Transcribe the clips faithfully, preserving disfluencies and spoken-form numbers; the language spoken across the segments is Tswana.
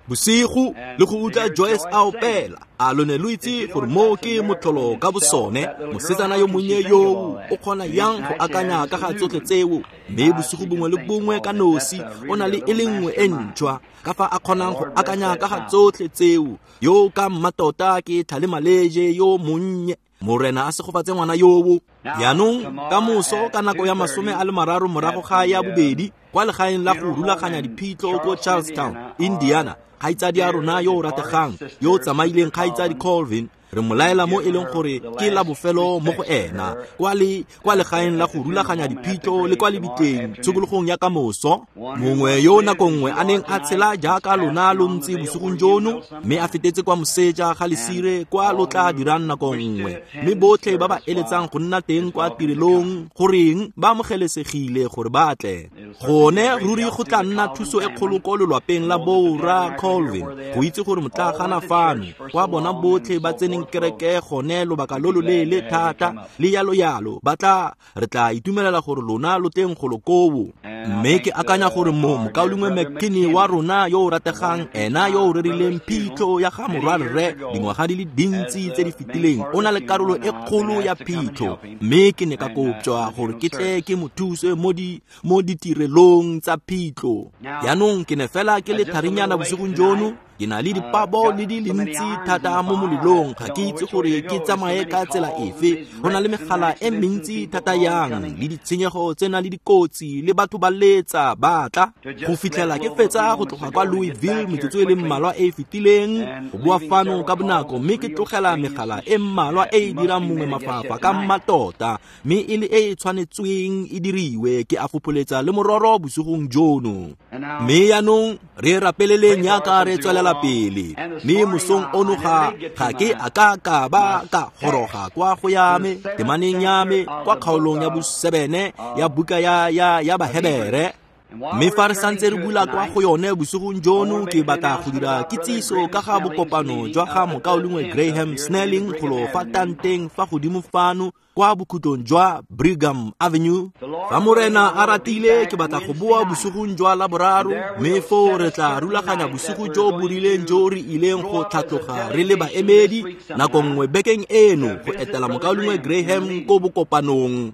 Bosigo le go utlwa Joyce a opela, a lo ne lo itse gore moo ke motlholo ka bosone? Mosetsana yo monnye yoo o kgona yang go akanya ka ga tsotlhe tseo? Mme bosigo bongwe le bongwe ka nosi o na le e le nngwe e ntšhwa, ka fa a kgonang go akanya ka ga tsotlhe tseo. Yo ka mmatota ke tlhalemaleje yo monnye. Morena a segofatse ngwana yoo. Jaanong ka moso ka nako ya masome a le mararo morago ga ya bobedi kwa legaeng la go rulaganya diphitlho ko Charlestown, Indiana, kgaitsadi ya rona yo o rategang yo o tsamaileng, kgaitsadi Colvin, re mo laela mo e leng gore ke la bofelo mo go ena kwa le kwa legaeng la go rulaganya diphitlho le kwa lebitleng tshokologong ya kamoso. Mongwe yo nako nngwe a neng a tshela jaaka lona lo ntse bosigong jono, mme a fetetse kwa moseja ga lesire kwa lo tla dirang nako nngwe. Mme botlhe ba ba eletsang go nna teng kwa tirelong goreng ba amogelesegile gore ba tle. Gone ruri go tla nna thuso e kgolo ko lelwapeng la borra Colvin go itse gore motlagana fano kwa bona botlhe ba tseneng kereke gone lobaka lo lo leele thata le yalo yalo, ba tla re tla itumelela gore lona lo teng golo koo. Mme ke akanya gore mo mokaulengwe McKinney wa rona yo o rategang, ena yo o rerileng phitlho ya ga morwarre dingwaga di le dintsi tse di fetileng, o na le karolo e kgolo ya phitlho. Mme ke ne ka kopjwa gore ke tle ke mo thuse mo di mo ditirelong tsa phitlho. Jaanong ke ne fela ke le tharinyana bosigong jono, ke na le dipabo le di le ntsi thata mo molelong, ga ke itse gore ke tsamaye ka tsela efe. Go na le megala e mentsi thata yang le ditshenyego tse na le dikotsi le batho ba letsa ba tla go fitlhela ke fetsa go tloga kwa Louisville metsotso e le mmalwa e e fetileng go boa fano ka bonako, mme ke tlogela megala e mmalwa e e dirang mongwe mafapha ka mmatota, mme e le e e tshwanetsweng e diriwe. Ke a fopholetsa le mororo bosigong jono. Mme jaanong re rapeleleng jaaka re tswelela pele. Mme mosong ono ga ga ke a ka ka ba ka goroga kwa go ya me temaneng ya me kwa kgaolong ya bosebene ya buka ya ya ya Bahebere. Mme fa re santse re bula kwa go yone bosigong jono, ke batla go dira kitsiso ka ga bokopano jwa ga mokaulengwe Graham Snelling golo fa tanteng fa godimo fano kwa bokhutlong jwa Brigham Avenue. Fa Morena a ratile, ke batla go boa bosigong jwa Laboraro, mme foo re tla rulaganya bosigo jo bo rileng jo re ileng go tlhatloga re le baemedi nako nngwe bekeng eno go etela mokaulengwe Graham ko bokopanong.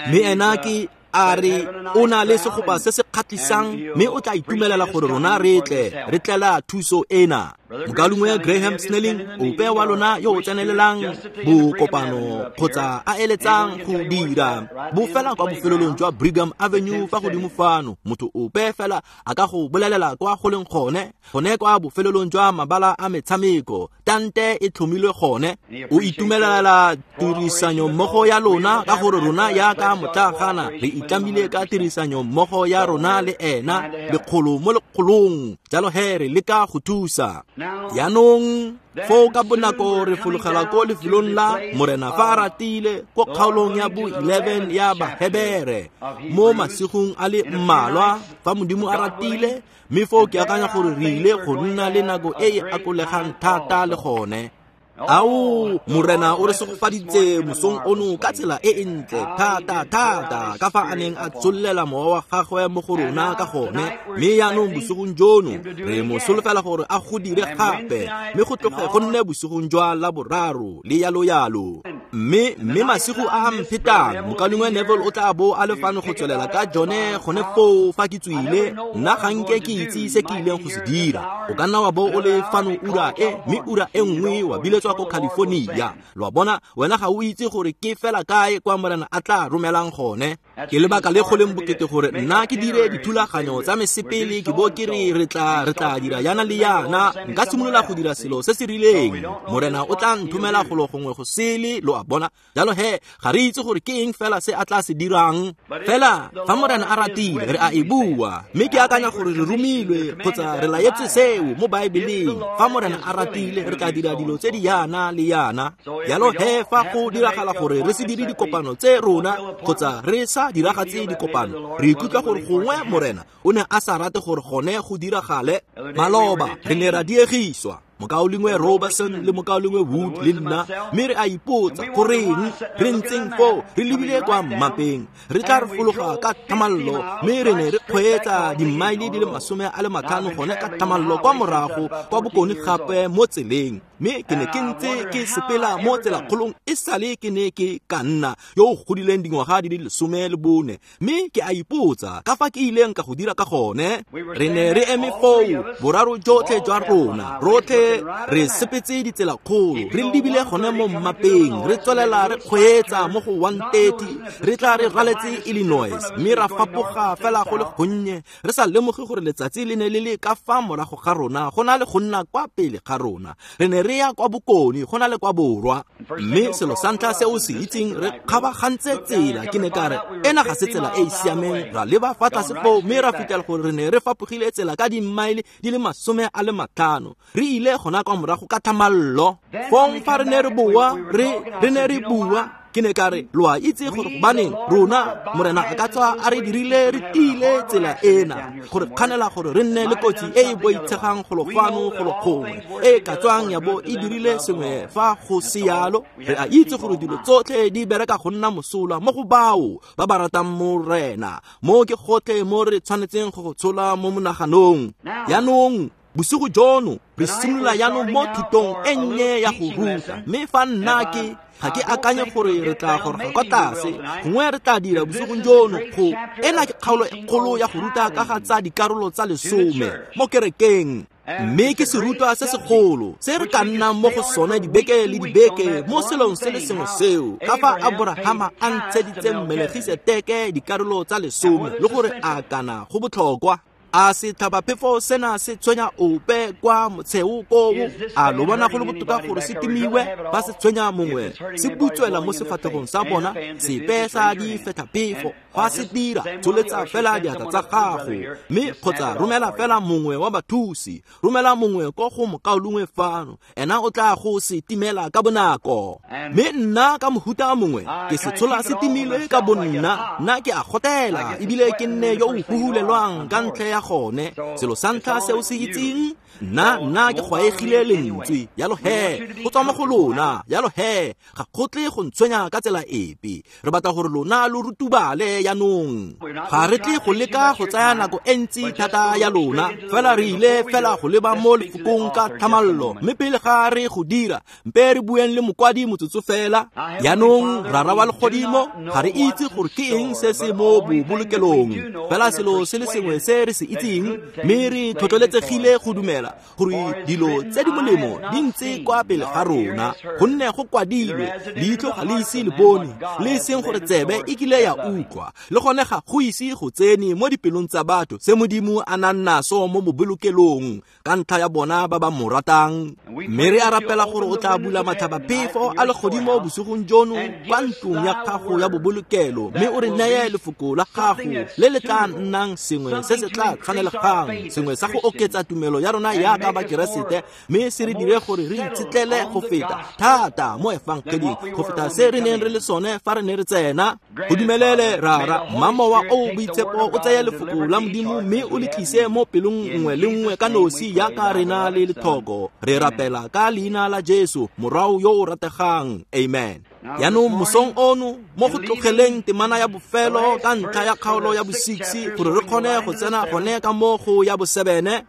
Mme ena ke a re o na le segopa se se kgatlhisang, mme o tla itumelela gore rona re tle re tlela thuso ena. Mokaulengwe Graham Snelling, ope wa lona yo o tsenelelang bokopano kgotsa a eletsang go dira bo fela kwa bofelelong jwa Brigham Avenue fa godimo fano, motho ope fela a ka go bolelela kwa go leng gone, gone kwa bofelelong jwa mabala a metshameko, tante e tlhomilwe gone. O itumelela tirisanyo mmogo ya lona ka gore rona jaaka motlagana re itlamile ka tirisanyo mmogo ya rona le ena lekgolo mo lekgolong, jalo he re leka go thusa. Jaanong foo ka bonako re fologela ko lefelong la Morena fa a ratile ko kgaolong ya bo eleven ya Bahebere mo masigong a le mmalwa fa Modimo a ratile, mme foo ke akanya gore re ile go nna le nako e e akolegang thata le gone. Ao, Morena o re segofaditse mosong ono ka tsela e e ntle thata thata ka fa a neng a tshollela mowa wa gagwe mo go rona ka gone. Mme jaanong bosigong jono re mo solofela gore a go dire gape, mme go tloge go nne bosigong jwa Laboraro le yalo yalo. Mme mme masigo a a mphetang, mokaulengwe Neville o tla bo a le fano go tswelela ka jone gone foo fa ke tswile. Nna ga nke ke itse se ke ileng go se dira. O ka nna wa bo o le fano ura e, mme ura e nngwe wa biletswa ko California. Lo a bona, wena ga o itse gore ke fela kae kwa Morena a tla romelang gone. Ke lebaka le go leng bokete gore nna ke dire dithulaganyo tsa mesepele, ke bo ke re re tla re tla dira yana le yana. Nka simolola go dira selo se se rileng, Morena o tla nthomela golo gongwe go sele. Lo a bona, jalo he ga re itse gore ke eng fela se a tla se dirang. Fela fa Morena a ratile re a e bua, mme ke akanya gore re romilwe kgotsa re laetswe seo mo Baebeleng. Fa Morena a ratile re tla dira dilo tse di yana le yana. Jalo he fa go diragala gore re se dire dikopano tse rona kgotsa re sa diragatse dikopano, re ikutlwa gore gongwe Morena o ne a sa rate gore gone go diragale. Maloba re ne ra diegiswa. Mokaulengwe Robertson le mokaulengwe Wood le nna, mme re a ipotsa goreng re ntseng foo re lebile kwa mmapeng. Re tla re fologa ka thamallo, mme re ne re kgweetsa dimmaele di le masome a le matlhano gone ka thamallo kwa morago kwa bokone gape mo tseleng. Mme ke ne ke ntse ke sepela mo tselakgolong e sale ke ne ke ka nna yo o godileng dingwaga di le lesome le bone, mme ke a ipotsa ka fa ke ileng ka go dira ka gone. Re ne re eme foo boraro jotlhe jwa rona, rotlhe re sepetse ditselakgolo, re lebile gone mo mmapeng, re tswelela re kgweetsa mo go one thirty, re tla re raletse Illinois, mme ra fapoga fela go le gonnye, re sa lemoge gore letsatsi le ne le le ka fa morago ga rona go na le go nna kwa pele ga rona. Re ne re ya kwa bokone go na le kwa borwa, mme selo sa ntlha se o se itseng, re kgabagantse tsela. Ke ne ka re ena ga se tsela e e siameng. Ra leba fa tlase foo, mme ra fitlhela gore re ne re fapogile tsela ka dimmaele di le masome a le matlhano, re ile gona kwa morago ka thamallo. Fong fa re ne re boa, re re ne re bua, ke ne ka re lo a itse gore gobaneng rona morena a ka tswa a re dirile re tiile tsela ena gore kganela gore re nne le kotsi e e boitshegang golo fano golo gongwe e ka tswang ya bo e dirile sengwe fa go se yalo. Re a itse gore dilo tsotlhe di bereka go nna mosola mo go bao ba ba ratang morena. Mo ke gotlhe mo re tshwanetseng go go tshola mo monaganong. Jaanong bosigo jono re simolola jaanong mo thutong e nnye ya go ruta, mme fa nna ke ga ke akanye gore re tla goroga kwa tlase, gongwe re tla dira bosigong jono go ena ke kgaolo e kgolo ya go ruta ka ga tsa dikarolo tsa lesome mo kerekeng. Mme ke serutwa se segolo se re ka nnang mo go sone dibeke le dibeke mo selong se le sengwe seo, ka fa Aborahama a ntsheditseng Melegiseteke dikarolo tsa lesome le gore a kana go botlhokwa. A setlhabaphefo sena se tshwenya ope kwa motsheo koo? A lo bona go le botoka gore se timiwe ba se tshwenya mongwe, se butswela mo sefatlhegong sa bona, sepe sa difethaphefo fa se dira, tsholetsa fela diatla tsa gago, mme kgotsa romela fela mongwe wa bathusi, romela mongwe ko go mokaulengwe fano, ena o tla go se timela ka bonako. Mme nna ka mohuta mongwe ke se tshola se timile ka bonna, nna ke a gotela ebile ke nne yo o huhulelwang ka ntlha ya gone. Selo sa ntlha se o se itseng, nna nna ke gwaegile lentswe, yalo he go tswa mo go lona, yalo he ga go tle go ntshwenya ka tsela epe. Re batla gore lona lo rutubale jaanong, ga re tle go leka go tsaya nako e ntsi thata ya lona, fela re ile fela go leba mo lefokong ka thamallo. Mme pele ga re go dira, mpe re bueng le mokwadi motsotso fela. Jaanong Rara wa legodimo, ga re itse gore ke eng se se mo bobolokelong, fela selo se le sengwe se re se itseng, mme re tlhotlheletsegile go dumela gore dilo tse di molemo di ntse kwa pele ga rona, gonne go kwadilwe, leitlho ga le ise le bone, le e seng gore tsebe e kile ya utlwa, le gone ga go ise go tsene mo dipelong tsa batho se Modimo a nang naso mo bobolokelong ka ntlha ya bona ba ba mo ratang. Mme re a rapela gore o tla bula matlhabaphefo a legodimo bosigong jono kwa ntlong ya gago ya bobolokelo, mme o re neye lefoko la gago le le tla nnang sengwe se se tla tshwanelegang, sengwe sa go oketsa tumelo ya rona yaka bakeresete, mme se re dire gore re itshetlele go feta thata mo efangeding go feta se re neng re le sone fa re ne re tsena. Go dumelele Rara, mmamowa o boitshepo o tseye lefoko la Modimo mme o le tlise mo pelong nngwe le nngwe ka nosi yaka re na le lethoko. Re rapela ka leina la Jesu, morao yo o rategang. Amen. Jaanong mosong ono mo go tlogeleng temana ya bofelo ka ntlha ya kgaolo ya bo-six gore re kgone go tsena gone ka mo go ya bo-seven,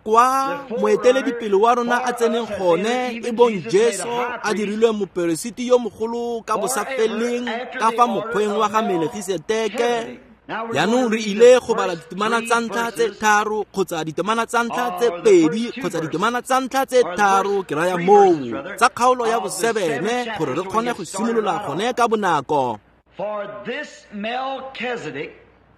kwa moeteledipele wa rona a tseneng gone e bong Jesu a dirilwe moperesiti yo mogolo ka bosafeleng ka fa mokgweng wa ga Melegiseteke. Jaanong re ile go bala ditemana tsa ntlha tse tharo kgotsa ditemana tsa ntlha tse pedi kgotsa ditemana tsa ntlha tse tharo, ke raya moo, tsa kgaolo ya bosebene gore re kgone go simolola gone ka bonako.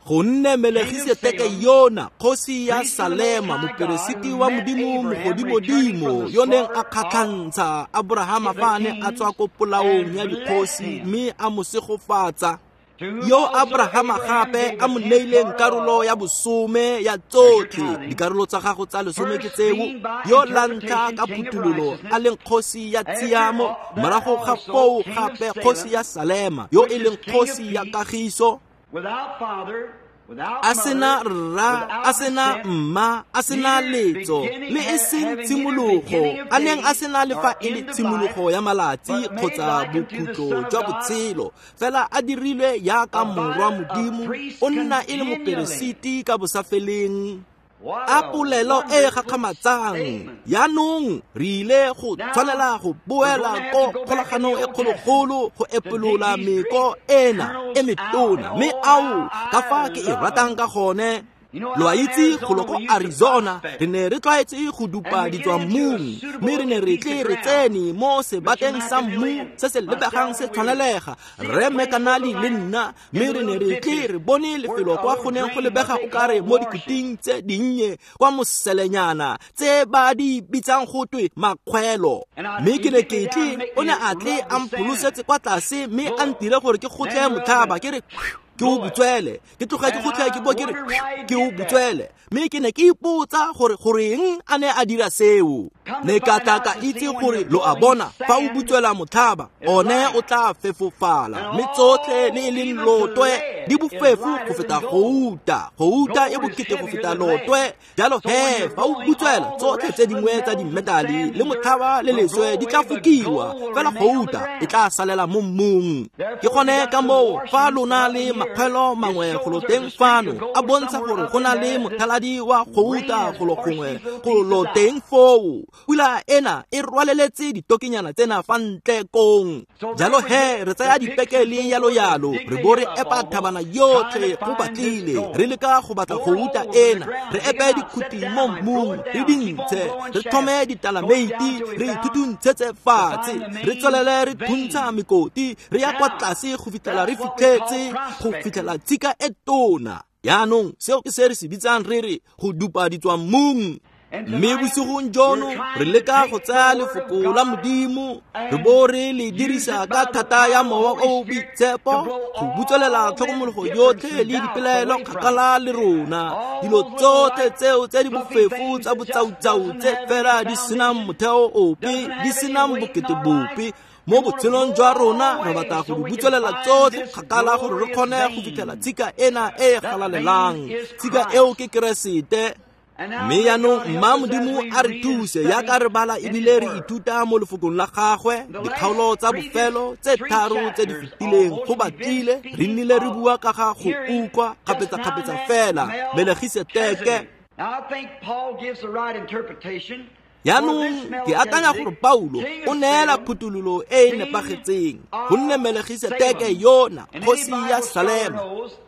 Gonne Melegiseteke yona kgosi ya Salema, moperesiti wa Modimo mogodimodimo, yo neng a kgatlhantsha Aborahama fa a ne a tswa ko polaong ya dikgosi mme a mo segofatsa, yo Abrahama gape a mo neileng karolo ya bosome ya tsotlhe dikarolo tsa gago tsa lesome ke tseo, yo la ntlha ka phuthololo a leng kgosi ya tshiamo, morago ga foo gape kgosi ya Salema yo e leng kgosi ya kagiso. Without father, A sena rra, a sena mma, a sena letso, le e seng tshimologo, a neng a sena le fa e le tshimologo ya malatsi kgotsa bokhutlo jwa botshelo, fela a dirilwe yaka morwa Modimo, o nna e le moperesiti ka bosafeleng. A polelo e gakgamatsang. Yaanong re ile go tshwanela go boela ko kgolaganong e kgologolo go epolola meko ena e metona, mme ao ka fa ke e ratang ka gone. Lo a itse golo ko Arizona re ne re tlwaetse go dupa ditswammung, mme re ne re tle re tsene mo sebateng sa mmu se se lebegang se tshwanelega, Rre Mekanali le nna, mme re ne re tle re bone lefelo kwa go neng go lebega o kare mo dikuting tse dinnye kwa moselenyana tse ba di bitsang go twe makgwelo. Mme ke ne ke tle, o ne a tle a mpholosetse kwa tlase mme a ntire gore ke gotle motlhaba, ke re ke o butswele, ke tloga ke gotlhe ke bo ke re ke o butswele. Mme ke ne ke ipotsa gore goreng a ne a dira seo. Ne ka tla ka itse gore lo a bona, fa o butswela motlhaba one o tla fefofala, mme tsotlhe le e leng lotwe di bofefo go feta gouta, gouta e bokete go feta lotwe. Jalo he fa o butswela tsotlhe tse dingwe tsa dimetale le motlhaba le leswe di tla fokiwa, fela gouta e tla salela mo mmung. Ke gone ka moo fa lona le makgwelo mangwe golo teng fano a bontsha gore go na le mothaladi wa gouta golo gongwe golo teng foo. Pula ena e rwaleletse ditokinyana tsena fa ntle kong. Jalo he re tsaya dipekele yalo yalo, re bo re epa thabana yotlhe go batlile, re leka go batla gouta ena, re epe dikhuti mo mmung, re dintshe, re thome ditalameiti, re ithutuntshetse fatshe, re tswelele re thuntsha mekoti, re ya kwa tlase go fitlhela re fitlhetse go fitlhela tshika e tona. Yaanong seo ke se re se bitsang re re go dupa ditswammung. Mme bosigong jono re leka go tsaya lefoko la Modimo, re bo re le dirisa ka thata ya Mowa o o Boitshepo go butswelela tlhokomologo yotlhe le dipelaelo kgakala le rona, dilo tsotlhe tseo tse di bofefo tsa botsautsau tse fela di senang motheo ope, di senang bokete bope mo botshelong jwa rona. Re batla go di butswelela tsotlhe kgakala gore re kgone go fitlhela tshika ena e e galalelang. Tshika eo ke Keresete. Mme yaanong mma Modimo a re thuse yaka re bala ebile re ithuta mo lefokong la gagwe dikgaolo tsa bofelo tse tharo tse di fetileng go batlile re nnile re bua ka ga go utlwa kgapetsa-kgapetsa fela Melegiseteke. Yaanong ke akanya gore Paulo o neela phuthololo e e nepagetseng, gonne Melegiseteke yona kgosi ya Salema,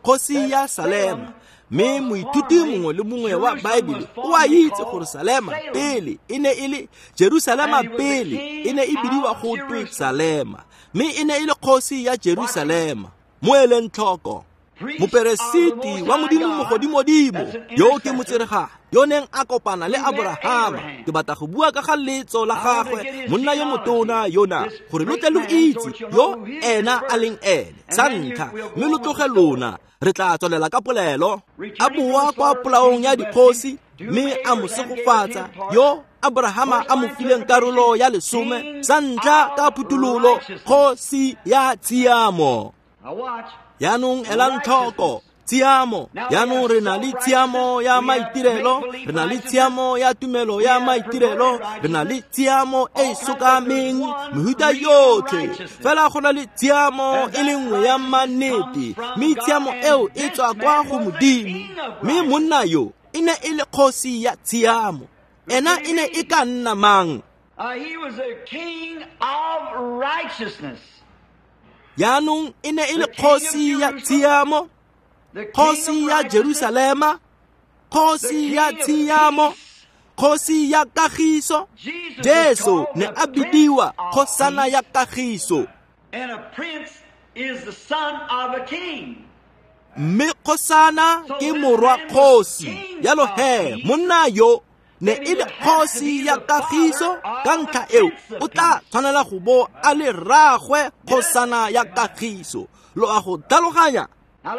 kgosi ya Salema. Mme moithuti mongwe le mongwe wa Baebele o a itse gore Salema pele e ne e le Jerusalema, pele e ne e bidiwa go twe Salema, mme e ne e le kgosi ya Jerusalema. Mo eleng tlhoko, moperesiti wa Modimo mogodimodimo yo ke motseregang yo neng a kopana le Abrahama. Ke batla go bua ka ga letso la gagwe, monna yo motona yona, gore lo tle lo itse yo ena a leng ene sa ntlha, mme lo tloge lona. Re tla tswelela ka polelo. A boa kwa polaong ya dikgosi mme a mo segofatsa, yo Abrahama a mo fileng karolo ya lesome sa ntlha ka phuthololo, kgosi ya tshiamo. Yaanong elang tlhoko tshiamo. Yaanong re na le tshiamo ya maitirelo, re na le tshiamo ya tumelo ya maitirelo, re na le tshiamo e e sokameng, mehuta yotlhe. Fela go na le tshiamo e le nngwe ya mannete, mme tshiamo eo e tswa kwa go Modimo. Mme monna yo e ne e le kgosi ya tshiamo. Ena e ne e ka nna mang? Yaanong e ne e le kgosi ya tshiamo, kgosi ya Jerusalema, kgosi ya tshiamo, kgosi ya kagiso. Jesu ne a bidiwa kgosana ya kagiso. Mme kgosana ke morwa kgosi. Jalo he monna yo ne e le kgosi ya kagiso, ka ntlha eo o tla tshwanela go bo a le rraagwe kgosana ya kagiso. Lo a go tlhaloganya?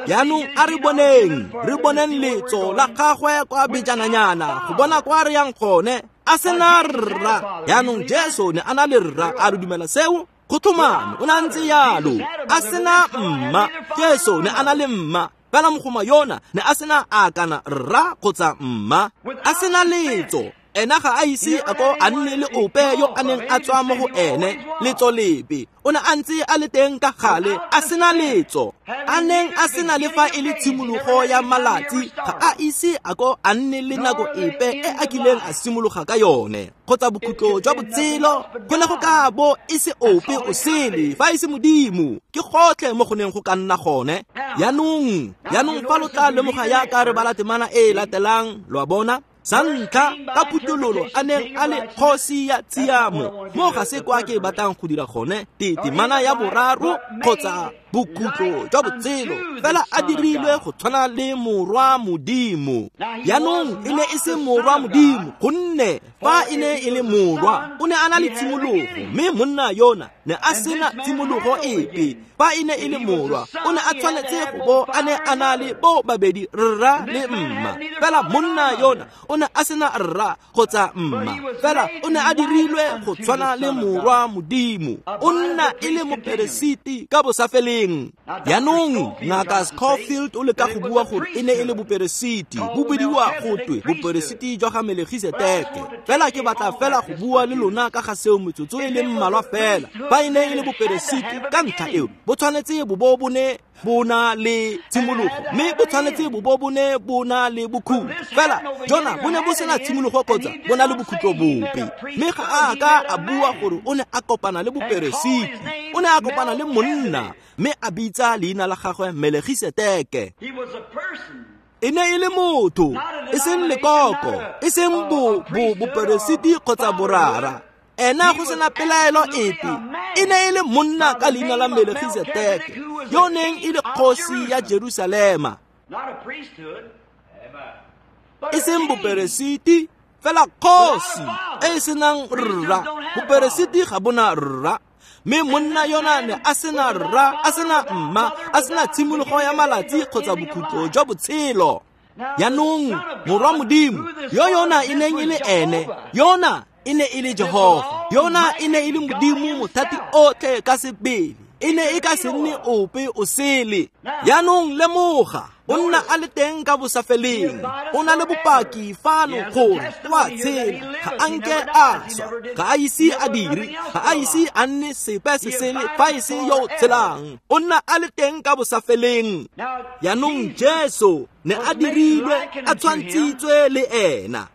Yaanong a re boneng, re boneng letso la gagwe kwa bejananyana go bona kwa re yang gone. A sena rra. Yaanong Jesu ne a na le rra, a re dumela seo? Go tlhomame, o ne a ntse yalo. A sena mma. Jesu ne a na le mma. Fela mogoma yona ne a sena a kana rra kgotsa mma, a sena letso. Ena ga a ise a ko a nne le ope yo a neng a tswa mo go ene letso lepe. O ne a ntse a le teng ka gale a sena letso, a neng a sena le fa e le tshimologo ya malatsi, ga a ise a ko a nne le nako epe e a kileng a simologa ka yone kgotsa bokhutlo jwa botshelo. Go ne go ka bo e se ope o sele fa e se Modimo. Ke gotlhe mo go neng go ka nna gone. Yaanong yaanong fa lo tla lemoga yaka re bala temana e e latelang, lo a bona, sa ntlha ka phuthololo a neng a le kgosi ya tshiamo. Mo ga se kwa ke batlang go dira gone temana ya boraro kgotsa bokhutlo jwa botshelo, fela a dirilwe go tshwana le morwa Modimo. Yaanong e ne e se morwa Modimo, gonne fa e ne e le morwa o ne a na le tshimologo, mme monna yona ne a sena tshimologo epe. Fa e ne e le morwa o ne a tshwanetse go bo a ne a na le bo babedi, rra le mma. Fela monna yona o ne a sena rra kgotsa mma, fela o ne a dirilwe go tshwana le morwa Modimo. O nna e le moperesiti ka bosafeleng. Yaanong Ngaka Scofield o leka go bua gore e ne e le boperesiti, bo bidiwa go twe boperesiti jwa ga Melegiseteke. Fela ke batla fela go bua le lona ka ga seo metsotso e leng mmalwa fela. Fa e ne e le boperesiti ka ntlha eo, bo tshwanetse bo bo bo ne bo na le tshimologo, mme bo tshwanetse bo bo bo ne bo na le bokhutlo. Fela jona bo ne bo sena tshimologo kgotsa bo na le bokhutlo bope. Mme ga a ka a bua gore o ne a kopana le boperesiti, o ne a kopana le monna, mme a bitsa leina la gagwe Melegiseteke. E ne e le motho, e seng lekoko, e seng bo bo boperesiti kgotsa borara. Ena go sena pelaelo epe, e ne e le monna ka leina la Melegiseteke, yo neng e le kgosi ya Jerusalema. E seng boperesiti, fela kgosi e e senang rra. Boperesiti ga bona rra, mme monna yona ne a sena rra, a sena mma, a sena tshimologo ya malatsi kgotsa bokhutlo jwa botshelo. Yaanong morwa Modimo yo yona e neng e le ene, yona e ne e le Jehova, yona e ne e le Modimo mothati otlhe ka sebele, e ne e ka se nne ope o sele. Yaanong lemoga, o nna a le teng ka bosafeleng, o na le bopaki fano gore o a tshela, ga a nke a swa, ga a ise a dire, ga a ise a nne sepe se sele fa e se yo o tshelang. O nna a le teng ka bosafeleng. Yaanong Jesu ne a dirilwe a tshwantshitswe le ena.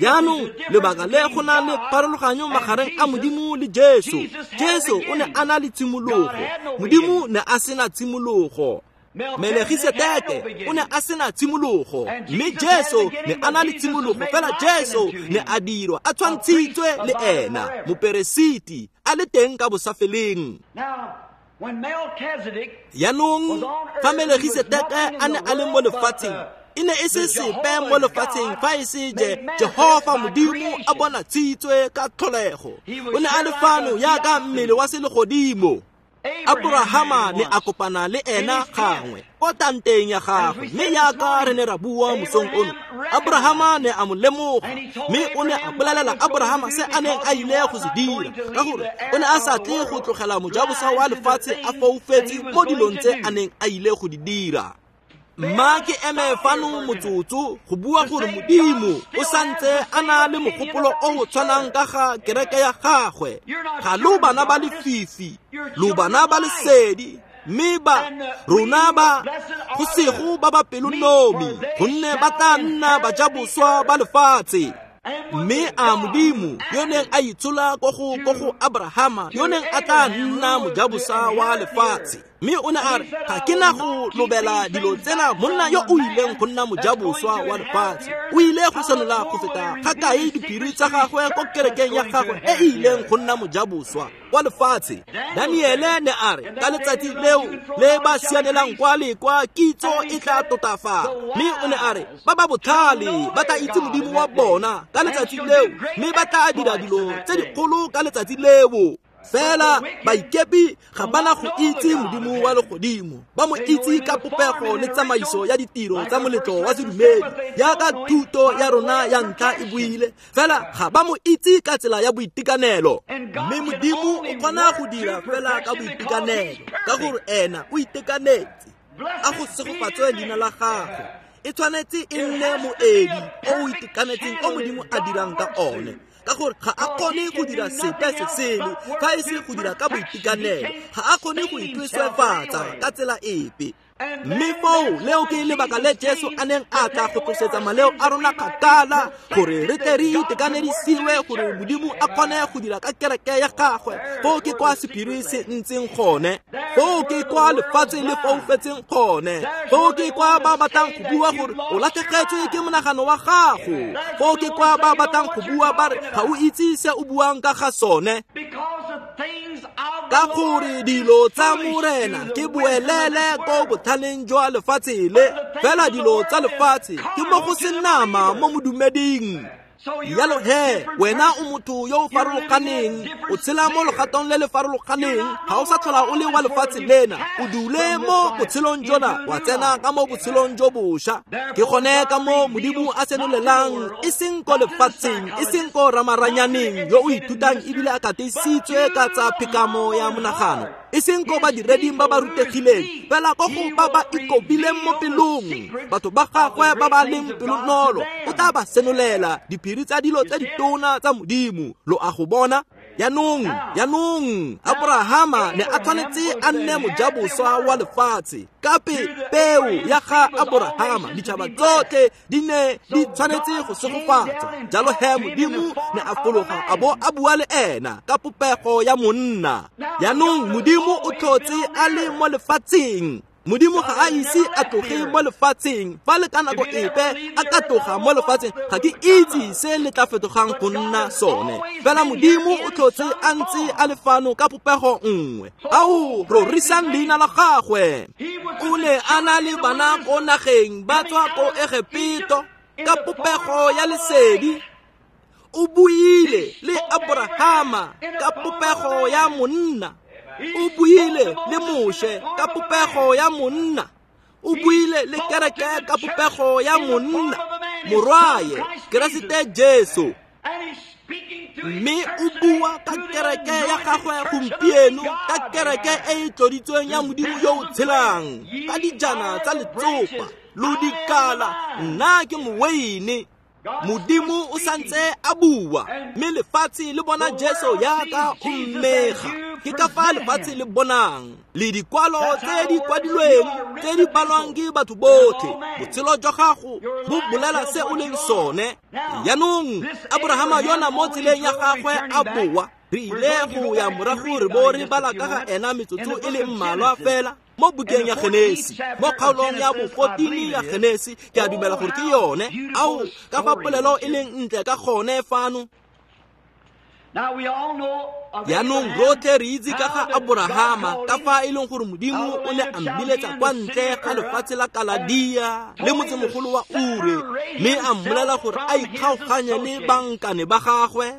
Yaanong lebaka le go na le pharologanyo magareng a Modimo le Jesu, Jesu o ne a na le tshimologo, Modimo ne a sena tshimologo. Melegiseteke o ne a sena tshimologo, mme Jesu ne a na le tshimologo. Fela Jesu ne a dirwa a tshwantshitswe le ena, moperesiti a le teng ka bosafeleng. Yaanong fa Melegiseteke a ne a le mo lefatsheng, e ne e se sepe mo lefatsheng fa e se je Jehova Modimo a bona tshitswe ka tlholego. O ne a le fano yaka mmele wa selegodimo. Abrahama ne a kopana le ena gangwe ko tanteng ya gagwe, mme yaka re ne ra bua mosong ono, Abrahama ne a mo lemoga, mme o ne a bolelela Abrahama se a neng a ile go se dira, ka gore o ne a sa tle go tlogela mojabosa wa lefatshe a foufetse mo dilong tse a neng a ile go di dira. Mma ke eme fano motsotso go bua gore Modimo o santse a na le mogopolo o o tshwanang ka ga kereke ya gagwe. Ga lo bana ba lefifi, lo bana ba lesedi, mme ba rona ba go sego ba ba pelonomi, gonne ba tla nna bajaboswa ba lefatshe. Mme a Modimo yo neng a itshola ko go ko go Abrahama, yo neng a tla nna mojabosa wa lefatshe, mme o ne a re ga ke na go lobela dilo tsena monna yo o ileng go nna mojaboswa wa lefatshe. O ile go senola go feta ga kae diphiri tsa gagwe ko kerekeng ya gagwe e e ileng go nna mojaboswa wa lefatshe. Daniele ne a re ka letsatsi leo le ba sianelang kwa le kwa kitso e tla totafala, mme o ne a re ba ba botlhale ba tla itse Modimo wa bona ka letsatsi leo, mme ba tla dira dilo tse dikgolo ka letsatsi leo. Fela baikepi ga bana go itse Modimo wa legodimo, ba mo itse ka popego le tsamaiso ya ditiro tsa moletlo wa sedumedi, yaka thuto ya rona ya ntlha e buile. Fela ga ba mo itse ka tsela ya boitekanelo, mme Modimo o kgona go dira fela ka boitekanelo, ka gore ena o itekanetse. A go segofatswe leina la gagwe. E tshwanetse e nne moedi o o itekanetseng o Modimo a dirang ka one. Ka gore ga a kgone go dira sepe se sele fa e se go dira ka boitekanelo. Ga a kgone go itweswefatsa ka tsela epe. Mme foo leo ke lebaka le Jesu a neng a tla go tlosetsa maleo a rona kgakala, gore re tle re itekanedisiwe, gore Modimo a kgone go dira ka kereke ya gagwe. Foo ke kwa sephiri se ntseng gone, foo ke kwa lefatshe le foufetseng gone, foo ke kwa ba batlang go bua gore o latlhegetswe ke monagano wa gago, foo ke kwa ba batlang go bua ba re ga o itse se o buang ka ga sone. Ka gore dilo tsa Morena ke boelele ko botlhaleng jwa lefatshe le, fela dilo tsa lefatshe ke mo go senama mo modumeding. Jalo he, wena o motho yo o farologaneng, o tshela mo legatong le le farologaneng, ga o sa tlhola o le wa lefatshe lena, o dule mo botshelong jona, wa tsena ka mo botshelong jo bošwa. Ke gone ka mo Modimo a senolelang, e seng ko lefatsheng, e seng ko ramaranyaneng yo o ithutang ebile a katisitswe ka tsa phekamo ya monagano, e seng ko badireding ba ba rutegileng, fela ko go ba ba ikobileng mo pelong, batho ba gagwe ba ba leng pelonolo, o tla ba senolela diphiri tsa dilo tse ditona tsa Modimo. Lo a go bona? Jaanong, jaanong, Abrahama ne a tshwanetse a nne mojaboswa wa lefatshe. Ka peo ya ga Abrahama, ditšhaba tsotlhe di ne di tshwanetse go segofatsa. Jalo he Modimo ne a fologa a bo a bua le ena ka popego ya monna. Jaanong Modimo o tlhotse a le mo lefatsheng. Modimo ga a ise a tloge mo lefatsheng. Fa le ka nako epe a ka tloga mo lefatsheng, ga ke itse se le tla fetogang go nna sone. Fela Modimo o tlhotse a ntse a le fano ka popego nngwe. Ao, rorisang leina la gagwe. O ne a na le bana ko nageng ba tswa ko Egepeto ka popego ya lesedi. O buile le Abrahama ka popego ya monna. O buile le Moshe ka popego ya monna. O buile le kereke ka popego ya monna, morwaye Keresete Jesu. Mme o bua ka kereke ya gagwe gompieno, ka kereke e e tloditsweng ya Modimo yo o tshelang, ka dijana tsa letsopa lo dikala. Nna ke moweine. Modimo o santse a bua, mme lefatshe le bona Jesu yaka o mmega. Ke ka fa lefatshe le bonang le dikwalo tse di kwadilweng tse di balwang ke batho botlhe. Botshelo jwa gago bo bolela se o leng sone. Jaanong Abrahama yona mo tseleng ya gagwe a boa. Re ile go ya morago re bo re bala ka ga ena metsotso e le mmalwa fela mo bukeng ya Genesi, mo kgaolong ya bo fourteen ya Genesi. Ke a dumela gore ke yone. Ao, ka fa polelo e leng ntle ka gone fano. Jaanong rotlhe re itse ka ga Abrahama, ka fa e leng gore Modimo o ne a mmiletsa kwa ntle ga lefatshe la Kaladia le motsemogolo wa Ure, mme a mmolela gore a ikgaoganye le bankane ba gagwe.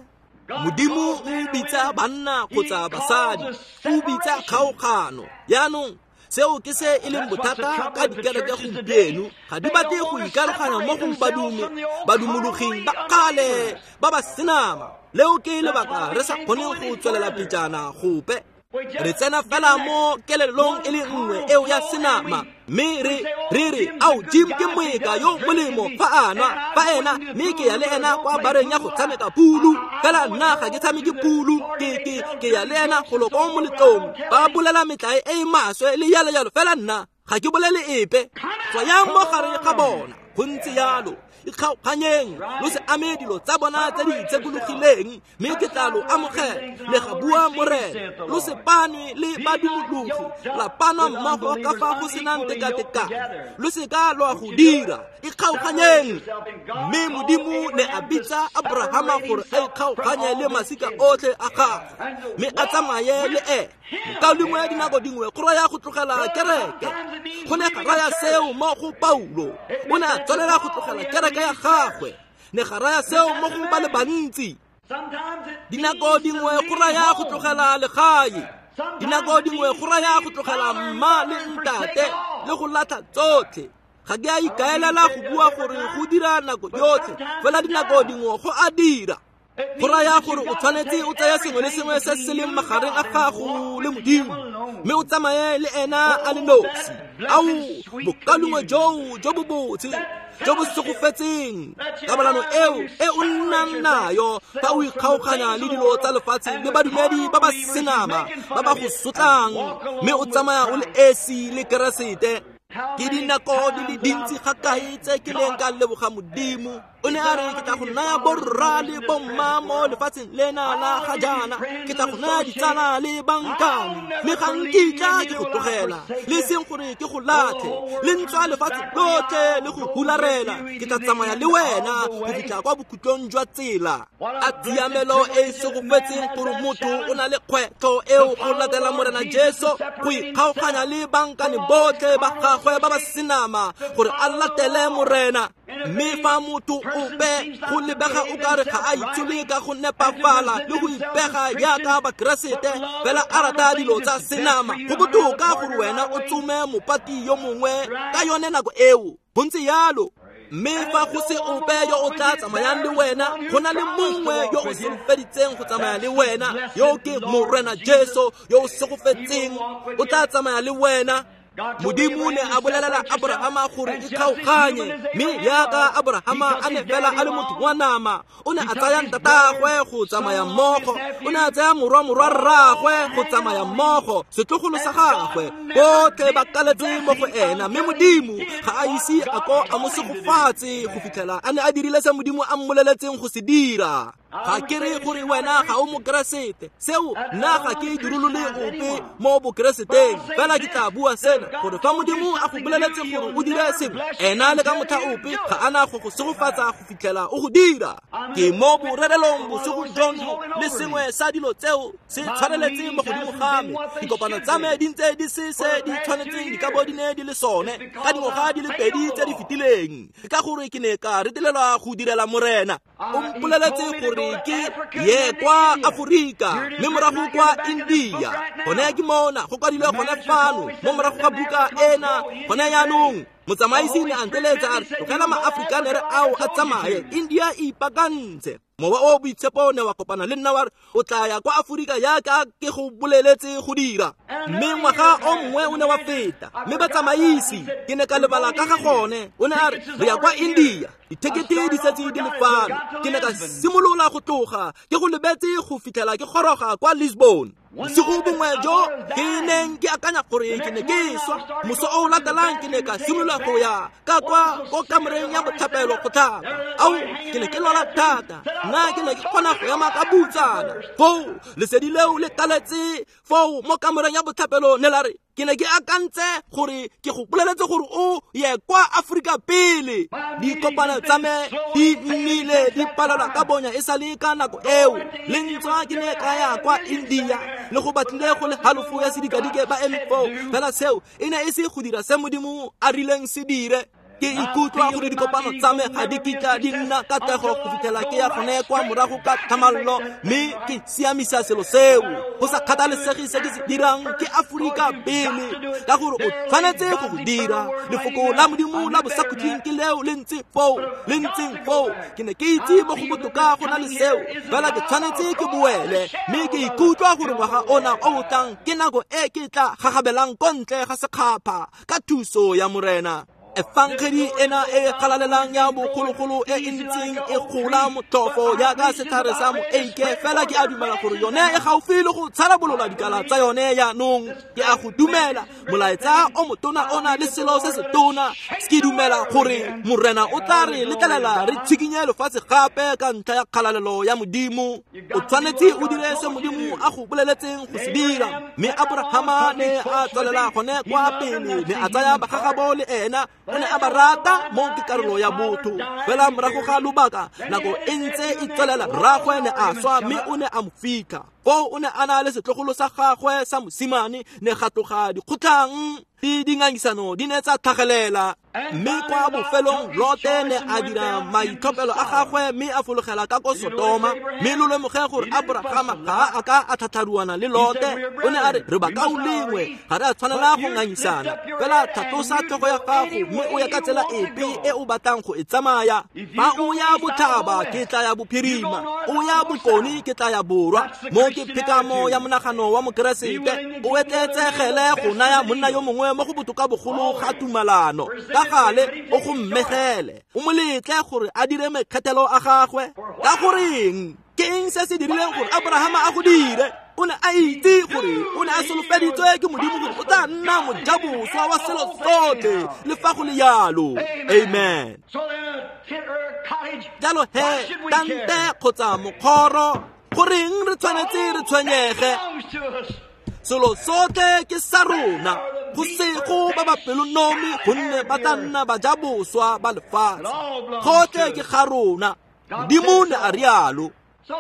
Modimo o bitsa banna kgotsa basadi, o bitsa kgaogano. Jaanong seo ke se e leng bothata ka dikereke gompieno. Ga di batle go ikaroganya mo go badume badumologing ba kgale ba ba senama. Leo ke lebaka re sa kgoneng go tswelela pejana gope. Re tsena fela mo kelelong e le nngwe eo ya senama, mme re re re ao, Jim ke moeka yo molemo fa a nwa, fa ena, mme ke ya le ena kwa bareng ya go tshameka pulu. Fela nna ga ke tshameke pulu, ke ke ke ya le ena golo ko moletlong. Ba bolela metlae e e maswe le jalo jalo, fela nna ga ke bolele epe. Tswayang mo gare ga bona, go ntse jalo. Ikgaoganyeng, lo se ame dilo tsa bona tse di itshekologileng, mme ke tla lo amogela. Le ga bua Morena. Lo se panwe le badumologi, la panwa mmogo ka fa go senang tekatekano. Lo se ka lwa go dira. Ikgaoganyeng. Mme Modimo ne a bitsa Abrahama gore a ikgaoganye le masika otlhe a gagwe, mme a tsamaye le ene. Mokaulengwe, dinako dingwe go raya go tlogela kereke. Go ne ga raya seo mo go Paulo. O ne a tswelela go tlogela kereke ya gagwe. Ne ga raya seo mo go ba le bantsi. Dinako dingwe go raya go tlogela legae. Dinako dingwe go raya go tlogela mma le ntate le go latlha tsotlhe. Ga ke a ikaelela go bua gore go dira nako yotlhe, fela dinako dingwe go a dira. Go raya gore o tshwanetse o tsaya sengwe le sengwe se se leng magareng a gago le Modimo, mme o tsamaye le ena a le nosi. Ao, bokalungwe joo jo bo botse jo bo segofetseng, kabalano eo e o nnang nayo fa o ikgaoganya le dilo tsa lefatshe le badumedi ba ba senama ba ba go sotlang, mme o tsamaya o le esi le Keresete. Ke dinako di le dintsi ga kae tse ke leng ka leboga Modimo. O ne a re ke tla go naya borra le bomma mo lefatsheng lena la ga jaana, ke tla go naya ditsala le bankane, mme ga nkitla ke go tlogela, le seng gore ke go latlhe, le ntswa lefatshe lotlhe le go hularela, ke tla tsamaya le wena go fitlha kwa bokhutlong jwa tsela. A tshiamelo e e segofetseng gore motho o na le kgwetlho eo go latela Morena Jesu, go ikgaoganya le bankane botlhe ba gagwe ba ba senama gore a latele Morena. Mme fa motho ope go lebega o kare ga a itshole ka go nepafala le go ipega jaaka Bakeresete, fela a rata dilo tsa senama, go botoka gore wena o tsome mopati yo mongwe ka yone nako eo. Go ntse yalo. Mme fa go se ope yo o tla tsamayang le wena, go na le mongwe yo o solofeditseng go tsamaya le wena, yo ke Morena Jesu yo o segofetseng, o tla tsamaya le wena. Modimo ne a bolelela Abrahama gore ikgaoganye, mme jaaka Abrahama a ne fela a le motho wa nama, o ne a tsaya ntatagwe go tsamaya mmogo, o ne a tsaya morwa morwa rraagwe go tsamaya mmogo, setlogolo sa gagwe, botlhe ba kaletse mo go ena. Mme Modimo ga a ise a ko a mo segofatse go fitlhela a ne a dirile se Modimo a mmoleletseng go se dira. Ga ke re gore wena ga o Mokeresete, seo nna ga ke dirolole ope mo Bokereseteng, fela ke tla bua sena gore fa Modimo a go boleletse gore o dire sengwe, ena le ka motlha ope ga a na go go segofatsa go fitlhela o go dira. Ke mo borerelong bosigo jono, le sengwe sa dilo tseo se tshwaneletse mo godimo ga me. Dikopano tsa me di ntse di se se di tshwanetseng di ka bo di ne di le sone ka dingwaga di le pedi tse di fetileng, ka gore ke ne ka retelelwa go direla Morena. O mpoleletse gore ke ye kwa Aforika mme morago kwa India. Gone ke mona go kwadilwe gone fano mo morago ga buka ena gone jaanong. Motsamaisi ne a nteletsa a re tlogela maAfrikanere ao a tsamaye, India e ipaakantse. Mowa o boitshepo ne wa kopana le nna wa re o tla ya kwa Aforika jaaka ke go boleletse go dira. Mme ngwaga o mongwe o ne wa feta, mme batsamaisi ke ne ka lebala ka ga gone. O ne a re re ya kwa India, dithekete di setse di le fano. Ke ne ka simolola go tloga ke go lebetse go fitlhela ke goroga kwa Lisbon. Bosigo bongwe jo ke neng ke akanya gore ke ne ke swa, moso o latelang ke ne ka simolola go ya ka kwa ko kamoreng ya botlhapelo go tlhapa. Ao, ke ne ke lwala thata, nna ke ne ke kgona go ema ka butsana. Foo lesedi leo le kaletse foo mo kamoreng ya botlhapelo ne la re ke ne ke akantse gore ke go boleletse gore o ye kwa Aforika pele. Dikopano tsa me di nnile di palelwa ka bonya e sa le ka nako eo. Le ntswa ke ne ka ya kwa India le go batlile go le halofo ya sedikadike ba eme foo, fela seo e ne e se go dira se Modimo a rileng se dire. Ke ikutlwa gore dikopano tsa me ga di kitla di nna katlego go fitlhela ke ya gone kwa morago ka tlhamallo, mme ke siamisa selo seo. Go sa kgathalesege se ke se dirang, ke Aforika pele, ka gore o tshwanetse go go dira. Lefoko la Modimo la bosakhutleng ke leo le ntse foo, le ntseng foo. Ke ne ke itse mo go botoka go na le seo, fela ke tshwanetse ke boele, mme ke ikutlwa gore ngwaga ona o o tlang ke nako e ke tla gagabelang ko ntle ga sekgapha ka thuso ya Morena. Efangedi ena e galalelang ya bogologolo e e ntseng e gola motlhofo jaaka setlhare sa moeike, fela ke a dumela gore yone e gaufi le go tsharabolola dikala tsa yone jaanong. Ke a go dumela molaetsa o motona o na le selo se se tona. Ke dumela gore Morena o tla re letlelela re tshikinye lefatshe gape ka ntlha ya kgalalelo ya Modimo. O tshwanetse o dire se Modimo a go boleletseng go se dira. Mme Abrahama ne a tswelela gone kwa pele, ne a tsaya bagagabo le ena, o ne a ba rata mo ke karolo ya botho. Fela morago ga lobaka, nako e ntse e tswelela, rraagwe ne a swa mme o ne a mo fitlha. Foo o ne a na le setlogolo sa gagwe sa mosimane, ne ga tloga dikgotlhang. Di dingangisano di ne tsa tlhagelela. Mme kwa bofelong Lote ne a dira maitlhophelo a gagwe mme a fologela ka ko Sotoma. Mme lo lemoge gore Abrahama ga a ka a tlhatlharuana le Lote. O ne a re re bakaulengwe, ga re a tshwanela go ngangisana. Fela tlhatlosa tlhogo ya gago mme o ya ka tsela epe e o batlang go e tsamaya. Fa o ya botlhaba ke tla ya bophirima, o ya bokone ke tla ya borwa. Mo ke phekamo ya monagano wa Mokeresete, o etleetsegele go naya monna yo mongwe mo go botoka bogolo ga tumalano. Ka gale o go mmegele, o mo letle gore a dire mekgethelo a gagwe. Ka goreng? Ke eng se se dirileng gore Abrahama a go dire? O ne a itse gore o ne a solofeditswe ke Modimo gore o tla nna mojaboswa wa selo sotlhe le fa go le jalo. Amen. Jalo he, tante kgotsa mokgoro, goreng re tshwanetse re tshwenyege? Selo sotlhe ke sa rona. Go sego ba ba pelonomi gonne ba tla nna bajaboswa ba lefatshe. Gotlhe ke ga rona. Modimo ne a rialo.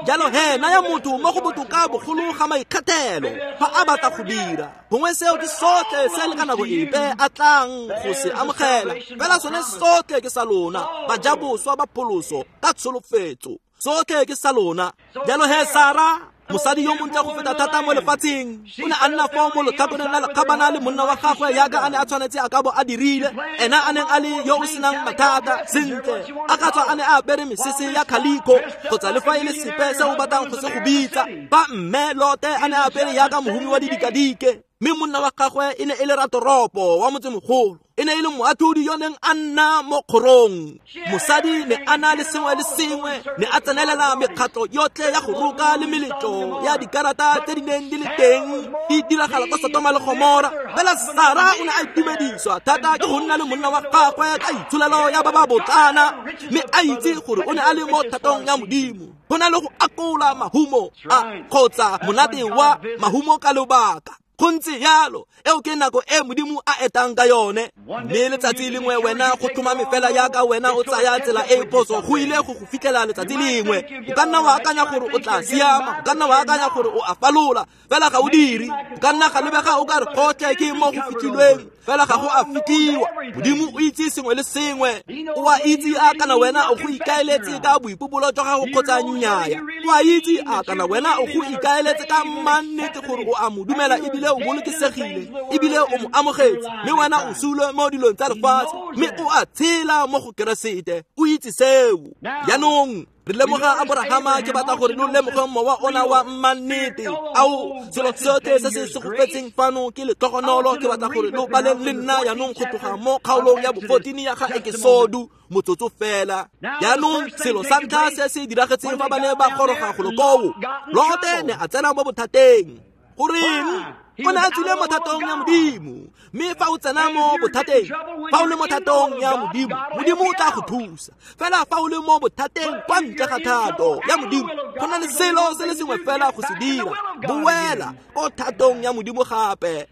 Jalo he, naya motho mo go botoka bogolo ga maikgethelo fa a batla go dira. Gongwe seo ke sotlhe se le ka nako epe a tlang go se amogela. Fela sone sotlhe ke sa lona, bajaboswa ba pholoso ka tsholofetso. Sotlhe ke sa lona. Jalo he, Sara, mosadi yo montle go feta thata mo lefatsheng, o ne a nna foo mo letlhakoreng la lekgabana le monna wa gagwe yaka a ne a tshwanetse a ka bo a dirile. Ena a neng a le yo o senang mathata sentle, a ka tswa a ne a apere mesese ya khaliko kgotsa le fa e le sepe se o batlang go se go bitsa. Fa mme Lote a ne a apere yaka mohumi wa didikadike, mme monna wa gagwe e ne e le ratoropo wa motsemogolo, e ne e le moatlhodi yo neng a nna mo kgorong. Mosadi ne a na le sengwe le sengwe, ne a tsenelela mekgatlho yotlhe ya go roka le meletlo ya dikarata tse di neng di le teng di diragala kwa Sotoma le Gomora. Fela Sara o ne a itumediswa thata ke go nna le monna wa gagwe ka itsholelo ya ba ba botlana, mme a itse gore o ne a le mo thatong ya Modimo. Go na le go akola mahumo a kgotsa monate wa mahumo ka lobaka. Go ntse jalo, eo ke nako e Modimo a etang ka yone. Mme letsatsi lengwe wena go tlhomame fela yaka wena o tsaya tsela e e phoso, go ile go go fitlhela letsatsi lengwe. O ka nna wa akanya gore o tla siama, o ka nna wa akanya gore o a falola, fela ga o dire. O ka nna ga lebega o ka re gotlhe ke mo go fitlhilweng, fela ga go a fitlhiwa. Modimo o itse sengwe le sengwe. O a itse a kana wena o go ikaeletse ka boipobolo jwa gago kgotsa nnyaya. O a itse a kana wena o go ikaeletse ka mannete gore o a mo dumela ebile o bolokesegile ebile o mo amogetse, mme wena o sule mo dilong tsa lefatshe mme o a tshela mo go Keresete. O itse seo. Jaanong re lemoga Abrahama, ke batla gore lo lemoge mowa ona wa mmannete. Ao, selo sotlhe se se segofetseng fano ke letlhogonolo. Ke batla gore lo baleng le nna jaanong go tloga mo kgaolong ya bo-fourteen ya ga Ekesodu, motsotso fela. Jaanong selo sa ntlha se se diragetseng fa ba ne ba goroga golo koo, Lote ne a tsena mo bothateng. Goreng? O ne a tswile mo thatong ya Modimo. Mme fa o tsena mo bothateng, fa o le mo thatong ya Modimo, Modimo o tla go thusa. Fela fa o le mo bothateng kwa ntle ga thato ya Modimo, go na le selo se le sengwe fela go se dira, boela ko thatong ya Modimo gape.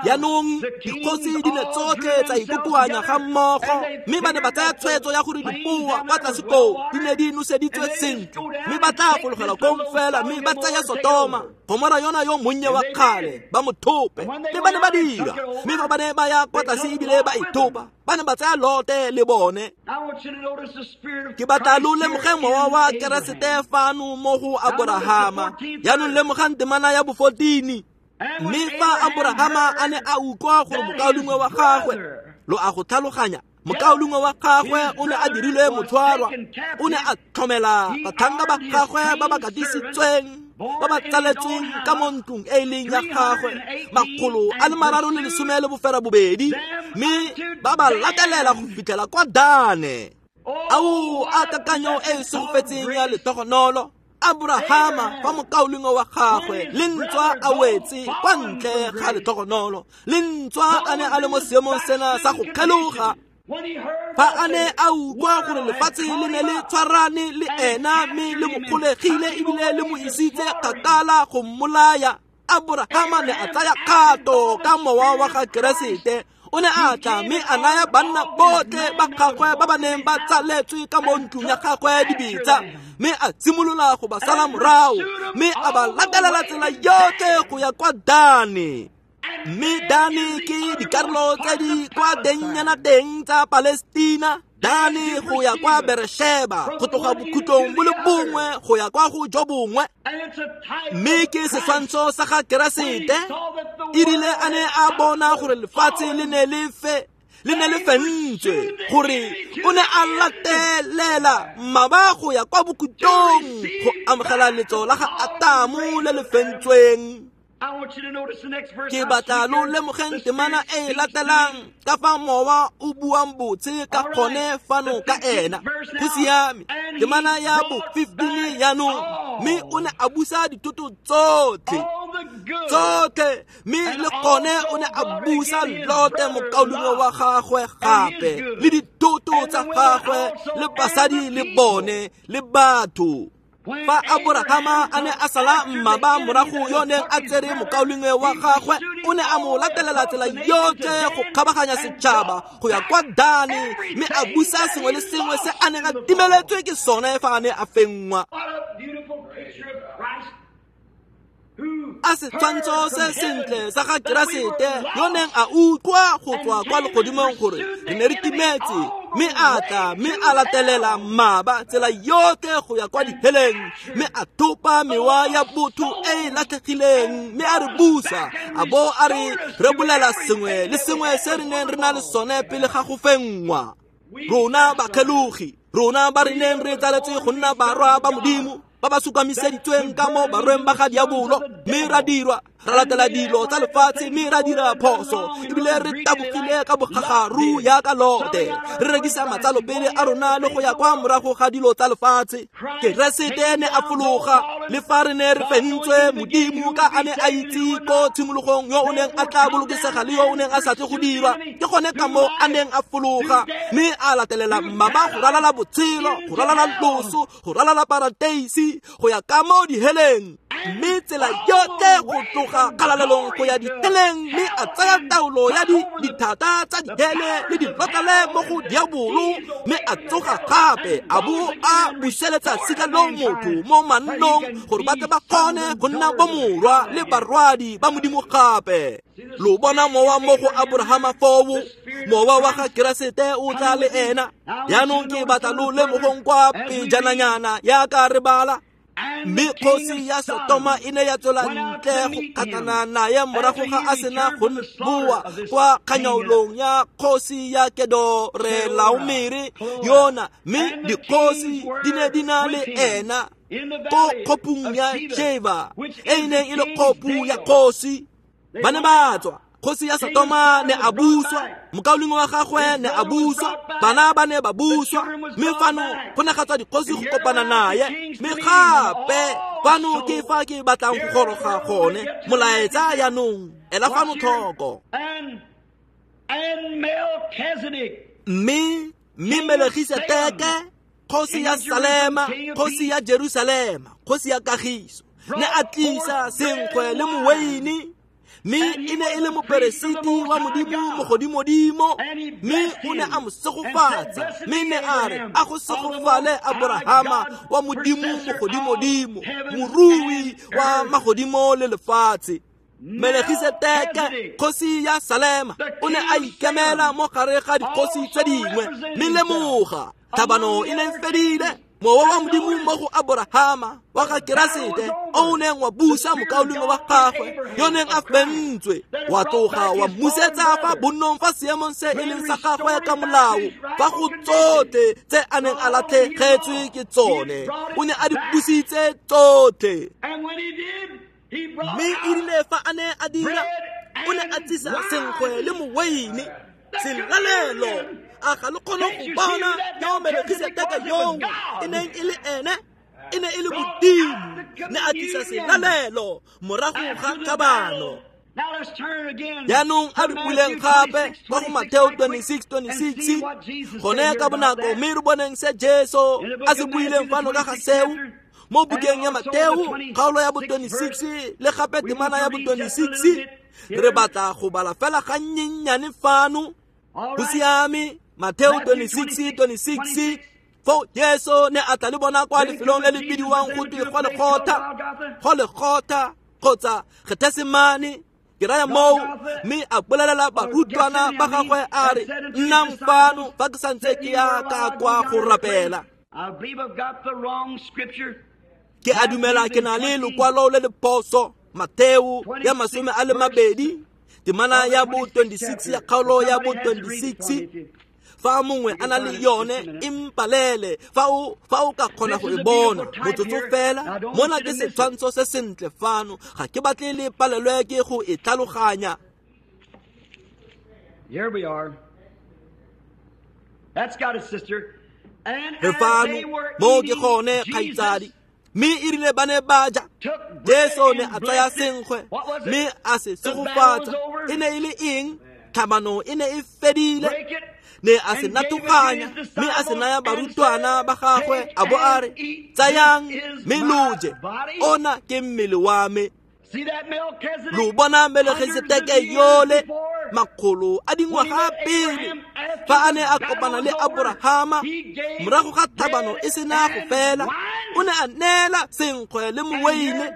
Jaanong dikgosi di ne tsotlhe tsa ikokoanya ga mmogo, mme ba ne ba tsaya tshwetso ya gore dipoa kwa tlase koo di ne di noseditswe sentle, mme ba tla fologela kong fela mme ba tsaya Sotoma, Gomora yona yo monnye wa kgale, ba mo thope. Mme ba ne ba dira, mme fa ba ne ba ya kwa tlase ebile ba ithopa, ba ne ba tsaya Lote le bone. Ke batla lo lemoge mowa wa Keresete fano mo go Aborahama. Jaanong lemogang temana ya bo-fourteen. Mme fa Aborahama a ne a utlwa gore mokaulengwe wa gagwe, lo a go tlhaloganya, mokaulengwe wa gagwe o ne a dirilwe motshwarwa, o ne a tlhomela batlhanka ba gagwe ba ba katisitsweng, ba ba tsaletsweng ka mo ntlong e e leng ya gagwe, makgolo a le mararo le lesome le bofera bobedi, mme ba ba latelela go fitlhela kwa Dane. Ao, a kakanyo e e segofetseng ya letlhogonolo. Abrahama fa mokaulengwe wa gagwe le ntswa a wetse kwa ntle ga letlhogonolo, le ntswa a ne a le mo seemong sena sa go kgeloga, fa a ne a utlwa gore lefatshe le ne le tshwarane le ena mme le mo kgolegile ebile le mo isitse kgakala go mmolaya, Abrahama ne a tsaya kgato ka mowa wa ga Keresete. O ne a tla mme a naya banna botlhe ba gagwe ba ba neng ba tsaletswe ka mo ntlong ya gagwe dibetsa, mme a simolola go ba sala morago, mme a ba latelela tsela yotlhe go ya kwa Dane. Mme Dane ke dikarolo tse di kwa tengnyana teng tsa Palestina, Dane go ya kwa Beersheba, go tloga bokhutlong bo le bongwe go ya kwa go jo bongwe. Mme ke setshwantsho sa ga Keresete, e rile a ne a bona gore lefatshe le ne le fe le ne le fentswe, gore o ne a latelela mmaba go ya kwa bokhutlong go amogela letso la ga Atamo le le fentsweng. Ke batla lo lemogeng temana e e latelang ka fa mowa o buang botse ka gone fano ka ena. Go siame, temana ya bo fifteen jaanong. Mme o ne a busa dithoto tsotlhe tsotlhe, mme le gone o ne a busa Lote mokaulengwe wa gagwe gape, le dithoto tsa gagwe, le basadi le bone, le batho. Fa Aborahama a ne a sala mmaba morago yo neng a tsere mokaulengwe wa gagwe, o ne a mo latelela tsela yotlhe go kgabaganya setšhaba go ya kwa Dane, mme a busa sengwe le sengwe se a neng a timeletswe ke sone fa a ne a fenngwa. A setshwantsho se sentle sa ga Keresete yo neng a utlwa go tswa kwa legodimong gore re ne re timetse, mme a tla mme a latelela mmaba tsela yotlhe go ya kwa diheleng, mme a thopa mewa ya botho e e latlhegileng, mme a re busa, a bo a re rebolela sengwe le sengwe se re neng re na le sone pele ga go fenngwa. Rona bakgelogi, rona ba re neng re tsaletswe go nna barwa ba Modimo, ba ba sukamiseditsweng ka mo barweng ba ga diabolo, mme ra dirwa ra latela dilo tsa lefatshe, mme ra dira phoso, ebile re tabogile ka bogagaru yaka Lote, re rekisa matsalo pele a rona le go ya kwa morago ga dilo tsa lefatshe. Keresete ne a fologa, le fa re ne re fentswe Modimo ka a ne a itse ko tshimologong yo o neng a tla bolokesega le yo o neng a sa tle go dirwa, ke gone ka moo a neng a fologa, mme a latelela mmaba go ralala botshelo, go ralala loso, go ralala parateisi, go ya ka mo diheleng, mme tsela yotlhe go tloga kgalalelong go ya diheleng, mme a tsaya taolo ya dithata tsa dihele le dilotlale mo go diabolo, mme a tsoga gape a bo a buseletsa sika lo motho mo mannong gore ba tle ba kgone go nna bomorwa le barwadi ba Modimo gape. Lo bona mowa mo go Aborahama foo, mowa wa ga Keresete o tla le ena. Jaanong ke batla lo lemogong kwa pejananyana yaka re bala. Mme kgosi ya Sotoma e ne ya tswela ntle go kgatlhana naye morago ga a sena go boa kwa kganyaolong ya kgosi ya Kedorelaomere yona, mme dikgosi di ne di na le ena ko kgopung ya Sheva e e neng e le kgopu ya kgosi. Ba ne ba tswa, kgosi ya Sotoma ne a buswa, mokaulengwe wa gagwe ne a buswa, bana ba ne ba buswa, mme fano go ne ga tswa dikgosi go kopana naye. Mme gape fano ke fa ke batlang go goroga gone molaetsa jaanong, ela fano tlhoko. Mme mme Melkisedeke, kgosi ya Salema, kgosi ya Jerusalema, kgosi ya kagiso, ne a tlisa senkgwe le moweine, mme e ne e le moperesiti wa Modimo mogodimodimo, mme o ne a mo segofatsa, mme ne a re a go segofale Aborahama wa Modimo mogodimodimo, morui wa magodimo le lefatshe. Melkisedeke, kgosi ya Salema, o ne a ikemela mo gare ga dikgosi tse dingwe, mme lemoga tlhabano e ne e fedile. Mowa wa Modimo mo go Aborahama wa ga Keresete o neng wa busa mokaulengwe wa gagwe yo neng a fentswe, wa tloga wa mmusetsa fa bonnong fa seemong se e leng sa gagwe ka molao, fa go tsotlhe tse a neng a latlhegetswe ke tsone, o ne a di busitse tsotlhe. Mme e rile fa a ne a dira, o ne a tsisa senkgwe le moweine, selalelo. A ga le kgone go bona yo Melkisedeke yoo e neng e le ene, e ne e le Modimo, ne a tlisa selalelo morago ga tlhabano. Jaanong a re buleng gape kwa go Mateo twenty-six twenty-six, gone ka bonako, mme re boneng se Jesu a se buileng fano ka ga seo mo bukeng ya Mateo kgaolo ya bo twenty-six le gape temana ya bo twenty-six. Re batla go bala fela ga nnyennyane fano. Go siame, Mateo twenty-six twenty-six. Foo Jesu ne a tla le bona kwa lefelong le le bidiwang go twe Golgotha, Golgotha kgotsa Gethesemane, Ke raya moo, mme a bolelela barutwana ba gagwe a re, nnang fano fa ke santse ke ya ka kwa go rapela. Ke a dumela ke na le lokwalo le le phoso, Mateo ya masome a le mabedi, temana ya bo twenty-six ya kgaolo ya bo twenty-six. Fa mongwe a na le yone e mpalele, fa o fa o ka kgona go e bona motsotso fela. Mona ke setshwantsho se sentle fano, ga ke batle le palelwe ke go e tlhaloganya. Here we are. That's got it, sister. And Re as fano they were mo ke eating, gone kgaitsadi. Jesus Mme e rile ba ne ba ja, took bread Jesu ne and a tsaya blessed it. senkgwe What was it? mme a se The battle was segofatsa. over. E ne e le eng? Tlhabano e ne e fedile. Break it. Ne a se And gave it to natoganya his mme a se disciples naya and barutwana said, ba gagwe, Take a bo a re, and eat. tsayang This is mme my lo je, body. ona ke mmele wa me. See that Melchizedek? Lo bona Melchizedeke Hundreds of years yole, before, makgolo a dingwaga pele, fa a ne a kopana le Aborahama morago ga tlhabano e sena go fela, o ne a neela senkgwe le moweine.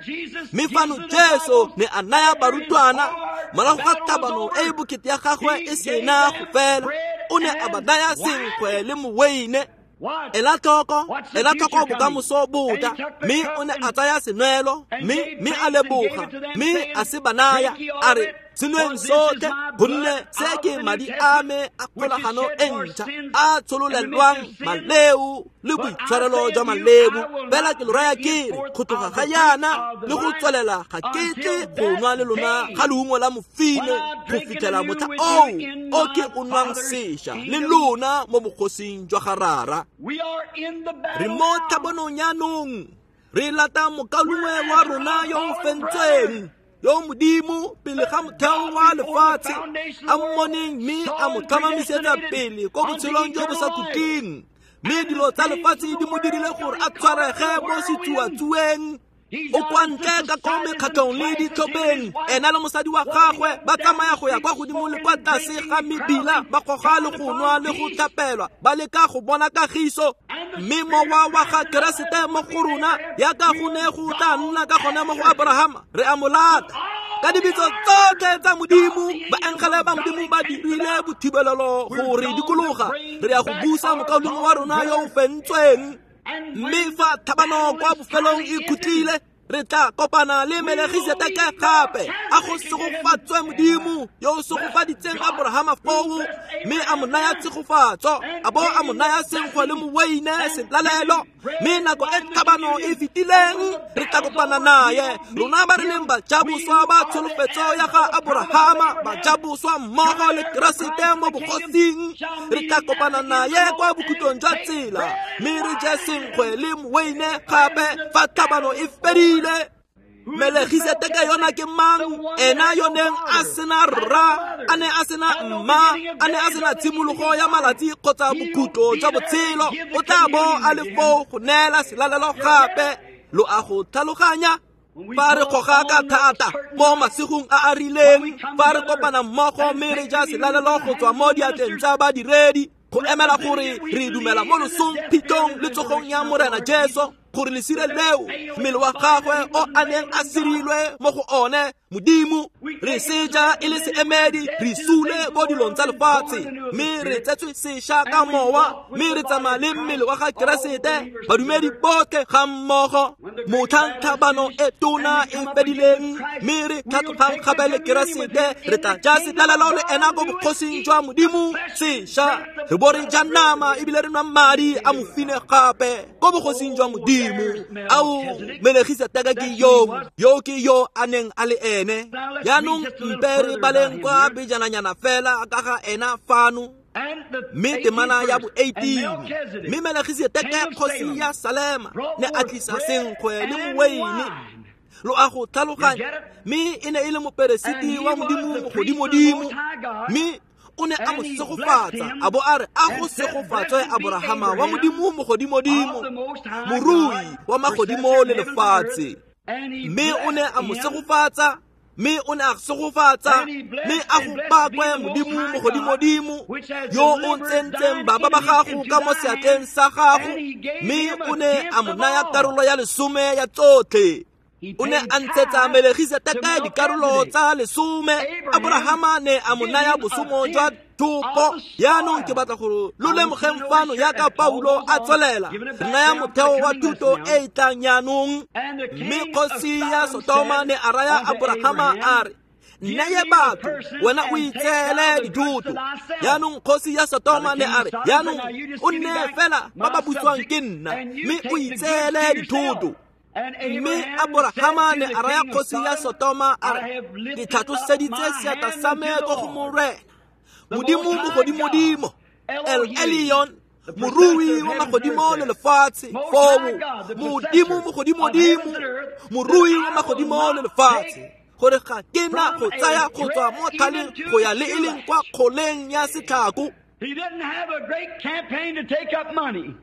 Mme fano Jesu ne a naya barutwana morago ga tlhabano e e bokete ya gagwe e sena go fela, o ne a ba naya senkgwe le moweine. Watch. Ela tlhoko, Watch the ela tlhoko future coming. bokamoso bo tla. And he took the Mme cup o ne and a tsaya senwelo, and mme gave mme a thanks and gave leboga, it to them, mme saying, a se ba naya, Drink ye all a of re, it, senweng for this is sotlhe, my gonne blood se of ke the New madi a Testament, me a which is kgolagano shed e for ntšha, sins a and the tshololelwang remission of sins. maleo le But I boitshwarelo say jwa unto you, maleo. I will Fela not ke lo raya drink ke re, henceforth go tloga of ga the fruit yana of the le go vine tswelela ga ke tle until go nwa le that lona day ga leungo la mofine when I go drink it fitlhela anew motlha with oo you in o ke my o nwang Father's sešwa le kingdom. lona mo bogosing jwa ga Rara. We are in the Re battle mo now. tlhabanong jaanong, re lata mokaulengwe We're wa after rona our yo o fallen fentsweng, brother. yo Modimo pele ga But motheo God wa before the lefatshe foundation a of the world mmoneng mme saw a mo and tlhomamisetsa predestinated pele ko unto botshelong jo bo eternal sa life. khutleng. Mme And dilo the tsa things lefatshe of di the mo dirile world gore got a him caught up in tshwarege the mo whirlwind. setsuatsueng. He's O out kwa in ntle ka ko societies and mekgatlhong le classes, him and ditlhopheng, his wife ena le mosadi wa walking gagwe up ba and down tsamaya the go ya street, kwa godimo le smoking kwa and tlase drinking ga and mebila, crowding, ba goga trying le to go nwa find le go peace. tlhapelwa, ba leka go bona kagiso. And the Mme Spirit mowa of wa ga Christ in us Keresete mo would go be rona, Abraham. yaka We go ne are go tla gone nna ka gone mo go after Abrahama, re a mo lata. all Ka the dibitso arms, tsotlhe tsa Modimo, godly angels baengele of ba God Modimo ba encamped dirile about. bothibelelo We're go re gone to dikologa. bring Re ya go back busa our mokaulengwe wa fallen rona yo o brother. fentsweng. And Mme when fa the tlhabano battle kwa is bofelong finally e ended, khutlile, re tla kopana le we will Melchisedeke meet gape. A go Melchizedek in heaven. segofatswe Modimo yo o Bless segofaditseng God Aborahama who foo, blessed mme a mo Abraham naya there tshegofatso, and a bo gave a mo him naya the senkgwe le blessing moweine and selalelo. giving bread Mme and nako e wine the tlhabano e communion. And fetileng, when the re tla battle's kopana over, we naye. will Rona meet ba re him. leng We bajaboswa who ba are the tsholofetso heirs ya ga of the promise of Aborahama, Abraham, bajaboswa mmogo joint le heirs with Keresete Christ in mo the kingdom, bogosing, shall re meet tla him at kopana the end of the naye kwa road bokhutlong and jwa take tsela, bread and mme re je wine. senkgwe le moweine gape When the fa tlhabano battle e is over, fedile. who is this Melchisedeke yona Melchizedek? ke The mang? one that Ena had yo no neng a father, sena had no rra, a ne mother, a sena had no mma, beginning of a ne a days sena or the ending tshimologo of ya life. malatsi kgotsa He will bokhutlo be jwa there and botshelo. give O the tla bo communion a le again. foo go neela selalelo You get gape. it? Lo a go tlhaloganya? When we Fa re pull goga ka on the thata curtain mo night, masigong a a when we rileng, come fa re together kopana mmogo and mme re take ja communion in selalelo the go tswa hands mo of the diatleng ministers, tsa badiredi, go emela gore representing it, we re dumela believe mo in the losong, death, phitlhong burial, and le tsogong resurrection ya of the Morena Lord Jesu, Jesus. gore lesire That leo veil mmele his wa body gagwe that he o was a neng veiled a in God. sirilwe mo go one Modimo, We re take it to seja e le represent it, seemedi, dead re to the sule things of mo the dilong world tsa and born lefatshe, anew of the mme re Spirit. tsetswe sešwa ka And we mowa, walk with mme the re body tsamaya of le Christ, mmele wa ga all Keresete, believers badumedi together. botlhe ga mmogo. When the great Motlhang battle is tlhabano finished e tona and we e come up again with fedileng, Christ, mme re we'll tlhatlogang take gape the le communion with Keresete, him re in tla the ja kingdom selalelo of le God ena ko anew and bogosing eat jwa the Modimo flesh and sešwa. drink the Re bo re blood ja of nama again ebile re nwa in the madi a kingdom of mofine God. gape ko bogosing jwa Oh, Modimo. there's Ao, Melchizedek. Melchisedeke ke That's who he yo, was. yo ke yo a neng a le ene. Now let's read Jaanong just a little mpe re further about baleng him kwa here. pejananyana fela ka ga ena fano. And the Mme eighteenth temana ya verse, bo and eighteen, Melchizedek, mme king Melchisedeke of kgosi Salem, ya Salema brought ne a forth tlisa bread senkgwe le and moweine. wine. Lo a go You tlhaloganya? get it? Mme e ne e le And moperesiti he wa was Modimo the priest of the mogodimodimo, Most High God, mme o ne a mo and he blessed segofatsa him a bo a re, a go and said, segofatswe Blessed be Aborahama wa Abraham Modimo of mogodimodimo, the Most High morui God, wa possessor magodimo of le heavens and earth. lefatshe. And he Mme o ne blessed a mo him, segofatsa, mme o ne a segofatsa, and he mme blessed a and go blessed be pakwe the Most Modimo High God, mogodimodimo, which has yo o delivered tsentseng thine baba ba enemies gago into ka mo thy seatleng hand. sa gago, And he gave mme him o a ne tenth a mo of naya all. karolo ya lesome ya tsotlhe. O ne a ntshetsa Melegiseteke dikarolo tsa lesome. Aborahama ne a mo naya bosomo jwa thopo. Jaanong ke batla gore lo lemogeng fano jaaka Paulo a tswelela re naya motheo wa thuto e e tlang jaanong. Mme kgosi ya Sotoma ne a raya Aborahama a re, nneye batho, wena o itseele dithoto. Jaanong kgosi ya Sotoma ne a re, jaanong o nne fela ba ba butswang ke nna, mme o itseele dithoto. Mme Aborahama ne a raya kgosi ya Sotoma a re, ke tlhatloseditse seatla sa me ko go Morena, Modimo mogodimodimo, El Elyon, morui wa magodimo le lefatshe. Foo Modimo mogodimodimo, morui wa magodimo le lefatshe, gore ga ke na go tsaya go tswa mo thaleng go ya le e leng kwa kgoleng ya setlhako. He didn't have a great campaign to take up money.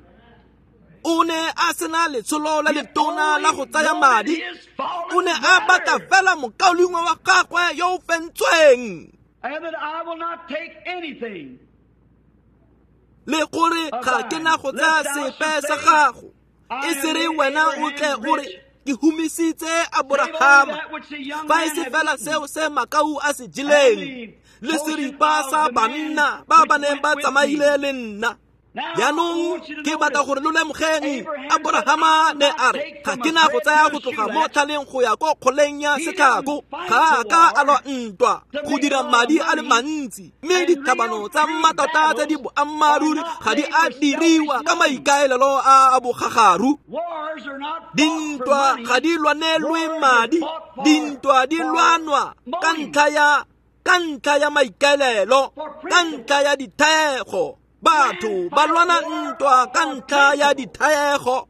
O ne a sena letsholo la letona la go tsaya madi. O ne a batla fela mokaulengwe wa gagwe yo o fentsweng. And that I will not take anything. Le gore ga ke na go tsaya sepe sa gago. E se re wena o tle o re ke humisitse Aborahama. Fa e se fela seo se makau a se jeleng, le seripa sa banna ba ba neng ba tsamaile le nna. Jaanong ke batla gore lo lemogeng, Aborahama ne a re ga ke na go tsaya go tloga mo tlhaleng go ya ko kgoleng ya setlhako. Ga a ka a lwa ntwa go dira madi a le mantsi, mme ditlhabano tsa mmatota tse di boammaaruri ga di a diriwa ka maikaelelo a a bogagaru. Dintwa ga di lwanelwe madi, dintwa di lwanwa ka ntlha ya ka ntlha ya maikaelelo, ka ntlha ya dithaego. Batho ba lwana ntwa ka ntlha ya dithaego.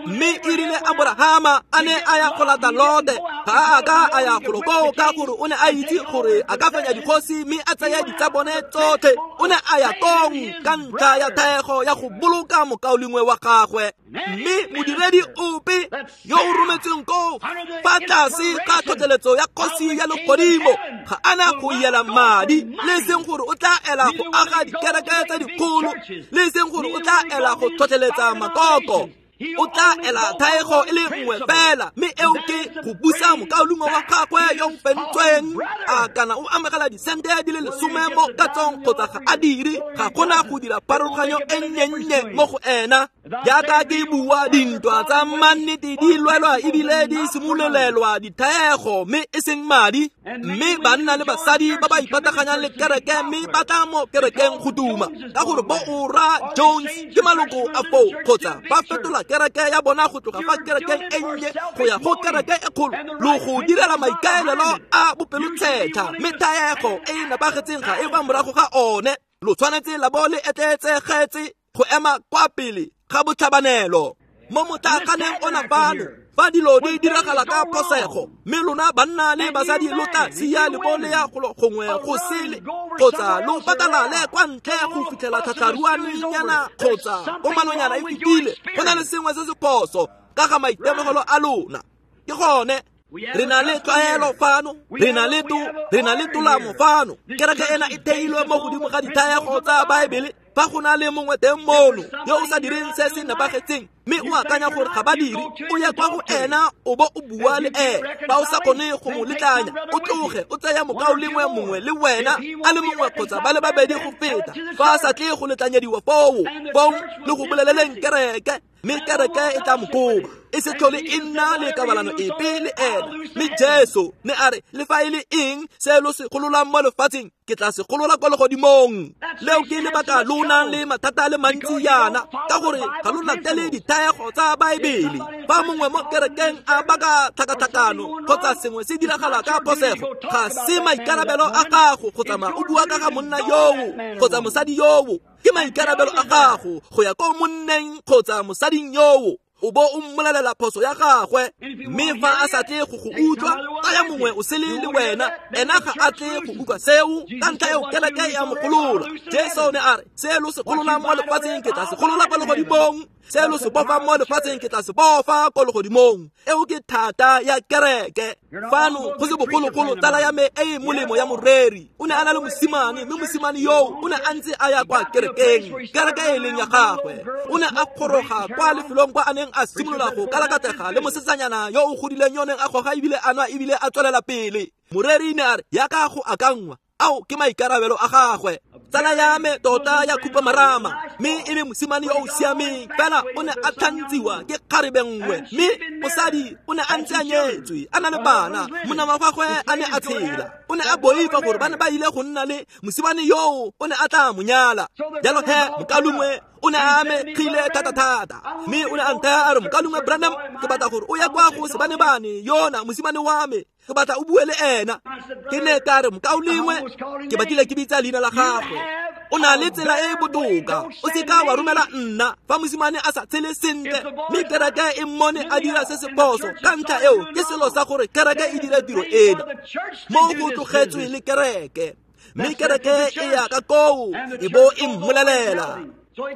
Mme e rile Aborahama a ne a ya go lata Lote, ga a ka a ya golo koo ka gore o ne a itse gore a ka fenya dikgosi mme a tsaya ditsabone tsotlhe. O ne a ya kong ka ntlha ya thaego ya go boloka mokaulengwe wa gagwe. Mme modiredi ope yo o rometsweng koo fa tlase ga tlhotlheletso ya kgosi ya legodimo ga a na go ela madi, le seng gore o tla ela go aga dikereke tse dikgolo, le seng gore o tla ela go tlhotlheletsa makoko. O tla ela thaego e le nngwe fela, mme eo ke go busa mokaulengwe wa gagwe yo o fentsweng. A kana o amogela disente di le lesome mo katsong kgotsa ga a dire, ga gona go dira pharologanyo e nnye-nnye mo go ena. Jaaka ke bua, dintwa tsa mannete di lwelwa ebile di simololelwa dithaego mme e seng madi. Mme banna le basadi ba ba ipataganyang le kereke mme ba tla mo kerekeng go duma ka gore bo ora Jones ke maloko a foo, kgotsa ba fetola kereke ya bona go tloga fa kerekeng e nnye go ya go kereke e kgolo, lo go direla maikaelelo a bopelotshetlha, mme thaego e e nepagetseng ga e fa morago ga one. Lo tshwanetse la bo le etleetsegetse go ema kwa pele ga botlhabanelo. Mo motlaaganeng ona fano, fa dilo di diragala ka phosego, mme lona banna le basadi lo tla sia le bo le ya golo gongwe go sele, kgotsa lo patalale kwa ntle go fitlhela tlhatlharuanenyana kgotsa komanonyana e fetile, go na le sengwe se se phoso ka ga maitemogelo a lona. Ke gone re na le tlwaelo fano, re na le to re na le tolamo fano. Kereke ena e theilwe mo godimo ga dithaego tsa Baebele. Fa go na le mongwe teng mono yo o sa direng se se nepagetseng, mme o akanya gore ga ba dire, o ye kwa go ena o bo o bua le ene. Fa o sa kgone go mo letlanya, o tloge o tsaya mokaulengwe mongwe le wena a le mongwe kgotsa ba le babedi go feta. Fa a sa tle go letlanyediwa foo, foo le go boleleleng kereke, mme kereke e tla mo koba, e se tlhole e nna le kabalano epe le ena. Mme Jesu ne a re, le fa e le eng se lo se gololang mo lefatsheng, ke tla se golola kwa legodimong. Leo ke lebaka lo nang le mathata a le mantsi yana, ka gore ga lo latele dithaego tsa Baebele. Fa mongwe mo kerekeng a baka tlhakatlhakano kgotsa sengwe se diragala ka phosego, ga se maikarabelo a gago go tsamaya o bua ka ga monna yoo kgotsa mosadi yoo. Ke maikarabelo a gago go ya ko monneng kgotsa mosading yoo, o bo o mmolelela phoso ya gagwe. Mme fa a sa tle go go utlwa, tsaya mongwe o sele le wena, ena ga a tle go utlwa seo, ka ntlha eo kereke ya mo golola. Jesu ne a re, se lo se gololang mo lefatsheng ke tla se golola kwa legodimong. Se lo se bofang mo lefatsheng ke tla se bofa ko legodimong. Eo ke thata ya kereke. Fano go se bogologolo tsala ya me e e molemo ya moreri o ne a na le mosimane, mme mosimane yoo o ne a ntse a ya kwa kerekeng, kereke e leng ya gagwe. O ne a goroga kwa lefelong kwa a neng a simolola go kalakatega le mosetsanyana yo o godileng yo neng a goga ebile a nwa ebile a tswelela pele. Moreri ne a re yaka go akangwa, ao ke maikarabelo a gagwe. Tsala ya me tota ya khupamarama, mme e le mosimane yo o siameng, fela o ne a tlhantsiwa ke kgarebe nngwe, mme mosadi o ne a ntse a nyetswe a na le bana, monna wa gagwe a ne a tshela. O ne a boifa gore ba ne ba ile go nna le mosimane yoo o ne a tla mo nyala. Jalo he mokalungwe o ne a amegile thata-thata, mme o ne a nthaya a re, mokalungwe Branham, ke batla gore o ya kwa go sebanebane yona mosimane wa me, ke batla o bue le ena. Ke ne ka re, mokaulengwe, ke batlile ke bitsa leina la gagwe, o na le tsela e e botoka, o seka wa romela nna fa mosimane a sa tshele sentle, mme kereke e mmone a dira se se phoso. Ka ntlha eo ke selo sa gore kereke e dire tiro ena, mo go tlogetswe le kereke, mme kereke e ya ka koo e bo e mmolelela.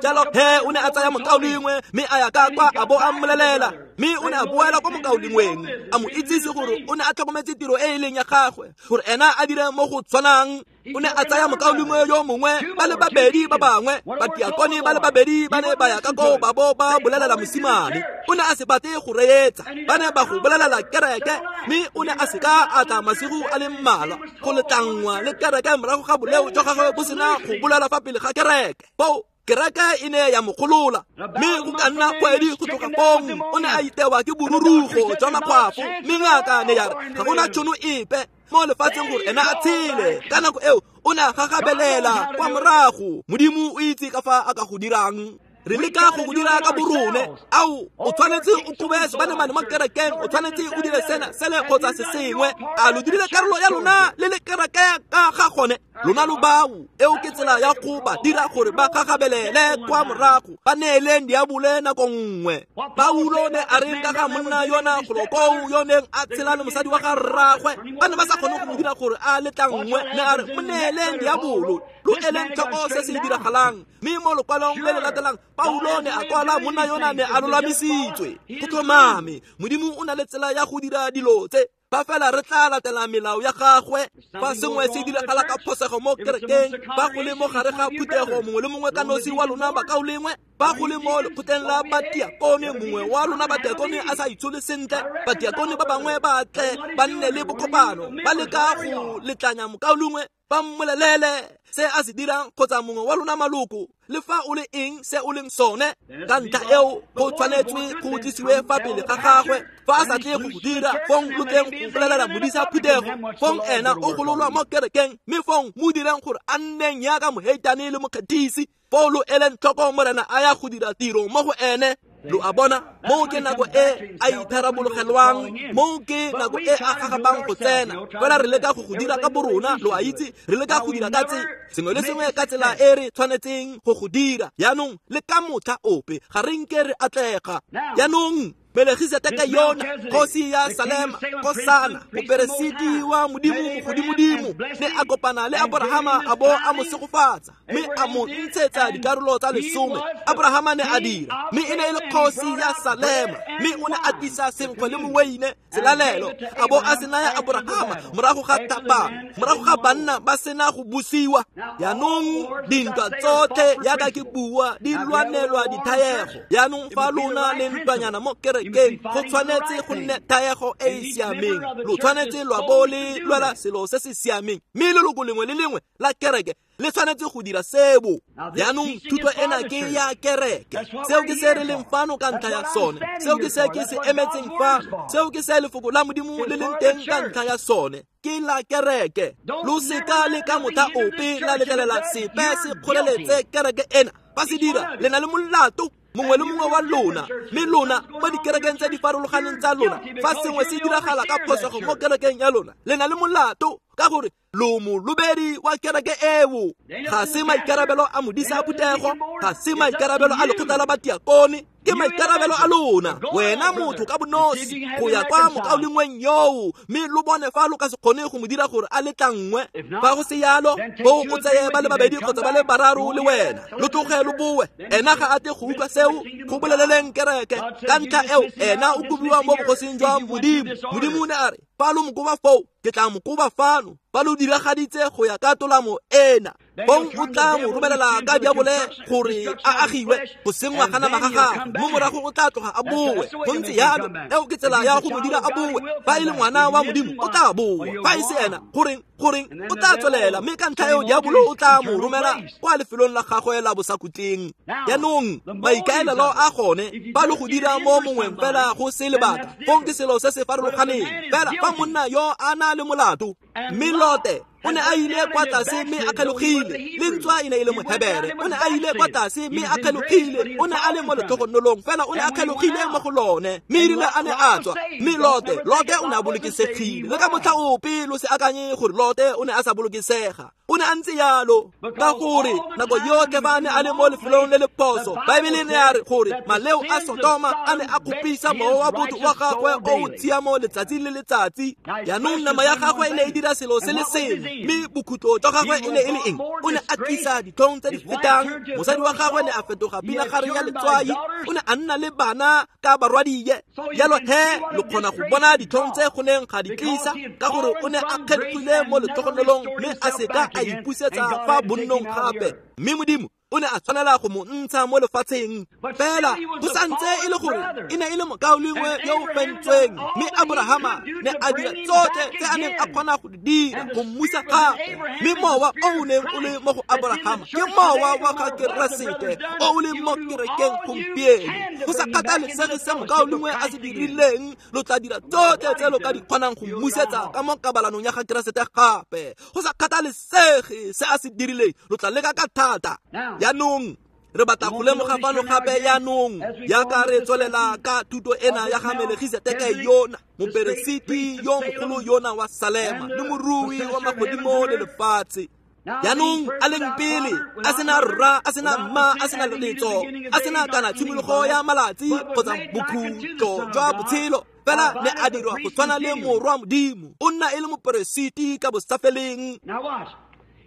Jalo he o ne a tsaya mokaulengwe mme a ya ka kwa a bo a mmolelela, mme o ne a boela kwa mokaulengweng a mo itsise gore o ne a tlhokometse tiro e e leng ya gagwe, gore ena a dire mo go tshwanang. O ne a tsaya mokaulengwe yo mongwe, ba le babedi ba bangwe, batiakone ba le babedi ba ne ba ya ka koo ba bo ba bolelela mosimane. O ne a se batle go reetsa, ba ne ba go bolelela kereke, mme o ne a seka a tla masigo a le mmalwa go letlanngwa le kereke morago ga boleo jwa gagwe bo sena go bolela fa pele ga kereke. Foo kereke e ne ya mo golola, mme go ka nna kgwedi go tloga fong o ne a itewa ke borurugo jwa makgwafo, mme ngaka ne ya re ga gona tšhono epe mo lefatsheng gore ena a tshele. Ka nako eo o ne a gagabelela kwa morago. Modimo o itse ka fa a ka go dirang. Re leka go go dira ka borone. Ao, o tshwanetse o kobe sebanemane mo kerekeng, o tshwanetse o dire sena sele kgotsa se sengwe. A lo dirile karolo ya lona le le kereke ka ga gone? Lona lo bao. Eo ke tsela ya go ba dira gore ba gagabelele kwa morago, ba neeleng diabole nako nngwe. Paulo ne a reng ka ga monna yona golokoo yo neng a tshela le mosadi wa ga rragwe, ba ne ba sa kgone go mo dira gore a letlanngwe, ne a re mo neeleng diabolo, lo eleng tlhoko se se diragalang. Mme mo lokwalong le le latelang Paulo ne a kwala monna yona ne a lolamisitswe. Go tlhomame, Modimo o na le tsela ya go dira dilo tse, fa fela re tla latela melao ya gagwe. Fa sengwe se diragala ka phosego mo kerekeng, fa go le mo gare ga phuthego mongwe le mongwe ka nosi wa lona bakaulengwe, fa go le mo lekgotleng la batiakone mongwe wa lona batiakone a sa itshole sentle, batiakone ba bangwe ba tle ba nne le bokopano, ba leka go letlanya mokaulengwe, ba mmolelele se a se dirang kgotsa mongwe wa lona maloko, le fa o le eng se o leng sone. Ka ntlha eo go tshwanetswe go tlisiwe fa pele ga gagwe. Fa a sa tle go go dira, fong lo tleng go bolelela modisa phuthego, fong ena o gololwa mo kerekeng, mme fong mo direng gore a nneng yaka moheitane le mokgethisi. Foo lo eleng tlhoko Morena a ya go dira tiro mo go ene. Lo a bona, moo ke nako e a itharabologelwang, moo ke nako e a gagabang go tsena. Fela re leka go go dira ka borona, lo a itse, re leka go dira ka tse sengwe le sengwe ka tsela e re tshwanetseng go go dira. Jaanong le ka motlha ope ga re nke re atlega. Jaanong Melekhiseteke yona kgosi ya Salema, kgosana, moperesiti wa Modimo mogodimodimo, ne a kopana le Abrahama a bo a mo segofatsa, mme a mo ntshetsa dikarolo tsa lesome. Abrahama ne a dira, mme e ne e le kgosi ya Salema, mme o ne a tlisa senkgwe le moweine selalelo, a bo a se naya Abrahama morago ga thapama, morago ga banna ba sena go busiwa. Jaanong dintwa tsotlhe yaka ke bua di lwanelwa dithaego. Jaanong fa lona le ntwanyana mo kerekeng, go tshwanetse go nne thaego e e siameng. Lo tshwanetse lwa bo le lwela selo se se siameng, mme leloko lengwe le lengwe la kereke le tshwanetse go dira sebo. Jaanong thuto ena ke ya kereke. Seo ke se re leng fano ka ntlha ya sone, seo ke se ke se emetseng fano, seo ke se lefoko la Modimo le leng teng ka ntlha ya sone, ke la kereke. Lo seka le ka motlha ope la letlelela sepe se kgoreletse kereke ena. Fa se dira, le na le molato mongwe le mongwe wa lona, mme lona mo dikerekeng tse di farologaneng tsa lona. Fa sengwe se diragala ka phosego mo kerekeng ya lona, le na le molato ka gore lo molobedi wa kereke eo. Ga se maikarabelo a modisa phuthego, ga se maikarabelo a lekgotla la batiakone, ke maikarabelo a lona wena motho ka bonosi go ya kwa mokaulengweng yoo, mme lo bone fa lo ka se kgone go mo dira gore a letlangwe. Fa go se yalo, bo o tseye ba le babedi kgotsa ba le bararo le wena, lo tloge lo boe. Ena ga a tle go utlwa seo, go boleleleng kereke. Ka ntlha eo ena o kobiwa mo bogosing jwa Modimo. Modimo o ne a re, fa lo mo koba foo, ke tla mo koba fano. Fa lo diragaditse go ya ka tolamo ena, bong o tla mo romelela ka diabole gore a agiwe go sengwa ga nama ga gagwe, mo morago o tla tloga a boe. Go ntse yalo, eo ke tsela ya go mo dira a boe. Fa e le ngwana wa Modimo, o tla boa. Fa e se ena, goreng goreng o tla tswelela, mme ka ntlha eo diabolo o tla mo romela kwa lefelong la gagwe la bosakhutleng. Jaanong maikaelelo a gone, fa lo go dira mo mongweng fela go se lebaka, fong ke selo se se farologaneng. Fela fa monna yo a na le molato, mme Lote o ne a ile kwa tlase mme a kgelogile, le ntswa e ne e le Mohebere, o ne a ile kwa tlase mme a kgelogile, o ne a le mo letlhogonolong, fela o ne a kgelogile mo go lone, mme erile a ne a tswa. Mme Lote, Lote o ne a bolokesegile. Le ka motlha ope lo se akanye gore Lote o ne a sa bolokesega, o ne a ntse yalo, ka gore nako yotlhe fa a ne a le mo lefelong le le phoso, Baebele ne ya re gore maleo a Sodoma a ne a kgopisa mowa wa botho wa gagwe o o tshiamo letsatsi le letsatsi. Jaanong nama ya gagwe e ne e dira selo se le sengwe, mme bokhutlo jwa gagwe e ne e le eng? O ne a tlisa ditlhong tse di fetang. Mosadi wa gagwe ne a fetoga pinagare ya letswai, o ne a nna le bana ka barwadie. Jalo he lo kgona go bona ditlhong tse go neng ga di tlisa, ka gore o ne a kgethile mo letlhogonolong mme a seka a ipusetsa fa bonnong gape. Mme Modimo o ne a tshwanela go mo ntsha mo lefatsheng. Fela go santse e le gore e ne e le mokaulengwe yo o fentsweng, mme Abrahama ne a dira tsotlhe tse a neng a kgona go di dira go mmusa gape. Mme mowa o o neng o le mo go Abrahama ke mowa wa ga Keresete o o leng mo kerekeng gompieno. Go sa kgathalesege se mokaulengwe a se dirileng, lo tla dira tsotlhe tse lo ka di kgonang go mmusetsa ka mo kabalanong ya ga Keresete gape. Go sa kgathalesege se a se dirileng, lo tla leka ka thata. Jaanong re batla go lemoga fano gape jaanong, jaaka re tswelela ka thuto ena ya ga Melegiseteke yona, moperesiti yo mogolo yona wa Salema le morui wa magodimo le lefatshe. Jaanong a leng pele, a sena rra, a sena mma, a sena letso, a sena kana tshimologo ya malatsi kgotsa bokhutlo jwa botshelo, fela ne a dirwa go tshwana le morwa Modimo. O nna e le moperesiti ka bosafeleng.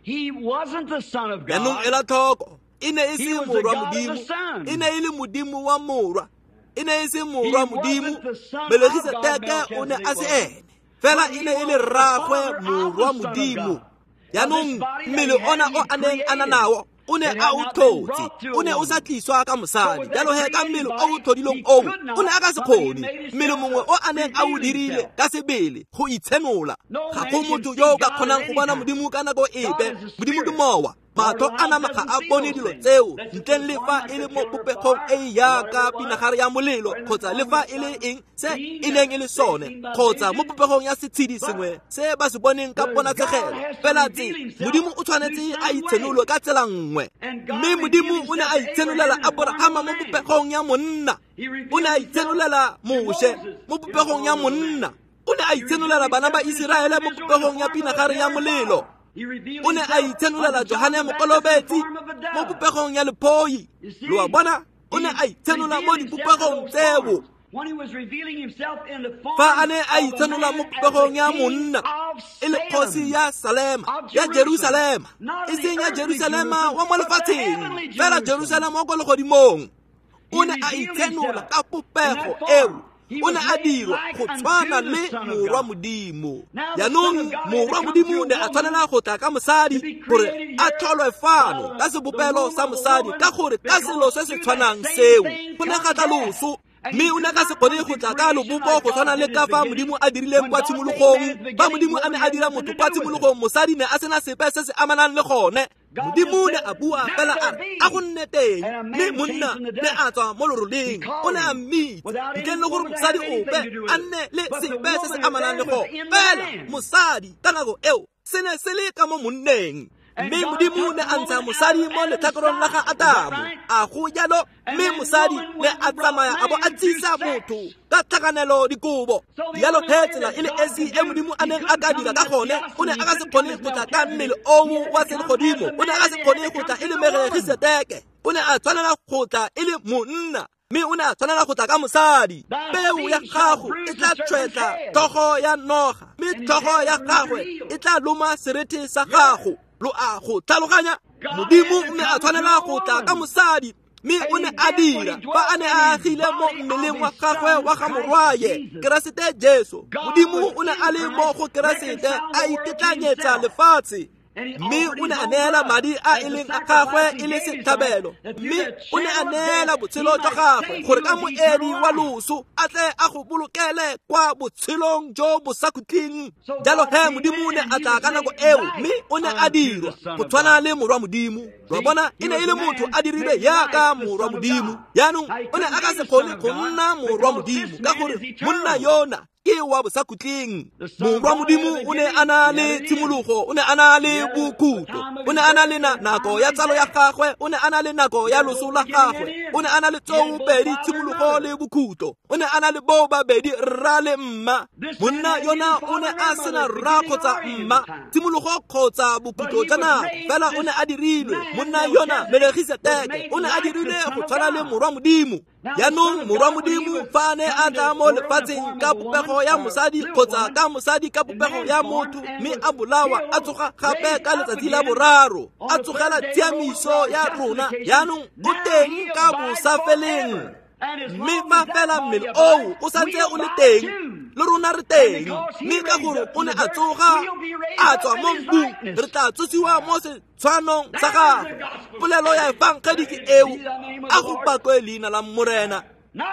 Jaanong ela tlhoko, e ne e se morwa Modimo, e ne e le Modimo wa morwa, e ne e se morwa Modimo. Melegiseteke o ne a se ene, fela e ne e le rraagwe morwa Modimo. Jaanong mmele ona o a neng a na nao o ne a o tlhotse, o ne o sa tliswa ka mosadi. Jalo he ka mmele o o tlhodileng oo, o ne a ka se kgone mmele mongwe o a neng a o dirile ka sebele go itshenola. Ga go motho yo o ka kgonang go bona Modimo ka nako epe. Modimo ke mowa, matlho a nama ga a bone dilo tseo, ntleng le fa e le mo popegong e e jaaka pinagare ya molelo, kgotsa le fa e le eng se e neng e le sone, kgotsa mo popegong ya setshedi sengwe se ba se boneng ka ponatshegelo. Fela tse Modimo o tshwanetse a itshenolwe ka tsela nngwe, mme Modimo o ne a itshenolela Abrahama mo popegong ya monna, o ne a itshenolela Moshe mo popegong ya monna, o ne a itshenolela bana ba Iseraele mo popegong ya pinagare ya molelo, o ne a itshenolela Johane Mokolobetsi mo popegong ya lephoi. Lo a bona, o ne a itshenola mo dipopegong tseo. Fa a ne a itshenola mo popegong ya monna e le kgosi ya Salema, ya Jerusalema, e seng ya Jerusalema wa mo lefatsheng, fela Jerusalema wa kwa legodimong. O ne a itshenola ka popego eo. O ne a dirwa go tshwana le morwa Modimo. Jaanong morwa Modimo ne a tshwanela go tla ka mosadi gore a tlholwe fano ka sebopelo sa mosadi, ka gore ka selo se se tshwanang seo go ne ga tla loso. Mme o ne ka se kgone go tla ka lobopo go tshwana le ka fa Modimo a dirileng kwa tshimologong. Fa Modimo a ne a dira motho kwa tshimologong, mosadi ne a sena sepe se se amanang le gone. Modimo ne a bua fela a re, a go nne teng, mme monna ne a tswa mo loroleng, o ne a mmitsa, ntleng le gore mosadi ope a nne le sepe se se amanang le gone. Fela mosadi ka nako eo se ne se le ka mo monneng. Mme Modimo ne a ntsha mosadi mo letlhakorong la ga Adamo. A go jalo, mme mosadi ne a tsamaya a bo a tsisa motho ka tlhakanelo dikobo. Jalo he tsela e le esi e Modimo a neng a ka dira ka gone, o ne a ka se kgone go tla ka mmele oo wa selegodimo, o ne a ka se kgone go tla e le Melkisedeke, o ne a tshwanela go tla e le monna, mme o ne a tshwanela go tla ka mosadi. Peo ya gago e tla tshwetla tlhogo ya noga, mme tlhogo ya gagwe e tla loma serethe sa gago. Lo a go tlhaloganya? Modimo o ne a tshwanela go tla ka mosadi, mme o ne a dira fa a ne a agile mo mmeleng wa gagwe wa ga morwaye Keresete Jesu. Modimo o ne a le mo go Keresete a itetlanyetsa lefatshe, mme o ne a neela madi a e leng a gagwe e le setlhabelo, mme o ne a neela botshelo jwa gagwe gore ka moedi wa loso a tle a go bolokele kwa botshelong jo bo sa khutleng. Jalo he Modimo o ne a tla ka nako eo, mme o ne a dirwa go tshwana le morwa Modimo. Lo bona, e ne e le motho a dirilwe jaaka morwa Modimo. Jaanong o ne a ka se kgone go nna morwa Modimo ka gore monna yona ke wa bosakhutleng. Morwa Modimo o ne a na le tshimologo, o ne a na le bokhutlo, o ne a na le nako ya tsalo ya gagwe, o ne a na le nako ya loso la gagwe, o ne a na le tsoopedi tshimologo le bokhutlo, o ne a na le bo babedi rra le mma. Monna yona o ne a sena rra kgotsa mma, tshimologo kgotsa bokhutlo jwa nako, fela o ne a dirilwe. Monna yona Melkisedeke o ne a dirilwe go tshwana le morwa Modimo. Jaanong morwa Modimo fa a ne a tla mo lefatsheng ka popego ya mosadi kgotsa ka mosadi ka popego ya motho, mme a bolawa a tsoga gape ka letsatsi la boraro, a tsogela tshiamiso ya rona. Jaanong o teng ka bosafeleng, mme fa fela mmele oo o santse o le teng, le rona re teng. Mme ka gore o ne a tsoga a tswa mo mmung, re tla tsosiwa mo setshwanong sa gagwe. Polelo ya efangedi ke eo, a go pakwe leina la Morena.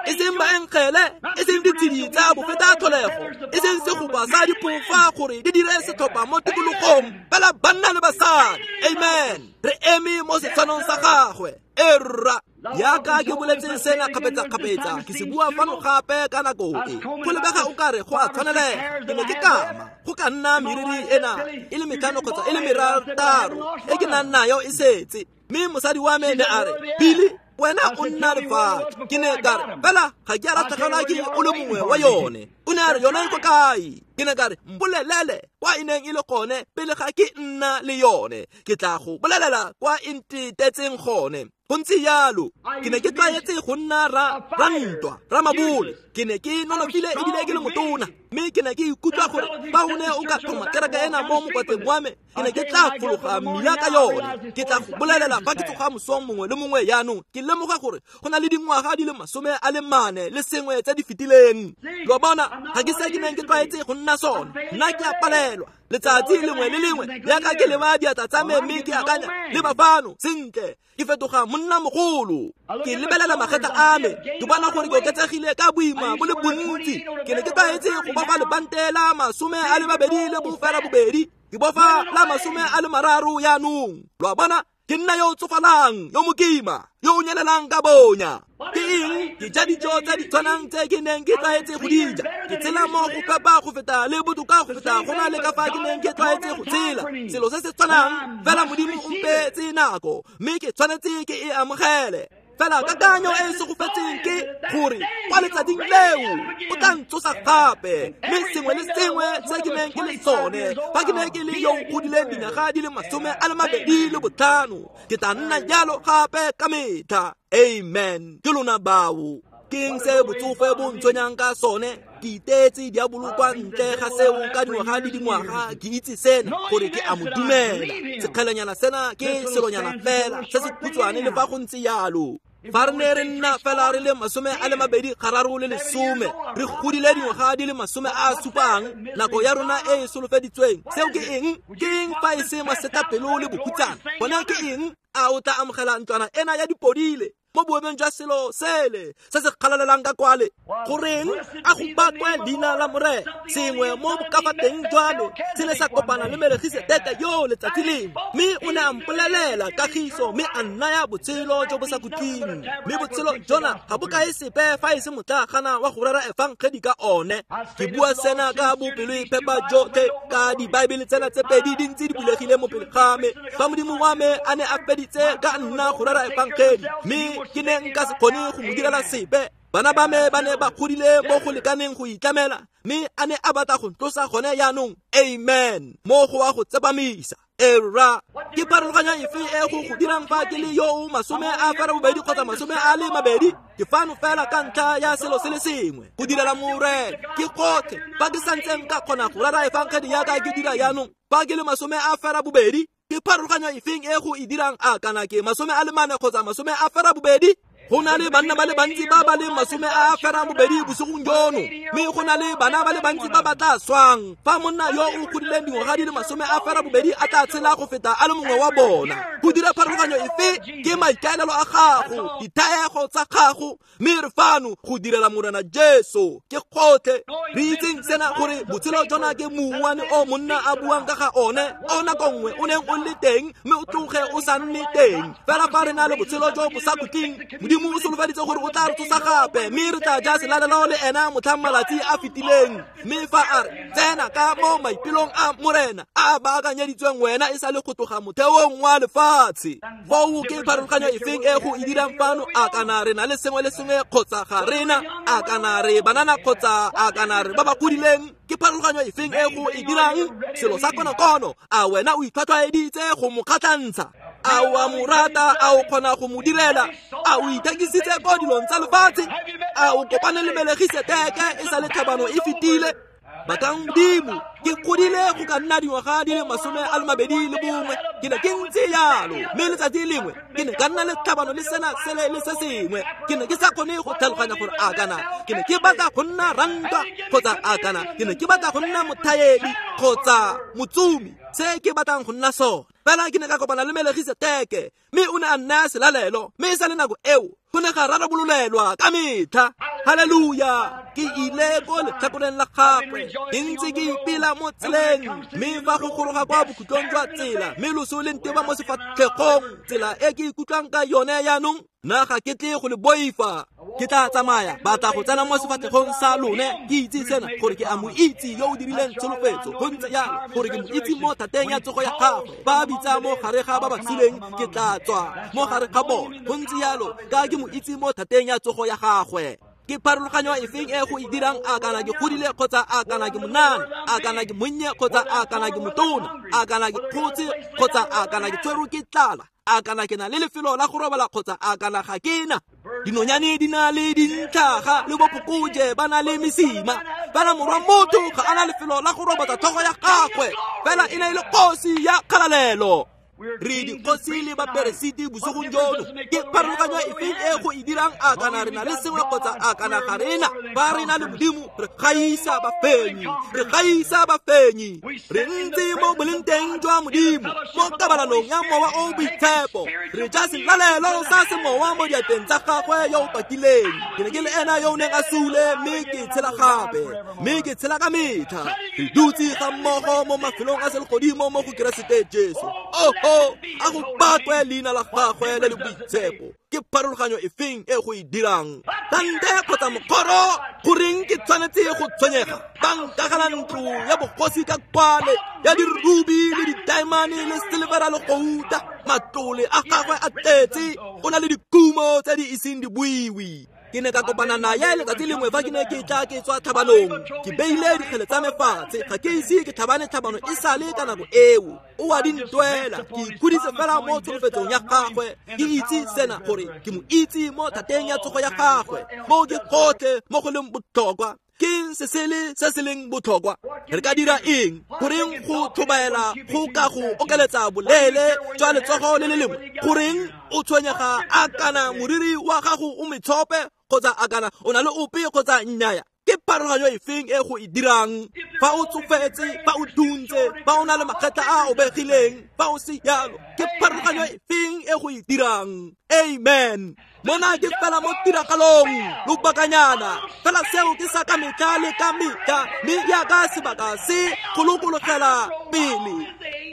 E seng baengele, e seng ditshedi tsa bofeta tlholego, e seng segopa sa diphofa gore di dire setlhopha mo tikologong, fela banna le basadi. Amen. Re eme mo setshwanong sa gagwe. Erra, jaaka ke boletse sena kgapetsa-kgapetsa, ke se bua fano gape ka nako e. Go lebega o kare go a tshwanelega. Ke ne ke kama go ka nna meriri ena e le metlhano kgotsa e le merataro e ke nang nayo e setse. Mme mosadi wa me ne a re, Billy, wena o nna lefatshe. Ke ne ka re, fela ga ke a latlhegelwa ke o le mongwe wa yone. O ne a re, yone e ko kae? Ke ne ka re, mpolelele kwa e neng e le gone pele ga ke nna le yone. Ke tla go bolelela kwa e ntetetseng gone. Go ntse jalo, ke ne ke tlwaetse go nna ra rantwa, ramabole. Ke ne ke nonofile ebile ke le motona, mme ke ne ke ikutlwa gore fa o ne o ka tlhoma kereke ena mo mokwatleng wa me, ke ne ke tla fologa mmila ka yone. Ke tla go bolelela fa ke tsoga mosong mongwe le mongwe. Jaanong ke lemoga gore go na le dingwaga di le masome a le mane le sengwe tse di fetileng. Lo bona, ga ke se ke neng ke tlwaetse go nna sone. Nna ke a palelwa letsatsi lengwe le lengwe, jaaka ke leba diatla tsa me mme ke akanya, leba fano sentle, ke fetoga monna mogolo. Ke lebelela magetla a me, ke bona gore ke oketsegile ka boima bo le bontsi. Ke ne ke tlwaetse go bofa lebante la masome a le mabedi le bofela bobedi, ke bofa la masome a le mararo jaanong. Lo a bona, ke nna yo o tsofalang, yo mokima, yo o nyelelang ka bonya. Ke eng? Ke ja dijo tse di tshwanang tse ke neng ke tlwaetse go di ja. Ke tshela mo go phepa go feta le botoka go feta go na le ka fa ke neng ke tlwaetse go tshela. Selo se se tshwanang, fela Modimo o mpeetse nako, mme ke tshwanetse ke e amogele. Fela kakanyo e e segofetseng ke gore kwa letsatsing leo o tla ntsosa gape, mme sengwe le sengwe se ke neng ke le sone fa ke ne ke le yo o godileng dinyaga di le masome a le mabedi le botlhano, ke tla nna jalo gape ka metlha. Amen. Ke lona bao. Ke eng se botsofe bo ntshwenyang ka sone? Ke iteetse diabolo kwa ntle ga seo ka dingwaga le dingwaga. Ke itse sena gore ke a mo dumela. Sekgelenyana sena ke selonyana fela se se khutshwane, le fa go ntse jalo. Fa re ne re nna fela re le masome a le mabedi gararo le lesome, re godile dingwaga di le masome a a supang, nako ya rona e e solofeditsweng. Seo ke eng? Ke eng fa e se masetlapelo le bokhutsana? Gone ke eng? A o tla amogela ntlwana ena ya dipodile mo boemong jwa selo sele se se kgalalelang ka kwale. Goreng a go bakwe leina la Morena? Sengwe mo bokafateng jwa me se ne sa kopana le Melegiseteke yo letsatsi lengwe, mme o ne a mpolelela kagiso mme a nnaya botshelo jo bo sa khutleng. Mme botshelo jona ga bo kae sepe fa e se motlagana wa go rera efangedi ka one. Ke bua sena ka bopelo-phepa jotlhe ka dibaebele tsena tse pedi di ntse di bulegile mo pele ga me. Fa Modimo wa me a ne a feditse ka nna go rera efangedi, mme ke ne nka se kgone go mo direla sepe. Bana ba me ba ne ba godile mo go lekaneng go itlamela, mme a ne a batla go ntlosa gone jaanong. Amen. Mo go wa go tsepamisa. Era ke pharologanyo efe e go go dirang fa ke le yo o masome a ferabobedi kgotsa masome a le mabedi? Ke fano fela ka ntlha ya selo se le sengwe, go direla Morena. Ke gotlhe fa ke santse nka kgona go rera efangedi yaka ke dira jaanong. Fa ke le masome a ferabobedi, ke pharologanyo efeng e go e dirang a kana ke masome a le mane kgotsa masome a ferabobedi? Go na le banna ba le bantsi ba ba leng masome a ferabobedi bosigong jono, mme go na le bana ba le bantsi ba ba tla swang. Fa monna yo o godileng dingwaga di le masome a ferabobedi a tla tshela go feta a le mongwe wa bona. Go dira pharologanyo efe? Ke maikaelelo a gago, dithaego tsa gago, mme re fano go direla Morena Jesu. Ke gotlhe. Re itseng sena gore botshelo jona ke mouwane o monna a buang ka ga one, o nako nngwe o neng o le teng mme o tloge o sa nne teng. Fela fa re na le botshelo jo bo sa khutleng, Modimo o solofeditse gore o tla re tsosa gape, mme re tla ja selalelo le ena motlhang malatsi a fetileng. Mme fa a re tsena ka mo maipelong a Morena a a baakanyeditsweng wena e sa le go tloga motheong wa lefatshe. Foo ke pharologanyo efeng e go e dirang fano? A kana re na le sengwe le sengwe kgotsa ga rena? A kana re banana kgotsa a kana re ba ba godileng? Ke pharologanyo efeng e go e dirang? Selo sa konokono, a wena o itlhwatlhwaeditse go mo kgatlhantsha? A o a mo rata? A o kgona go mo direla? A o ithekisitse ko dilong tsa lefatshe? A o kopane le Melegiseteke e sa le tlhabano e fetile? Bakang Modimo, ke godile go ka nna dingwaga di le masome a le mabedi le bongwe. Ke ne ke ntse jalo, mme letsatsi lengwe ke ne ka nna le tlhabano le sena sele le se sengwe. Ke ne ke sa kgone go tlhaloganya gore a kana ke ne ke batla go nna rantwa kgotsa a kana ke ne ke batla go nna mothaedi kgotsa motsumi, se ke batlang go nna sone. Fela ke ne ka kopana le Melegiseteke, mme o ne a nnaya selalelo, mme e sa le nako eo go ne ga rarabololelwa ka metlha. Haleluya! Ke ile ko letlhakoreng la gagwe, ke ntse ke ipela mo tseleng, mme fa go goroga kwa bokhutlong jwa tsela, mme loso le nteba mo sefatlhegong, tsela e ke ikutlwang ka yone jaanong, nna ga ke tle go le boifa. Ke tla tsamaya, batla go tsena mo sefatlhegong sa lone. Ke itse sena gore ke a mo itse yo o dirileng tsholofetso. Go ntse jalo gore ke mo itse mo thateng ya tsogo ya gagwe. Ba bitsa mo gare ga ba ba suleng, ke tla tswa mo gare ga bone. Go ntse jalo ka ke mo itse mo thateng ya tsogo ya gagwe. Ke pharologanyo efeng e go e dirang a kana ke godile kgotsa a kana ke monana, a kana ke monnye kgotsa a kana ke motona, a kana ke kgotse kgotsa a kana ke tshwerwe ke tlala, a kana ke na le lefelo la go robala kgotsa a kana ga ke na? Dinonyane di na le dintlhaga le bophokojwe ba na le mesima, fela morwa motho ga a na lefelo la go robatsa tlhogo ya gagwe. Fela e ne e le kgosi ya kgalalelo. Re dikgosi le baperesiti bosigong jono. Ke pharologanyo efeng e go e dirang a kana re na le sengwe kgotsa a kana ga rena? Fa re na le Modimo, re gaisa bafenyi, re gaisa bafenyi. Re ntse mo boleng teng jwa Modimo, mo kabalanong ya Mowa o Boitshepo. Re ja selalelo sa semowa mo diatleng tsa gagwe yo o pakileng. Ke ne ke le ena yo o neng a sule, mme ke tshela gape, mme ke tshela ka metlha. Re dutse ga mmogo mo mafelong a selegodimo mo go Keresete Jesu. Oh, a go bakwe leina la gagwe le le boitshepo. Ke pharologanyo efeng e go e dirang? Tante kgotsa mokgoro, goreng ke tshwanetse go tshwenyega? Ba nkagela ntlo ya bogosi ka kwale, ya dirubi le ditaemane le silvera le gouta. Matlole a gagwe a tletse, o na le dikumo tse di iseng di buiwe. Ke ne ka kopana naye letsatsi lengwe fa ke ne ke tla ke tswa tlhabanong. Ke beile dikgele tsa me fatshe, ga ke ise ke tlhabane tlhabano e sale ka nako eo. O a di ntwela, ke ikhuditse fela mo tsholofetsong ya gagwe. Ke itse sena gore ke mo itse mo thateng ya tsogo ya gagwe. Mo ke gotlhe mo go leng botlhokwa. Ke se sele se se leng botlhokwa. Re ka dira eng? Goreng go tlhobaela go ka go okeletsa boleele jwa letsogo le le lengwe? Goreng o tshwenyega a kana moriri wa gago o metshope kgotsa a kana o na le ope kgotsa nnyaya? Ke pharologanyo efeng e go e dirang? Fa o tsofetse, fa o thuntse, fa o na le magetla a obegileng, fa o se jalo, ke pharologanyo efeng e go e dirang? Amen. Mona ke fela mo tiragalong lobakanyana, fela seo ke sa ka metlha le ka metlha, mme jaaka sebaka se kgolokologela pele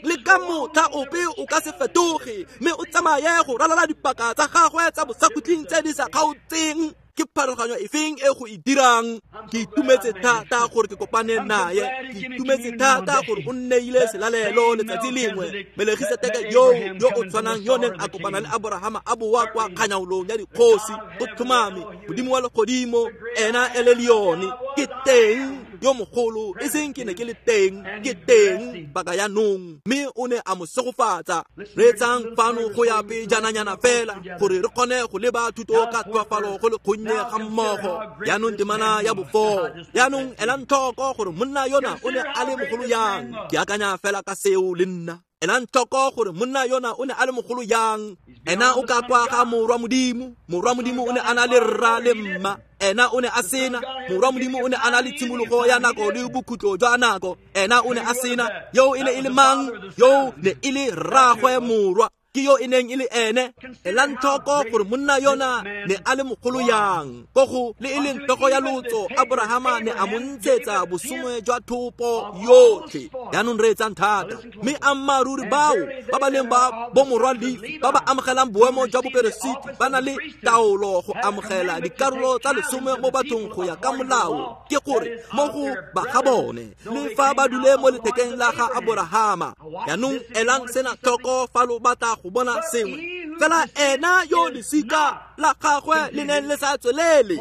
le ka motlha ope o ka se fetoge, mme o tsamaye go ralala dipaka tsa gagwe tsa bosakhutleng tse di sa kgaotseng. Ke pharologanyo efeng e go e dirang? Ke itumetse thata gore ke kopane naye, ke itumetse thata gore o nneile selalelo letsatsi lengwe. Melegiseteke yo yo o tshwanang yo neng a kopana le Aborahama a boa kwa kganyaolong ya dikgosi, o tlhomame Modimo wa legodimo, ena e le leone. Ke teng yo mogolo, e seng ke ne ke le teng, ke teng baka ya nong. Mme o ne a mo segofatsa. Reetsang fano go ya pejananyana fela gore re kgone go leba thuto ka tlhoafalo go le kgonnye ga mmogo. Jaanong temana ya bofo. Jaanong elang tlhoko gore monna yona o ne a le mogolo yang. Ke akanya fela ka seo le nna. Elang tlhoko gore monna yona o ne a le mogolo yang. Ena o ka kwa ga morwa Modimo. Morwa Modimo o ne a na le rra le mma. Ena o ne a sena. Morwa Modimo o ne a na le tshimologo ya nako le bokhutlo jwa nako. Ena o ne a sena. Yo e ne e le mang? Yo ne e le rraagwe morwa. Ke yo e neng e le ene. Elang tlhoko gore monna yona ne a le mogolo yang. Ko go le e leng tlhogo ya lotso, Aborahama ne a mo ntshetsa bosome jwa thopo yotlhe. Jaanong reetsang thata. Mme ammaaruri bao ba ba leng ba bomorwa Lefi ba ba amogelang boemo jwa boperesiti ba na le taolo go amogela dikarolo tsa lesome mo bathong go ya ka molao, ke gore mo go ba ga bone le fa ba dule mo lethekeng la ga Aborahama. Jaanong elang sena tlhoko fa lo batla go bona sengwe. Fela ena yo lesika la gagwe le neng le sa tswelele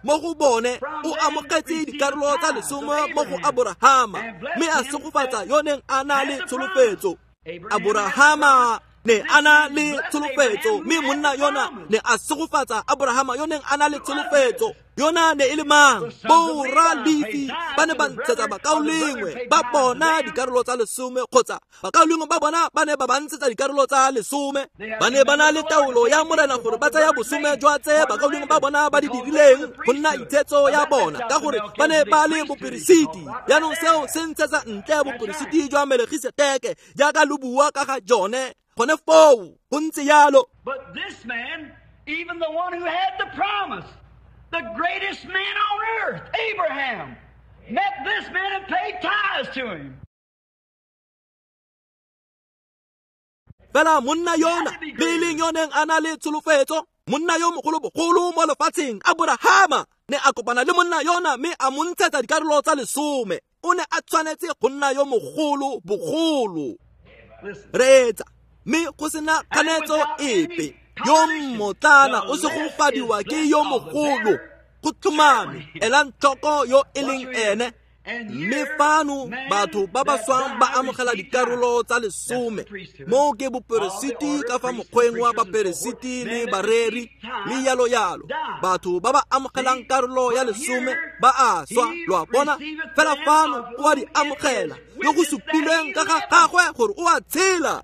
mo go bone, o amogetse dikarolo tsa lesome mo go Aborahama, mme a segofatsa yo neng a na le tsholofetso. Aborahama ne a na le tsholofetso, mme monna yona ne a segofatsa Aborahama yo neng a na le tsholofetso. Yona ne e le mang? Borra Lefi ba ne ba ntshetsa bakaulengwe ba bona dikarolo tsa lesome, kgotsa bakaulengwe ba bona ba ne ba ba ntshetsa dikarolo tsa lesome. Ba ne ba na le taolo ya Morena gore ba tsaya bosome jwa tse bakaulengwe ba bona ba di dirileng go nna itshetso ya bona, ka gore ba ne ba le boperesiti. Jaanong seo se ntshetsa ntle boperesiti jwa Melegiseteke jaaka lo bua ka ga jone gone foo. Go ntse jalo. But this man, even the one who had the promise, the greatest man on earth, Abraham, met this man and paid tithes to him. Fela monna yona le e leng yo neng a na le tsholofetso, monna yo mogolo bogolo mo lefatsheng, Aborahama, ne a kopana le monna yona mme a mo ntshetsa dikarolo tsa lesome. O ne a tshwanetse go nna yo mogolo bogolo. Reetsa, mme go sena kganetso epe, yo mmotlana o segofadiwa ke yo mogolo. Go tlhomame, elang tlhoko yo e leng ene. Mme fano batho ba ba swang ba amogela dikarolo tsa lesome. Mo ke boperesiti ka fa mokgweng wa baperesiti le bareri le yalo yalo. Batho ba ba amogelang karolo ya lesome ba a swa, lo a bona. Fela fano o a di amogela, yo go supilweng ka ga gagwe gore o a tshela.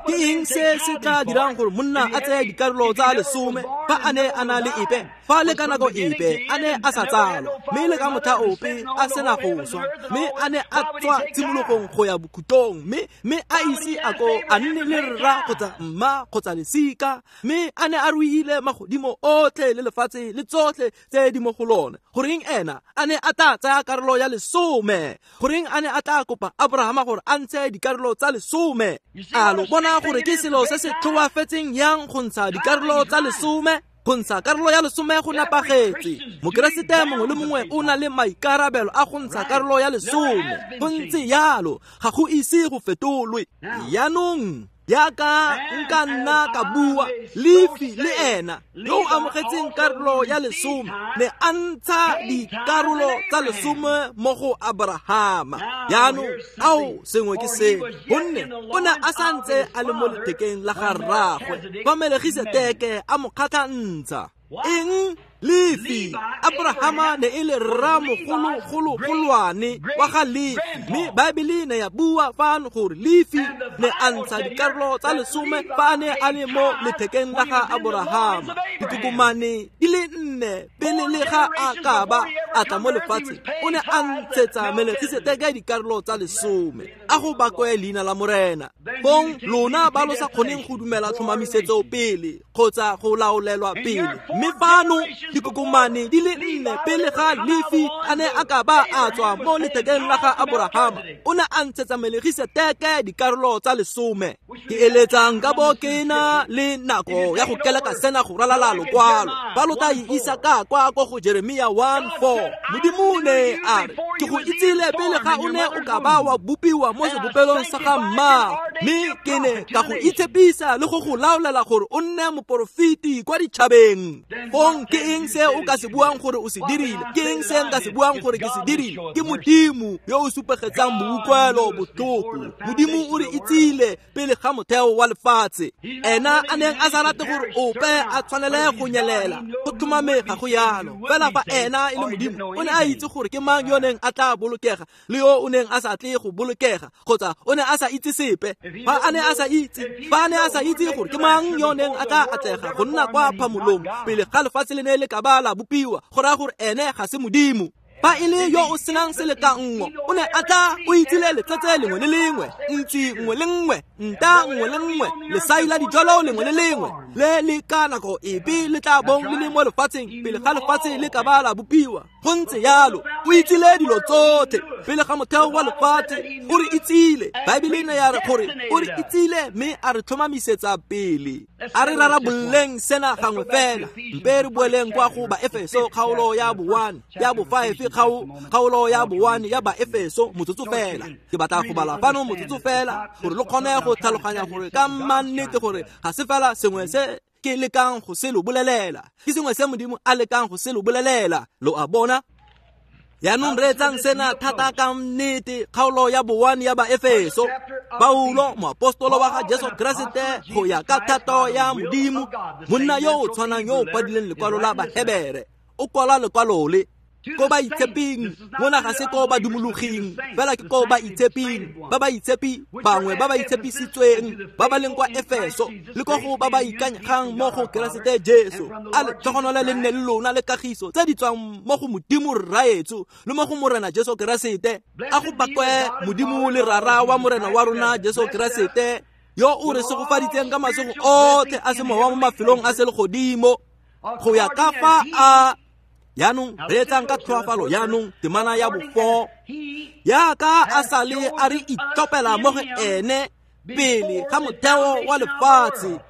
Ke eng se se tla dirang gore monna a tseye dikarolo tsa lesome fa a ne a na le epe, fa le ka nako epe a ne a sa tsalwa, mme le ka motlha ope a sena go swa, mme a ne a tswa tshimologong go ya bokhutlong, mme mme a ise a ko a nne le rra kgotsa mma kgotsa lesika, mme a ne a ruile magodimo otlhe le lefatshe le tsotlhe tse di mo go lone? Goreng ena a ne a tla tsaya karolo ya lesome? Goreng a ne a tla kopa Aborahama gore a ntshe dikarolo tsa lesome? A lo bona gore ke selo se se tlhoafetseng yang go ntsha dikarolo tsa lesome? Go ntsha karolo ya lesome go nepagetse. Mokeresete mongwe le mongwe o na le maikarabelo a go ntsha karolo ya lesome. Go ntse jalo, ga go ise go fetolwe. Jaanong jaaka nka nna ka bua, Lefi le ena yo o amogetseng karolo ya lesome ne a ntsha dikarolo tsa lesome mo go Aborahama. Jaanong ao sengwe ke se, gonne o ne a santse a le mo lethekeng la ga rraagwe fa Melegiseteke a mo kgatlhantsha. Eng? Lefi, Abrahama ne e le rramogologologolwane wa ga Lefi, mme Baebele ne ya bua fano gore Lefi ne a ntsha dikarolo tsa lesome fa a ne a le mo lethekeng la ga Aborahama. Dikokomane di le nne pele le ga a ka ba a tla mo lefatsheng, o ne a ntshetsa Melkisedeke dikarolo tsa lesome. A go bakwe leina la Morena. Fong lona ba lo sa kgoneng go dumela tlhomamisetso pele kgotsa go laolelwa pele, mme fano dikokomane di le nne pele ga Lefi a ne a ka ba a tswa mo lethekeng la ga Aborahama, o ne a ntshetsa Melkisedeke dikarolo tsa lesome. Ke eletsang ka bo ke na le nako ya go keleka sena go ralala lokwalo. Ba lo tla e isa ka kwa ko go Jeremia one four. Modimo ne a re, ke go itsile pele ga o ne o ka ba wa bopiwa mo sebopelong sa ga mmaago, mme ke ne ka go itshepisa le go go laolela gore o nne moporofeti kwa ditšhabeng. Fong ke eng se o ka se buang gore o se dirile? Ke eng se nka se buang gore ke se dirile? Ke Modimo yo o supegetsang boutlwelo botlhoko. Modimo o re itsile pele ga motheo wa lefatshe. Ena a neng a sa rate gore ope a tshwanele go nyelela, go tlhomame ga go yalo. Fela fa ena e le Modimo, o ne a itse gore ke mang yo neng a tla bolokega le yo o neng a sa tle go bolokega, kgotsa o ne a sa itse sepe. Fa a ne a sa itse, fa a ne a sa itse gore ke mang yo neng a tla atlega go nna kwa phamolong pele ga lefatshe le ne le ka ba la bopiwa, go raya gore ene ga se Modimo. Fa e le yo o senang selekanngo, o ne a tla o itsile letsatsi lengwe le lengwe, ntsi nngwe le nngwe, nta nngwe le nngwe, lesai la dijalo lengwe le lengwe le le ka nako epe le tla bong le le mo lefatsheng pele ga lefatshe le ka ba la bopiwa. Go ntse yalo, o itsile dilo tsotlhe pele ga motheo wa lefatshe. O re itsile. Baebele ne ya re gore o re itsile mme a re tlhomamisetsa pele. A re rarabololeng sena gangwe fela. Mpe re boeleng kwa go Baefeso kgaolo ya bo one ya bo five, kgaolo ya bo one ya Baefeso motsotso fela. Ke batla go bala fano motsotso fela gore lo kgone go tlhaloganya gore ka mannete gore ga se fela sengwe se ke lekang go se lo bolelela, ke sengwe se Modimo a lekang go se lo bolelela. Lo a bona? Yaanong reetsang sena thata ka nnete. Kgaolo ya bo one ya Baefeso. Paulo, moapostolo wa ga Jesu Keresete go ya ka thato ya Modimo, monna yo o tshwanang yo o kwadileng lekwalo la Bahebere, o kwala lekwalo le ko ba itsheping. Mona ga se ko ba dumologing fela, ke ko ba itsheping, ba ba itshepi bangwe ba ba itshepisitsweng ba ba leng kwa Efeso, le ko go ba ba ikanyegang mo go Keresete Jesu. A letlhogonolo le nne le lona le kagiso tse di tswang mo go Modimo Rraetsho le mo go Morena Jesu Keresete. A go bakwe Modimo le Rara wa Morena wa rona Jesu Keresete, yo o re segofaditseng ka masego otlhe a semowa mo mafelong a selegodimo, go ya ka fa a yaanong reetsang ka tlhoafalo. Yaanong temana ya bo four, yaka a sa le a re itlhopela mo go ene pele ga motheo wa lefatshe.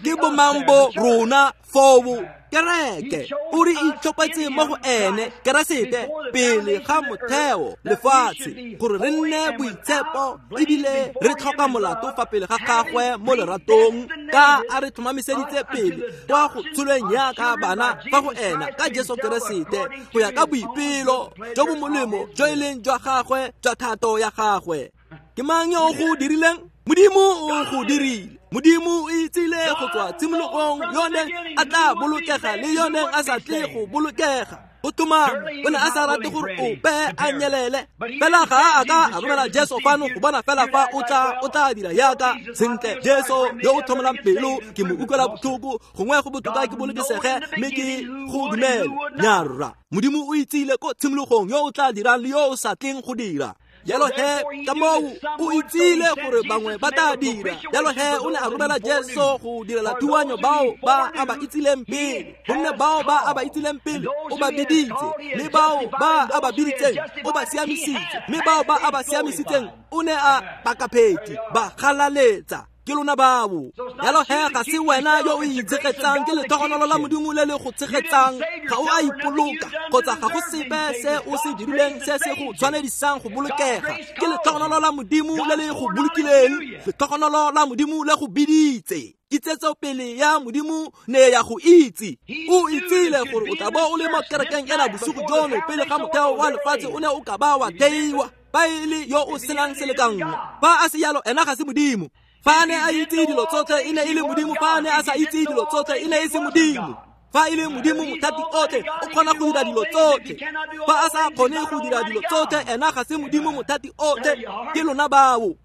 Ke bomang bo rona foo? Kereke. O re itlhopetse mo go ene Keresete pele ga motheo lefatshe, gore re nne boitshepo ebile re tlhoka molato fa pele ga gagwe mo leratong, ka a re tlhomamiseditse pele kwa go tsholweng yaka bana fa go ena ka Jesu Keresete, go ya ka boipelo jo bo molemo jo e leng jwa gagwe jwa thato ya gagwe. Ke mang yo o go dirileng? Modimo o go dirile. Modimo o itsile go tswa tshimologong yo neng a tla bolokega le yo neng a sa tle go bolokega. Go tlhomame o ne a sa rate gore ope a nyelele, fela ga a ka a romela Jesu fano go bona fela fa o tla o tla dira yaka sentle. Jesu yo o tlhomolang pelo, ke mo utlwela botlhoko, gongwe go botoka ke bolokesege mme ke go dumele. Nyarra, Modimo o itsile ko tshimologong yo o tla dirang le yo o sa tleng go dira. Jalo he, ka moo o itsile gore bangwe ba tla dira. Jalo he, o ne a romela Jesu go direla thuanyo bao ba a ba itsileng pele, gonne bao ba a ba itsileng pele o ba biditse, mme bao ba a ba biditseng o ba siamisitse, mme bao ba a ba siamisitseng o ne a bakapheti ba galaletsa. Ke lona bao. Jalo he, ga se wena yo o itshegetsang, ke letlhogonolo la Modimo le le go tshegetsang. Ga o a ipoloka, kgotsa ga go sepe se o se dirileng se se go tshwanedisang go bolokega. Ke letlhogonolo la Modimo le le go bolokileng, letlhogonolo la Modimo le go biditse. Kitsetsopele ya Modimo ne ya go itse. O itsile gore o tla bo o le mo kerekeng ena bosigo jono pele ga motheo wa lefatshe o ne o ka ba wa theiwa. Fa e le yo o senang selekanngo, fa a se yalo ena ga se Modimo. Fa a ne a itse dilo tsotlhe e ne e le Modimo, fa a ne a sa itse dilo tsotlhe e ne e se Modimo. Fa e le Modimo mothati otlhe, o kgona go dira dilo tsotlhe. Fa a sa kgone go dira dilo tsotlhe, ena ga se Modimo mothati otlhe, ke lona bao.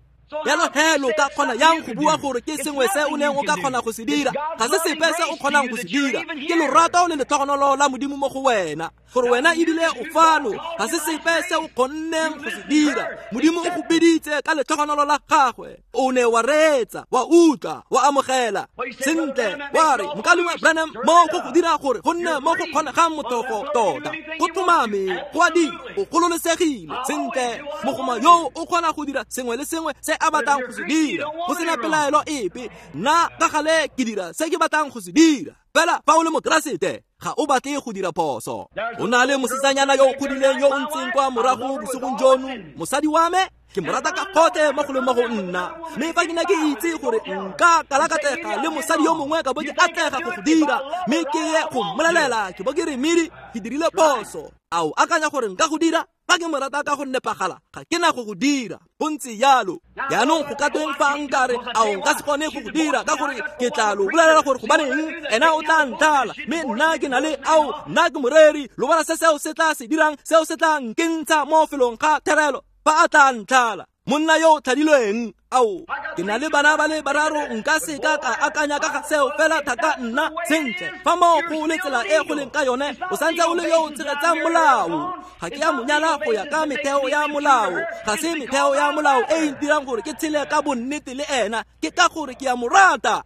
Jalo he lo ka kgona yang go bua gore ke sengwe se o neng o ka kgona go se dira? Ga se sepe se o kgonang go se dira. Ke lorato le letlhogonolo la Modimo mo go wena, gore wena ebile o fano. Ga se sepe se o kgonneng go se dira. Modimo o go biditse ka letlhogonolo la gagwe. O ne wa reetsa, wa utlwa, wa amogela. Sentle, wa re, Mokaulengwe Branham, mo go go dira gore go nne mo go kgonegang motlhofo tota. Go tlhomame, go a dira, o gololesegile. Sentle, mogoma yo o kgona go dira sengwe le sengwe se a batlang go se dira, go sena pelaelo epe. Nna ka gale ke dira se ke batlang go se dira. Fela fa o le Mokeresete, ga o batle go dira phoso. O na le mosetsanyana yo o godileng yo o ntseng kwa morago bosigong jono, mosadi wa me, ke mo rata ka gotlhe mo go leng mo go nna. Mme fa ke ne ke itse gore nka kalakatlega le mosadi yo mongwe ka bo ke atlega go go dira, mme ke ye go mmolelela, ke bo ke re, Miri, ke dirile phoso. A o akanya gore nka go dira? Fa ke mo rata ka go nepagala, ga ke na go go dira. Go ntse jalo. Jaanong go ka tweng fa nka re, ao nka se kgone go go dira, ka gore ke tla lo bolelela gore gobaneng ena o tla ntlhala, mme nna ke na le ao, nna ke moreri. Lo bona se seo se tla se dirang, seo se tla nkentsha mo felong ga therelo fa a tla ntlhala. Monna yo o tlhadilweng, ao, ke na le bana ba le bararo, nka se ka ka akanya ka ga seo fela thata nna. Sentle, fa moo go le tsela e go leng ka yone, o santse o le yo o tshegetsang molao. Ga ke a mo nyala go ya ka metheo ya molao. Ga se metheo ya molao e e ntirang gore ke tshele ka bonnete le ena, ke ka gore ke a mo rata.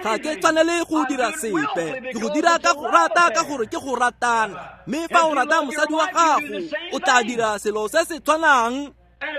Ga ke tshwanele go dira sepe, ke go dira ka go rata, ka gore ke go ratana. Mme fa o rata mosadi wa gago, o tla dira selo se se tshwanang.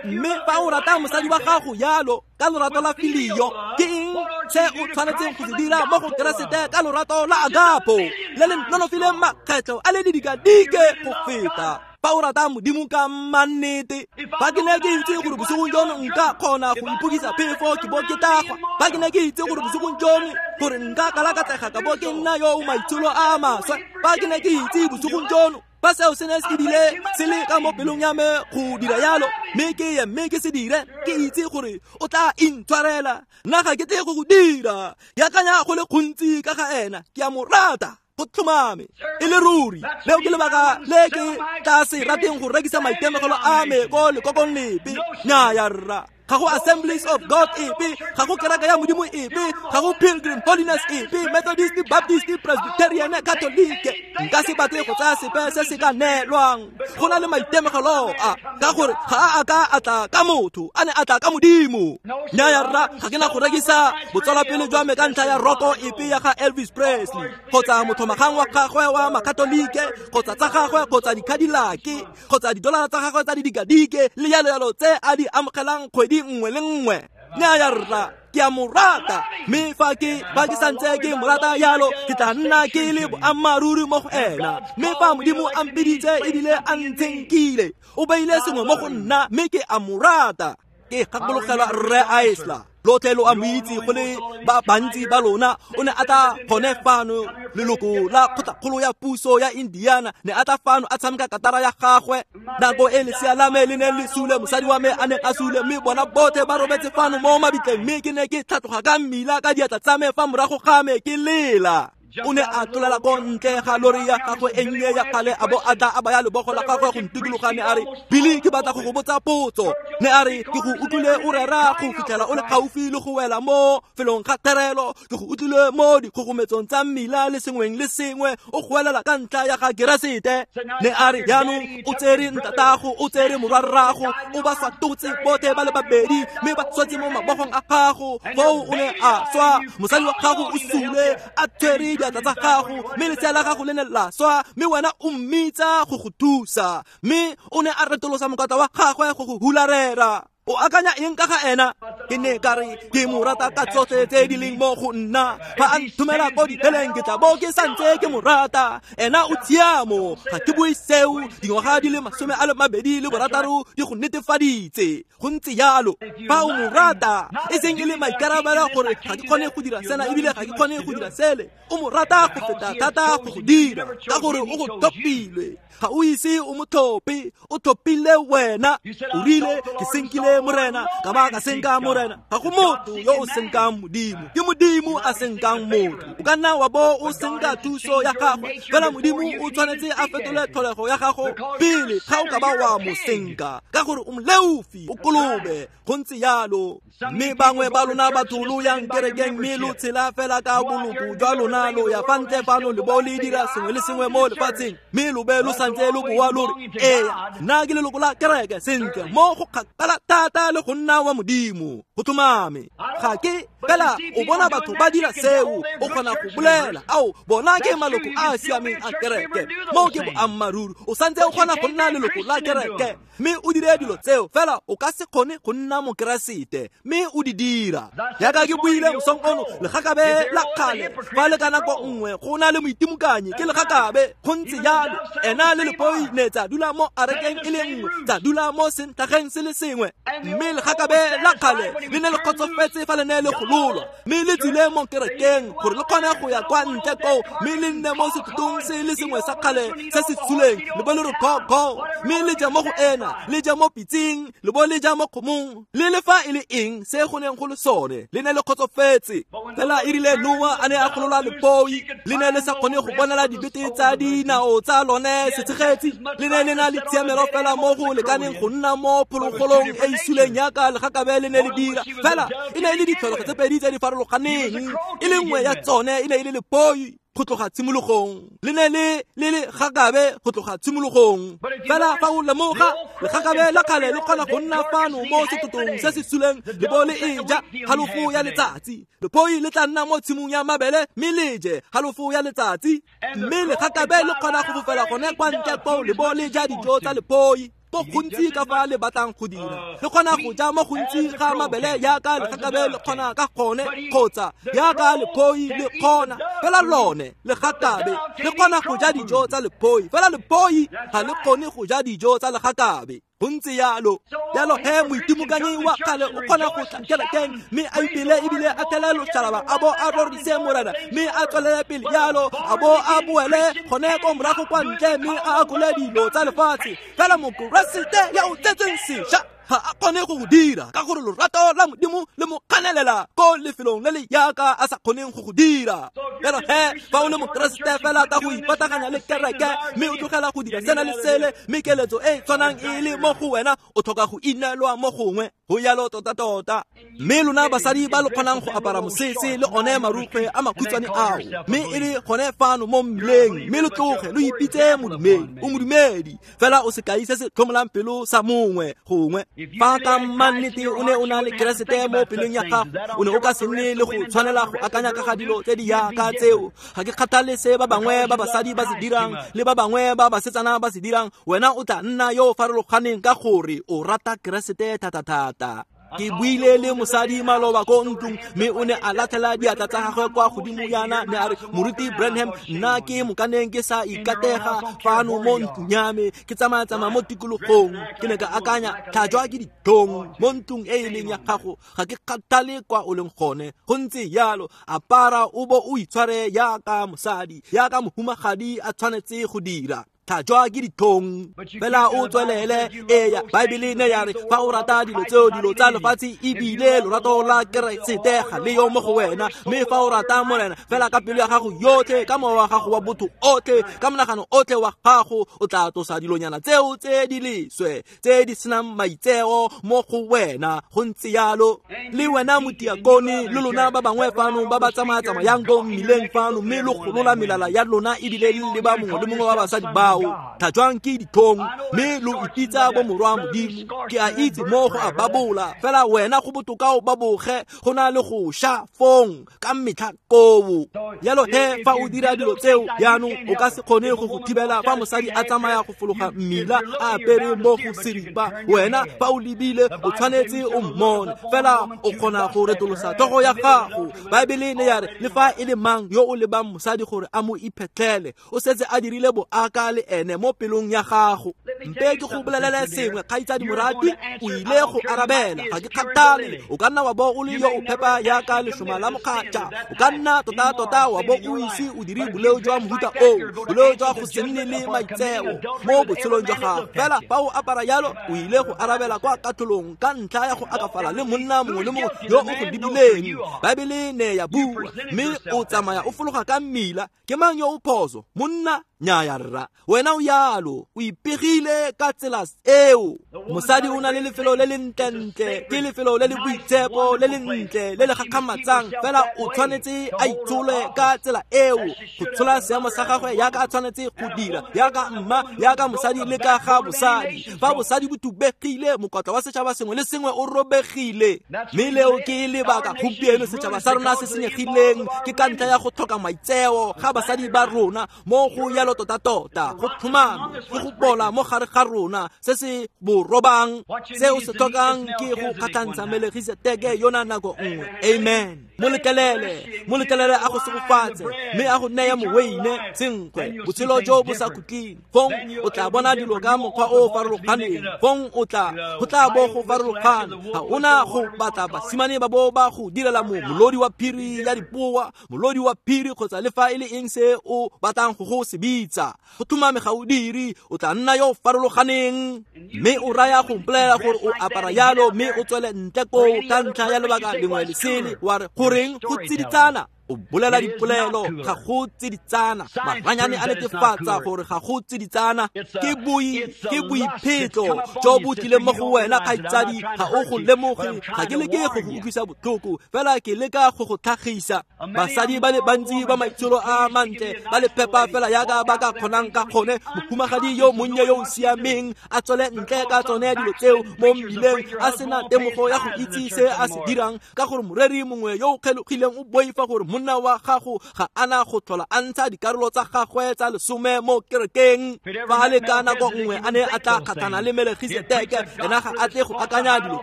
Mme fa o rata mosadi wa gago jalo ka lorato la filio, ke eng se o tshwanetseng go se dira mo go Keresete ka lorato la agapo le le nonofileng makgetlho a le didikadike go feta? Fa o rata Modimo ka mannete, fa ke ne ke itse gore bosigong jono nka kgona go ipokisa phefo ke bo ke tagwa, fa ke ne ke itse gore bosigong jono gore nka kalakatlega ka bo ke nna yo o maitsholo a maswe, fa ke ne ke itse bosigong jono fa seo se ne se bile se le ka mo pelong ya me go dira jalo, mme ke ye mme ke se dire, ke itse gore o tla intshwarela. Nna ga ke tle go go dira. Ke akanya go le gontsi ka ga ena, ke a mo rata. Go tlhomame e le ruri. Leo ke lebaka le ke tla se rateng go rekisa maitemogelo a me ko lekokong lepe. Nnyaya rra, ga go Assemblies of God epe, ga go kereke ya Modimo epe, ga go Pilgrim Holiness epe, Methodist, Baptist, Presbyterian, Catholic. Nka se batle go tsaya sepe se se ka neelwang. Go na le maitemogelo a, ka gore ga a a ka a tla ka motho, a ne a tla ka Modimo. Nnyaya rra, ga ke na go rekisa botsalwapele jwa me ka ntlha ya roko epe ya ga Elvis Presley, kgotsa mothomagang wa gagwe wa Makatolike, kgotsa tsa gagwe, kgotsa di-Cadillac, kgotsa didolara tsa gagwe tsa didikadike, le jalo jalo tse a di amogelang kgwedi nngwe le nngwe. Nnyaya rra, ke a mo rata. Mme fa ke fa ke santse ke mo rata jalo, ke tla nna ke le boammaaruri mo go ena. Mme fa Modimo a mpiditse ebile a ntshenkile, o beile sengwe mo go nna, mme ke a mo rata. Ke gakologelwa Rre Aisla, lotlhe lo a mo itse go le ba bantsi ba lona. O ne a tla gone fano, leloko la kgotlakgolo ya puso ya Indiana, ne a tla fano a tshameka katara ya gagwe. Nako e lesea la me le ne le sule, mosadi wa me a ne a sule, mme bona botlhe ba robetse fano mo mabitleng, mme ke ne ke tlhatloga ka mmila ka diatla tsa me fa morago ga me ke lela. O ne a tlolela ko ntle ga lori ya gagwe e nnye ya kgale, a bo a tla a baya lebogo la gagwe go ntikologa, ne a re, Billy, ke batla go go botsa potso. Ne a re, ke go utlwile o rera go fitlhela o le gaufi le go wela mo felong ga therelo, ke go utlwile mo dikgogometsong tsa mmila le sengweng le sengwe o goelela ka ntlha ya ga Keresete. Ne a re, jaanong o tsere ntatago, o tsere morwarrago, o ba swatotse botlhe ba le babedi, mme ba swetse mo mabogong a gago. Foo o ne a swa, mosadi wa gago o sule a tshwere diatla tsa gago, mme lesea la gago le ne la swa, mme wena o mmitsa go go thusa. Mme o ne a retolosa mokata wa gagwe go go hularela. O akanya eng ka ga ena? Ke ne ka re, ke mo rata ka tsotlhe tse di leng mo go nna. Fa a nthomela ko diheleng, ke tla bo ke santse ke mo rata. Ena o tshiamo, ga ke bue seo. Dingwaga di le masome a le mabedi le borataro di go netefaditse. Go ntse jalo. Fa o mo rata, e seng e le maikarabelo gore ga ke kgone go dira sena ebile ga ke kgone go dira sele. O mo rata go feta thata go go dira, ka gore o go thopilwe. Ga o ise o mo thope, o thopile wena. O rile, ke senkile Morena, ka ba ka senka Morena, ga go motho yo o senkang Modimo. Ke Modimo a senkang motho. O ka nna wa bo o senka thuso ya gagwe, fela Modimo o tshwanetse a fetole tlholego ya gago pele ga o ka ba wa mo senka, ka gore o moleofi, o kolobe, go ntse yalo. Mme bangwe ba lona batho lo yang kerekeng mme lo tshela fela ka boloko jwa lona, lo ya fa ntle fano le bo le dira sengwe le sengwe mo lefatsheng, mme lo be lo santse lo boa lo re, ee, nna ke leloko la kereke. Sentle, mo go kgakala thata le go nna wa Modimo, go tlhomame. Ga ke fela o bona batho ba dira seo, o kgona go bolela, ao, bona ke maloko a a siameng a kereke. Mo ke boammaaruri, o santse o kgona go nna leloko la kereke mme o dire dilo tseo, fela o ka se kgone go nna mokeresete mme o di dira. Jaaka ke buile mosong ono, legakabe la kgale fa le ka nako nngwe go na le moitimokanyi ke legakabe, go ntse jalo. Ena le lepoi ne tsa dula mo arekeng e le nngwe, tsa dula mo sentlhageng se le sengwe, mme legakabe la kgale le ne le kgotsofetse fa le ne le gololwa, mme le tsile mo kerekeng gore le kgone go ya kwa ntle koo, mme le nne mo setotong se le sengwe sa kgale se se suleng, le bo le re go go, mme le ja mo go ena, le ja mo pitseng, le bo le ja mo kgomong, le le fa e le eng se go neng go le sone, le ne le kgotsofetse. Fela e rile Noa a ne a golola lepoi, le ne le sa kgone go bonela dibete tsa dinao tsa lone setshegetsi, le ne le na le tshiamelo fela mo go lekaneng go nna mo phologolong e e suleng yaka legakabe le ne le dira. Fela e ne e le ditlholego tse pedi tse di farologaneng, e le nngwe ya tsone e ne e le lepoi go tloga tshimologong, le ne le le legakabe go tloga tshimologong. Fela fa o lemoga, legakabe la kgale le kgona go nna fano mo setotong se se suleng le bo le e ja halofo ya letsatsi, lepoi le tla nna mo tshimong ya mabele mme le je halofo ya letsatsi, mme legakabe le kgona go fofela gone kwa ntle koo le bo le ja dijo tsa lepoi mo gontsi ka fa le batlang go dira. Le kgona go ja mo gontsi ga mabele yaka legakabe le kgona ka gone, kgotsa yaka lepoi le kgona, fela lone legakabe le kgona go ja dijo tsa lepoi, fela lepoi ga le kgone go ja dijo tsa legakabe. Go ntse yalo. Jalo he moitimokanyi wa kgale o kgona go tla kerekeng mme a ipele ebile a thele loshalaba, a bo a rorise Morena mme a tswelele pele yalo, a bo a boele gone ko morago kwa ntle mme a akole dilo tsa lefatshe. Fela mokeresete ya o tsetseng sešwa ga a kgone go go dira, ka gore lorato la Modimo le mo kganelela ko lefelong le le yaka a sa kgoneng go go dira. Jalo he fa o le mokeresete fela ka go ipataganya le kereke mme o tlogela go dira sena le sele, mme keletso e tshwanang e le mo go wena, o tlhoka go inelwa mo gongwe. Go yalo tota-tota. Mme lona basadi ba lo kgonang go apara mosese le one marukgwe a makhutshwane ao, mme e le gone fano mo mmileng, mme lo tloge lo ipitse modumedi, o modumedi fela o sekai se se tlhomolang pelo sa mongwe gongwe. Fa ka mannete o ne o na le Keresete mo pelong ya gago, o ne o ka se nne le go tshwanela go akanya ka ga dilo tse di yaka tseo. Ga ke kgathale se ba bangwe ba basadi ba se dirang le ba bangwe ba basetsana ba se dirang, wena o tla nna yo o farologaneng ka gore o rata Keresete thata-thata. Ke buile le mosadi maloba ko ntlong, mme o ne a latlhela diatla tsa gagwe kwa godimo yana, ne a re, Moruti Branham, nna ke mokaneng ke sa ikatega fano mo ntlong ya me, ke tsamaya-tsamaya mo tikologong. Ke ne ka akanya, tlhajwa ke ditlhong mo ntlong e e leng ya gago, ga ke kgathale kwa o leng gone. Go ntse yalo, apara o bo o itshware yaka mosadi, yaka mohumagadi a tshwanetse go dira. Tlhajwa ke ditlhong, fela o tswelele. Eya, Baebele ne ya re fa o rata dilo tseo, dilo tsa lefatshe, ebile lorato la Keresete ga le yo mo go wena. Mme fa o rata Morena fela ka pelo ya gago yotlhe, ka mowa wa gago wa botho otlhe, ka monagano otlhe wa gago, o tla tlosa dilonyana tseo tse di leswe tse di senang maitseo mo go wena. Go ntse yalo. Le wena motiakone le lona ba bangwe fano ba ba tsamaya-tsamayang ko mmileng fano, mme lo golola melala ya lona ebile le leba mongwe le mongwe wa basadi bao, tlhajwang ke ditlhong, mme lo ipitsa bo morwa Modimo. Ke a itse mo go a babola, fela wena go botoka o baboge go na le go sha fong ka metlha koo. Jalo he fa o dira dilo tseo jaanong, o ka se kgone go go thibela fa mosadi a tsamaya go fologa mmila a apere mo go seripa. Wena fa o lebile o tshwanetse o mmone, fela o kgona go retolosa tlhogo ya gago. Baebele ne ya re le fa e le mang yo o lebang mosadi gore a mo iphetlhele, o setse a dirile boaka le ene mo pelong ya gago. Mpe ke go bolelele sengwe, kgaitsadi moratwi, o ile go arabela. Ga ke kgathale, o ka nna wa bo o le yo o phepa yaka lešoma la mokgatša, o ka nna tota-tota wa bo o ise o dire boleo jwa mohuta oo, boleo jwa go se nne le maitseo mo botshelong jwa gago. Fela fa o apara yalo, o ile go arabela kwa katlholong ka ntlha ya go akafala le monna mongwe le mongwe yo o go lebileng. Baebele ne ya bua, mme o tsamaya o fologa ka mmila. Ke mang yo o phoso? Monna? Nnyaya rra, wena o yalo, o ipegile ka tsela eo. Mosadi o na le lefelo le le ntlentle, ke lefelo le le boitshepo, le le ntle, le le gakgamatsang. Fela o tshwanetse a itshole ka tsela eo, go tshola seemo sa gagwe yaka a tshwanetse go dira, yaka mma, yaka mosadi le ka ga bosadi. Fa bosadi bo thubegile, mokotla wa setšhaba sengwe le sengwe o robegile. Mme leo ke lebaka gompieno setšhaba sa rona se senyegileng, ke ka ntlha ya go tlhoka maitseo ga basadi ba rona mo go yalo tota-tota, go tlhomame ke go bola mo gare ga rona se se bo robang. Se o se tlhokang ke go kgatlhantsha Melegiseteke yona nako nngwe. Amen. Mo letlelele, mo letlelele a go segofatse, mme a go neye moweine, senkgwe, botshelo jo bo sa khutleng. Fong o tla bona dilo ka mokgwa o o farologaneng. Fong o tla, go tla bo go farologana. Ga ona go batla basimane ba bo ba go direla mo molodi wa phiri ya dipoa, molodi wa phiri kgotsa le fa e le eng se o batlang go go se bitsa. Go tlhomame ga o dire, o tla nna yo o farologaneng. Mme o raya go mpolelela gore o apara yalo, mme o tswele ntle koo ka ntlha ya lebaka lengwe le sele, wa re goreng go tsiditsana? O bolela dipolelo, ga go tsiditsana. Maranyane a netefatsa gore ga go tsiditsana. Ke boi, ke boiphetlo jo bo tlileng mo go wena, kgaitsadi. Ga o go lemoge. Ga ke leke go go utlwisa botlhoko, fela ke leka go go tlhagisa. Basadi ba le bantsi ba maitsholo a mantle, ba le phepa fela yaka ba ka kgonang ka kgone. Mohumagadi yo monnye yo o siameng a tswele ntle ka tsone dilo tseo mo mmileng, a sena temogo ya go itse se a se dirang, ka gore moreri mongwe yo o kgelogileng o boifa gore monna wa gago ga ana go tlhola a ntsha dikarolo tsa gagwe tsa lesome mo kerekeng. Fa le ka nako nngwe a ne a tla kgatlhana le Melegiseteke, ena ga a tle go akanya dilo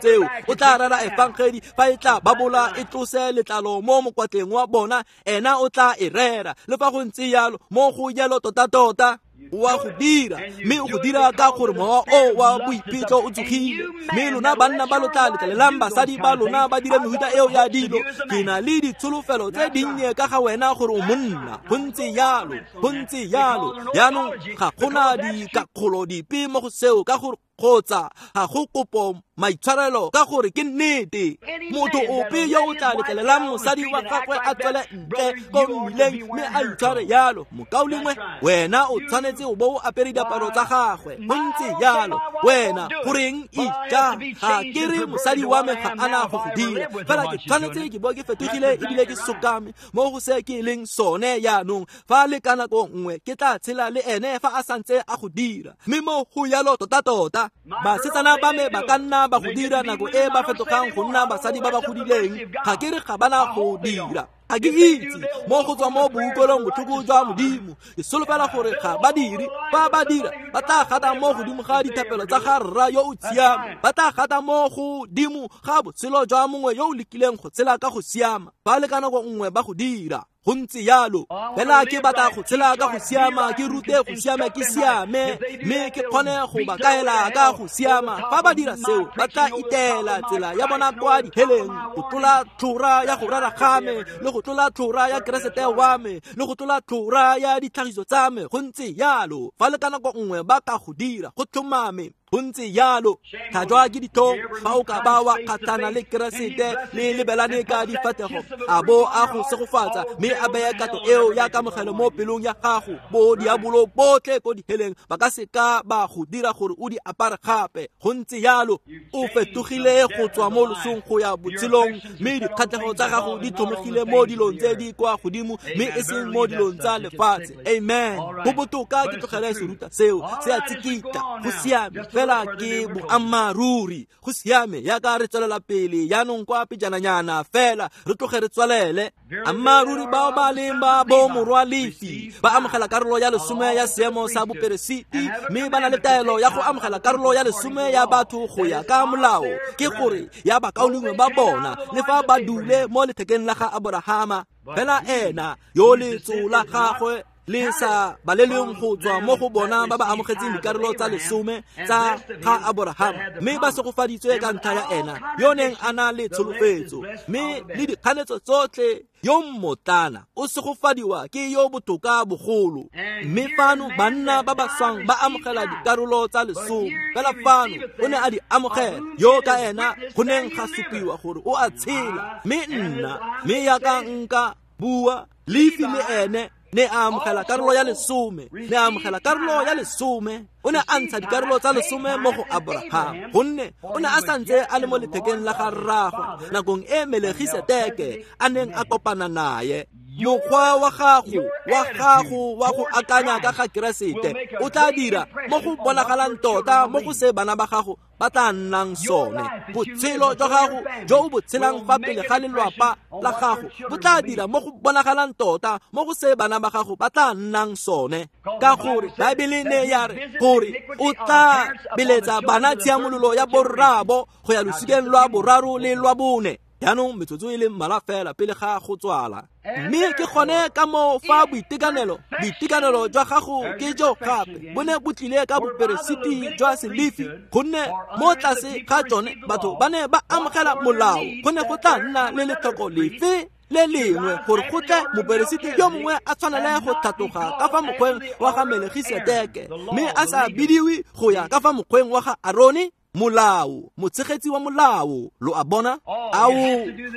tseo. O tla rera efangedi fa e tla babola e tlose letlalo mo mokwatleng wa bona, ena o tla e rera. Le fa go ntse yalo, mo go yalo tota-tota o a go dira, mme o go dira ka gore mowa o wa boiphetlo o tsogile. Mme lona banna ba lo tla letlelelang basadi ba lona ba dire mehuta eo ya dilo. Ke na le ditsholofelo tse dinnye ka ga wena gore o monna. Go ntse yalo, go ntse yalo. Jaanong ga gona dikakgolo dipe mo go seo, ka gore kgotsa ga go kopo maitshwarelo, ka gore ke nnete. Motho ope yo o tla letlelelang mosadi wa gagwe a tswele ntle ko mmileng mme a itshware yalo, mokaulengwe, wena o tshwanetse o bo o apere diaparo tsa gagwe. Go ntse yalo. Wena goreng ija? Ga ke re mosadi wa me ga ana go go dira, fela ke tshwanetse ke bo ke fetogile ebile ke sokame mo go se ke leng sone jaanong. Fa le ka nako nngwe ke tla tshela le ene fa a santse a go dira, mme mo go yalo tota-tota. Basetsana ba me ba ka nna ba go dira nako e ba fetogang go nna basadi ba ba godileng. Ga ke re ga bana go dira, ga ke itse mo go tswa mo boutlwelong botlhoko jwa Modimo. Ke solofela gore ga ba dire. Fa ba dira, ba tla gata mo godimo ga dithapelo tsa ga rra yo o siame, ba tla gata mo godimo ga botshelo jwa mongwe yo o lekileng go tshela ka go siama. Fa le ka nako nngwe ba go dira, go ntse yalo. Fela ke batla go tshela ka go siama, ke rute go siama, ke siame, mme ke kgone go ba kaela ka go siama. Fa ba dira seo, ba tla itela tsela ya bona kwa diheleng, go tlola tlhora ya go rera ga me, le go tlola tlhora ya Keresete wa me, le go tlola tlhora ya ditlhagiso tsa me. Go ntse yalo. Fa le ka nako nngwe ba ka go dira, go tlhomame. Go ntse yalo. Tlhajwa ke ditlhong fa o ka ba wa kgatlhana le Keresete le lebelane ka difatlhego, a bo a go segofatsa, mme a beye kato eo ya kamogelo mo pelong ya gago. Bo diabolo botlhe ko diheleng ba ka seka ba go dira gore o di apare gape. Go ntse yalo. O fetogile go tswa mo losong go ya botshelong, mme dikgatlhego tsa gago di tlhomegile mo dilong tse di kwa godimo, mme e seng mo dilong tsa lefatshe. Amen. Go botoka ke tlogele seruta seo, se a tsikitla. Go siame, fela ke boammaaruri. Go siame yaka re tswelela pele jaanong kwa pejananyana fela, re tloge re tswelele. Ammaaruri bao ba leng ba bo morwa Lefi ba amogela karolo ya lesome ya seemo sa boperesiti, mme ba na le taelo ya go amogela karolo ya lesome ya batho go ya ka molao, ke gore ya bakaulengwe ba bona, le fa ba dule mo lethekeng la ga Aborahama. Fela ena yo letso la gagwe Le sa balelweng go tswa mo go bona ba ba amogetseng dikarolo tsa lesome tsa ga Aborahama, mme ba segofaditswe ka ntlha ya ena yo neng a na le tsholofetso. Mme le dikganetso tsotlhe, yo mmotlana o segofadiwa ke yo botoka bogolo. Mme fano banna ba ba swang ba amogela dikarolo tsa lesome, fela fano o ne a di amogela yo ka ena go neng ga supiwa gore o a tshela. Mme nna, mme yaka nka bua, Lefi le ene ne a amogela karolo ya lesome, ne a amogela karolo ya lesome. O ne a ntsha dikarolo tsa lesome mo go Abraham, gonne o ne a santse a le mo lethekeng la ga rraagwe nakong e Melegiseteke a neng a kopana naye. Mokgwa wa gago wa gago wa go akanya ka ga Keresete o tla dira mo go bonagalang tota mo go se bana ba gago ba tla nnang sone. Botshelo jwa gago jo o bo tshelang fa pele ga lelwapa la gago bo tla dira mo go bonagalang tota mo go se bana ba gago ba tla nnang sone. Ka gore Baebele ne ya re gore o tla beletsa bana tshiamololo ya borraabo go ya losikeng lwa boraro le lwa bone. Jaanong metsotso e le mmalwa fela pele ga go tswala. Mme ke gone ka moo fa boitekanelo, boitekanelo jwa gago ke jo gape bo ne bo tlile ka boperesiti jwa Selefi, gonne mo tlase ga tsone batho ba ne ba amogela molao. Go ne go tla nna le letlhoko lefe le lengwe gore go tle moperesiti yo mongwe a tshwanele go tlhatloga ka fa mokgweng wa ga Melegiseteke, mme a sa bidiwe go ya ka fa mokgweng wa ga Arone? Molao, motshegetsi wa molao, lo a bona? Ao,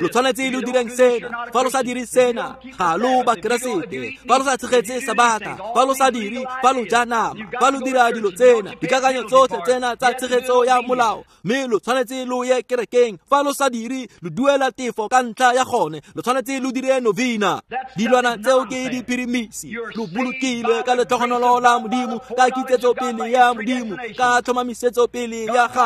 lo tshwanetse lo direng sena, fa lo sa dire sena, ga lo ba Keresete. Fa lo sa tshegetse Sabata, fa lo sa dire, fa lo ja nama, fa lo dira dilo tsena, dikakanyo tsotlhe tsena tsa tshegetso ya molao, mme lo tshwanetse lo ye kerekeng. Fa lo sa dire, lo duela tefo ka ntlha ya gone, lo tshwanetse lo dire novena. Dilwana tseo ke diphirimisi, lo bolokilwe ka letlhogonolo la Modimo, ka kitsetso pele ya Modimo, ka tlhomamisetso pele ya gagwe.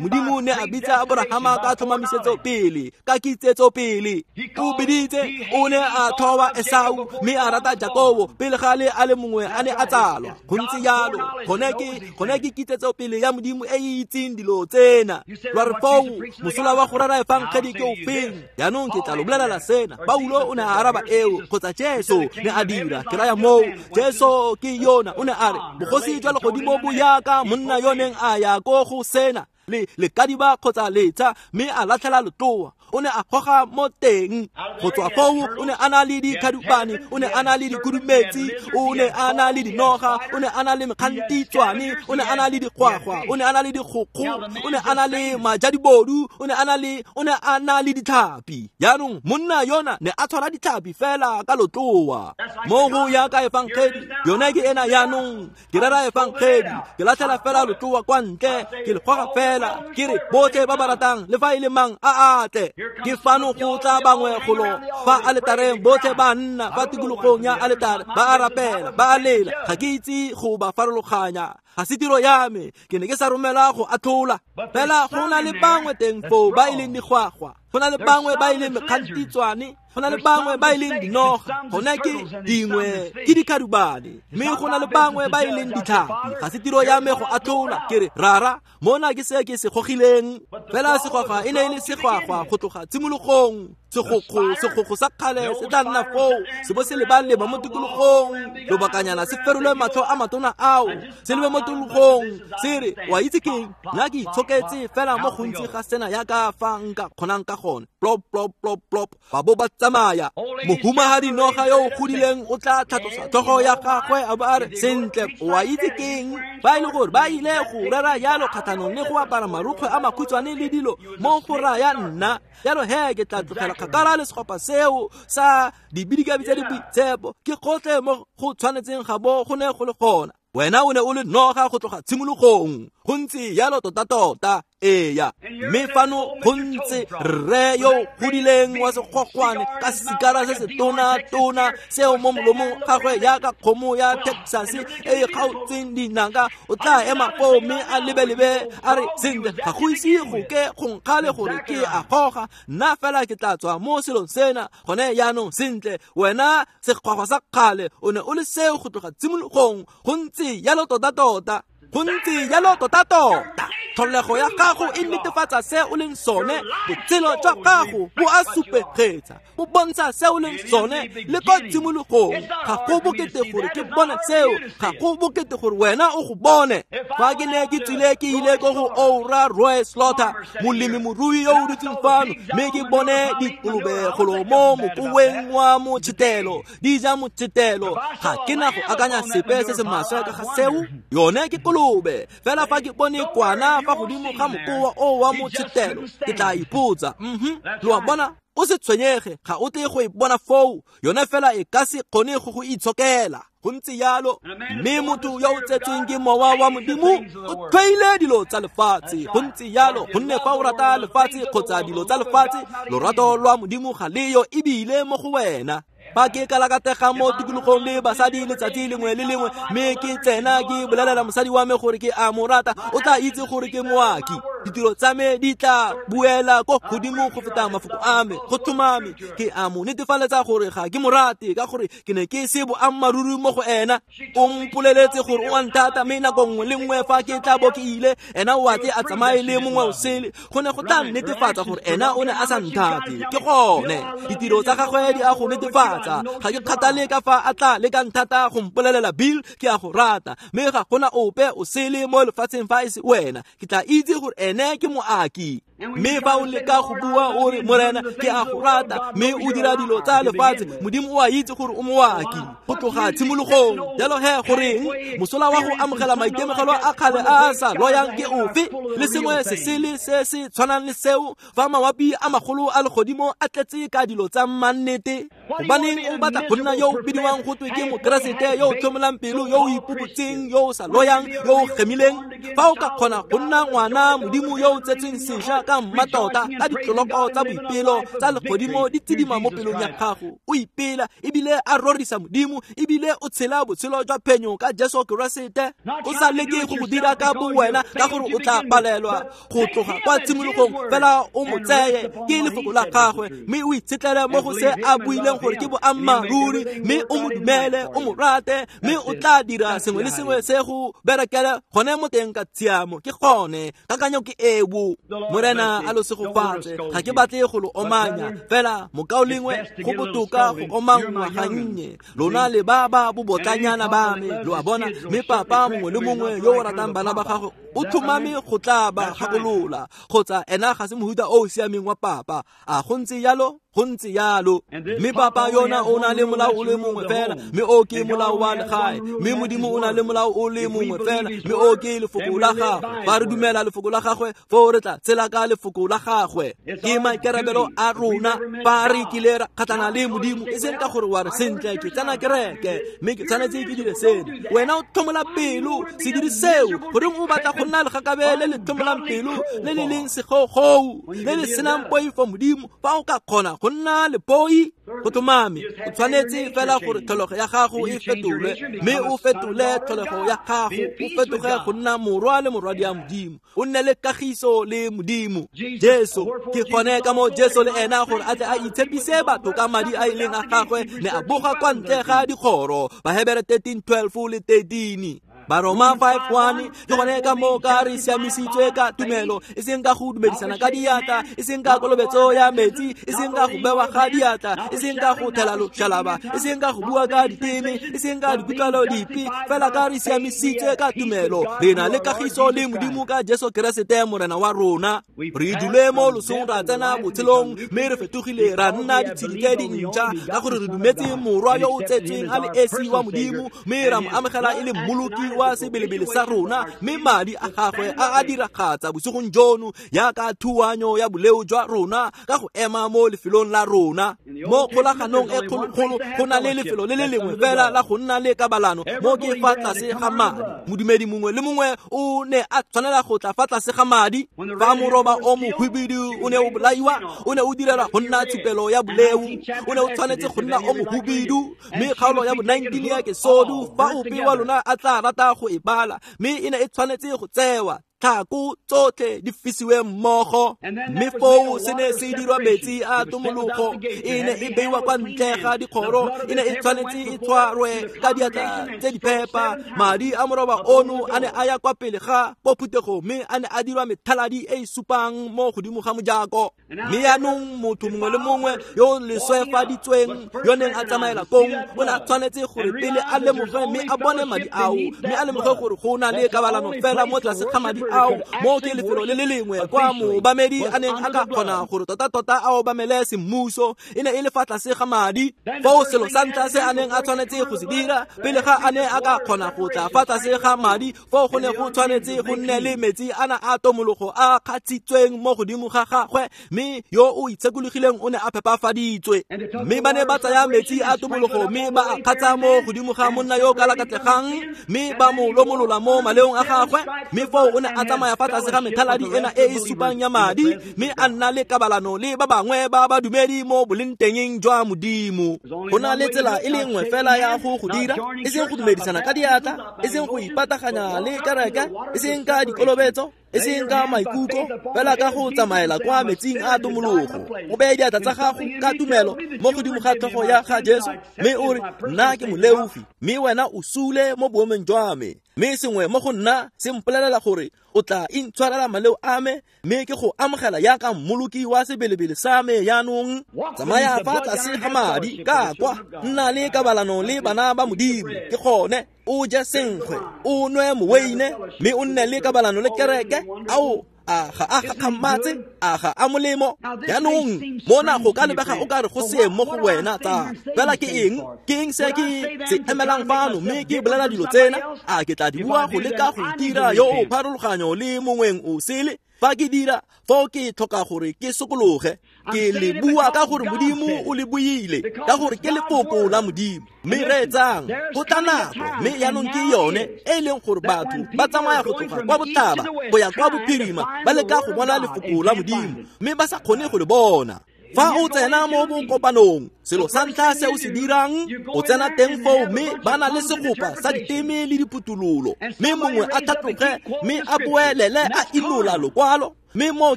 Modimo ne a bitsa Aborahama ka tlhomamisetso pele, ka kitsetso pele. O biditse, o ne a thoba Esau mme a rata Jakobo pele ga le a le mongwe a ne a tsalwa. Go ntse jalo, gone ke gone ke kitsetso pele ya Modimo e e itseng dilo tsena. Lwa re foo mosola wa go rera efangedi ke ofeng? Jaanong ke tla lo bolelela sena. Paulo o ne a araba eo, kgotsa Jesu ne a dira. Ke raya moo, Jesu ke yona o ne a re bogosi jwa legodimo bo yaka monna yo neng a ya ko go sena le lekadiba kgotsa letsa, mme a latlhela letloa. O ne a goga mo teng. Go tswa foo o ne a na le dikhadubane, o ne a na le dikhudumetsi, o ne a na le dinoga, o ne a na le mekgantitswane, o ne a na le dikgwagwa, o ne a na le dikgokgo, o ne a na le majadibodu, o ne a na le o ne a na le ditlhapi. Jaanong monna yona ne a tshwara ditlhapi fela ka letloa. Mo go ya ka efangedi, yone ke ena jaanong. Ke rera efangedi, ke latlhela fela letloa kwa ntle, ke le goga fela, ke re botlhe ba ba ratang le fa e le mang a atle. Ke fano go tla bangwe golo fa aletareng, botlhe ba nna fa tikologong ya aletare, ba a rapela, ba a lela. Ga ke itse go ba farologanya, ga se tiro ya me, ke ne ke sa romela go atlhola. Fela go na le bangwe teng foo ba e leng digwagwa, go na le bangwe ba e leng mekgantitswane, go na le bangwe ba e leng dinoga, gone ke dingwe ke dikhadubane, mme go na le bangwe ba e leng ditlhapi. Ga se tiro ya me go atlhola. Ke re rara, mona ke se ke se gogileng. Fela segwagwa e ne e le segwagwa go tloga tshimologong. Segokgo, segokgo sa kgale se tla nna foo, se bo se leba-leba mo tikologong lobakanyana, se ferolwe matlho a matona ao, se lebe mo tikologong, se re wa itse keng, nna ke itshoketse fela mo gontsi ga sena yaka fa nka kgonang ka gone. Plop plop plop plop, ba bo ba tsamaya. Mohumagadi noga yo o godileng o tla tlhatlosa tlhogo ya gagwe a bo a re, sentle, wa itse keng, fa e le gore ba ile go rera jalo kgatlhanong le go apara marukgwe a makhutshwane le dilo mo go raya nna, jalo he ke tla tlogela kgakala le segopa seo sa dibidikabi tse di boitshepo. Ke gotlhe mo go tshwanetseng ga bo go ne go le gona. Wena o ne o le noga go tloga tshimologong. Go ntse jalo tota-tota. Eya, mme fano go ntse rre yo godileng wa segwagwane ka sikara se se tona-tona seo mo molomong gagwe yaka kgomo ya Texas e e kgaotseng dinaka. O tla ema foo mme a lebelebe a re, sentle, ga go ise go ke go nkgale gore ke a goga, nna fela ke tla tswa mo selong sena gone jaanong. Sentle, wena segwagwa sa kgale o ne o le seo go tloga tshimologong. Go ntse jalo tota-tota. Go ntse jalo tota-tota. Tlholego ya gago e netefatsa se o leng sone, botshelo jwa gago bo a supegetsa, bo bontsha se o leng sone le ko tshimologong. Ga go bokete gore ke bone seo, ga go bokete gore wena o go bone. Fa ke ne ke tswile ke ile ko go Oura Roy Slaughter, molemi morui yo o dutseng fano, mme ke bone dikolobe golo mo mokoweng wa motšhetelo, di ja motšhetelo. Ga ke na go akanya sepe se se maswe ka ga seo, yone ke kolobe. Fela fa ke bone kwana fa godimo ga mokoa o wa motšhetelo, ke tla ipotsa, mhm, lo a bona? O se tshwenyege, ga o tle go e bona foo, yone fela e ka se kgone go go itshokela. Go ntse jalo. Mme motho yo o tsetsweng ke mowa wa Modimo o tlhoile dilo tsa lefatshe. Go ntse jalo, gonne fa o rata lefatshe kgotsa dilo tsa lefatshe, lorato lwa Modimo ga leyo ebile mo go wena. Fa ke kalakatega mo tikologong le basadi letsatsi lengwe le lengwe, mme ke tsena ke bolelela mosadi wa me gore ke a mo rata, o tla itse gore ke moaki. Ditiro tsa me di tla buela ko godimo go feta mafoko a me. Go tlhomame ke a mo netefaletsa gore ga ke mo rate, ka gore ke ne ke se boammaaruri mo go ena. O mpoleletse gore o a nthata, mme nako nngwe le nngwe fa ke tla bo ke ile, ena o a tle a tsamaye le mongwe o sele. Go ne go tla netefatsa gore ena o ne a sa nthate. Ke gone ditiro tsa gagwe di a go netefatsa. Ga ke kgathale ka fa a tla le ka nthata go mpolelela, Bill, ke a go rata, mme ga gona ope o sele mo lefatsheng fa e se wena. Ke tla itse gore ene ke moaki. Mme fa o leka go bua o re, Morena, ke a go rata, mme o dira dilo tsa lefatshe, Modimo o a itse gore o moaki go tloga tshimologong. Jalo he, goreng mosola wa go amogela maitemogelo a kgale a a sa loyang ke ofe? Le sengwe se sele se se tshwanang le seo, fa mawapi a magolo a legodimo a tletse ka dilo tsa mannete. Gobaneng o batla go nna yo o bidiwang go twe ke mokeresete yo o tlhomolang pelo, yo o ipobotseng, yo o sa loyang, yo o gemileng? Fa o ka kgona go nna ngwana Modimo yo o tsetsweng sešwa ka mmatota, ka ditloloko tsa boipelo tsa legodimo di tsidima mo pelong ya gago, o ipela ebile a rorisa Modimo, ebile o tshela botshelo jwa phenyo ka Jesu Keresete, o sa leke go go dira ka bo wena, ka gore o tla palelwa go tloga kwa tshimologong. Fela o mo tseye ke lefoko la gagwe, mme o itshetlele mo go se a buileng gore ke boammaaruri, mme o mo dumele, o mo rate, mme o tla dira sengwe le sengwe se go berekele gone mo teng ka tshiamo. Ke gone kakanyo ke eo. Morena a lo segofatse. Ga ke batle go lo omanya, fela mokaulengwe, go botoka go omangwa gannye. Lona le ba ba bobotlanyana ba me, lo a bona. Mme papa mongwe le mongwe yo o ratang bana ba gagwe o tlhomame go tla ba gakolola, kgotsa ena ga se mohuta o o siameng wa papa. A go ntse jalo? Go ntse jalo. Mme papa yona o na le molao o le mongwe fela, mme o ke molao wa legae. Mme Modimo o na le molao o le mongwe fela, mme o ke lefoko la gagwe. Fa re dumela lefoko la gagwe, foo re tla tshela ka lefoko la gagwe. Ke maikarabelo a rona fa re kile ra kgatlhana le Modimo, e seng ka gore wa re sentle ke tsena kereke mme ke tshwanetse ke dire seno. Wena o tlhomola pelo, se dire seo. Goreng o batla go nna legakabe le le tlhomolang pelo, le le leng segogou, le le senang poifo Modimo? Fa o ka kgona go nna lepoi, go tlhomame o tshwanetse fela gore tlholego ya gago e fetolwe, mme o fetole tlholego ya gago, o fetoge go nna morwa le morwadi ya Modimo, o nne le kagiso le Modimo. Jesu, ke gone ka mo Jesu le ena gore a tle a itshepise batho ka madi a e leng a gagwe, ne a boga kwa ntle ga dikgoro. Bahebere thirteen twelve le thirteen. Baroma five one. Ke gone ka mo ka re siamisitswe ka tumelo, e seng ka go dumedisana ka diatla, e seng ka kolobetso ya metsi, e seng ka go bewa ga diatla, e seng ka go thela loshalaba, e seng ka go bua ka diteme, e seng ka dikutlwalo dipe, fela ka re siamisitswe ka tumelo. Re na le kagiso le Modimo ka Jesu Keresete Morena wa rona. Re dule mo losong ra tsena botshelong, mme re fetogile ra nna ditshedi tse dintšha, ka gore re dumetse morwa yo o tsetsweng a le esi wa Modimo, mme ra mo amogela e le mmoloki wa sebelebele sa rona, mme madi a gagwe a a diragatsa bosigong jono jaaka thuanyo ya boleo jwa rona ka go ema mo lefelong la rona. Mo kgolaganong e kgologolo go na le lefelo le le lengwe fela la go nna le kabalano, mo ke fa tlase ga madi. Modumedi mongwe le mongwe o ne a tshwanela go tla fa tlase ga madi. Fa moroba o mohubidu o ne o bolaiwa, o ne o direlwa go nna tshupelo ya boleo, o ne o tshwanetse go nna o mohubidu. Mme kgaolo ya bo nineteen ya Kesodu, fa ope wa lona a tla rata go e bala, mme e ne e tshwanetse go tsewa. Ditlhako tsotlhe di fisiwe mmogo. Mme foo se ne se dirwa metsi a tomologo, e ne e beiwa kwa ntle ga dikgoro, e ne e tshwanetse e tshwarwe ka diatla tse di phepa. Madi a moroba ono a ne a ya kwa pele ga ko phuthego, mme a ne a dirwa methaladi e e supang mo godimo ga mojako. Mme yaanong motho mongwe le mongwe yo leswefaditsweng yo neng a tsamaela kong o ne a tshwanetse gore pele a lemoge mme a bone madi ao, mme a lemoge gore go na le kabalano fela mo tlase ga madi ao. Mo ke lefelo le le lengwe kwa moobamedi a neng a ka kgona gore tota-tota a obamele semmuso, e ne e le fa tlase ga madi. Foo selo sa ntlha se a neng a tshwanetse go se dira pele ga a ne a ka kgona go tla fa tlase ga madi, foo go ne go tshwanetse go nne le metsi ana a tomologo a kgatshitsweng mo godimo ga gagwe, mme yo o itshekologileng o ne a phepafaditswe. Mme ba ne ba tsaya metsi a tomologo mme ba a kgatsa mo godimo ga monna yo ka lakatlegang, mme ba mo lomolola mo maleong a gagwe. Mme foo o ne a tsamaya fa tlase ga methaladi ena e e supang ya madi, mme a nna le kabalano le ba bangwe ba badumedi mo bolengtengeng jwa Modimo. Go na le tsela e le nngwe fela ya go go dira, e seng go dumedisana ka diatla, e seng go ipataganya le kereke, e seng ka dikolobetso, e seng ka maikutlo, fela ka go tsamaela kwa metsing a tomologo. O beye diatla tsa gago ka tumelo mo godimo ga tlhogo ya ga Jesu, mme o re, nna ke moleofi, mme wena o sule mo boemong jwa me, mme sengwe mo go nna se mpolelela gore o tla intshwarela maleo a me, mme ke go amogela jaaka mmoloki wa sebelebele sa me. Jaanong tsamaya fa tlase ga madi ka kwa, nna le kabalano le bana ba Modimo. Ke gone o je senkgwe, o nwe moweine, mme o nne le kabalano le kereke. Ao, a ga a gakgamatse, a ga a molemo. Jaanong mona go ka lebega o ka re go seeng mo go wena tsa fela ke eng, ke eng se ke se emelang fano mme ke bolela dilo tsena? A ke tla di bua go leka go itira yo o pharologanyo le mongweng o sele? Fa ke dira, foo ke tlhoka gore ke sokologe. Ke le bua ka gore Modimo o le buile, ka gore ke lefoko la Modimo. Mme reetsang, go tla nako, mme jaanong ke yone e leng gore batho ba tsamaya go tloga kwa botlhaba go ya kwa bophirima ba leka go bona lefoko la Modimo, mme ba sa kgone go le bona. Fa o tsena mo bokopanong, selo sa ntlha se o se dirang, o tsena teng foo mme ba na le segopa sa diteme le diputulolo, mme mongwe a tlhatloge mme a boelele a inola lokwalo, mme moo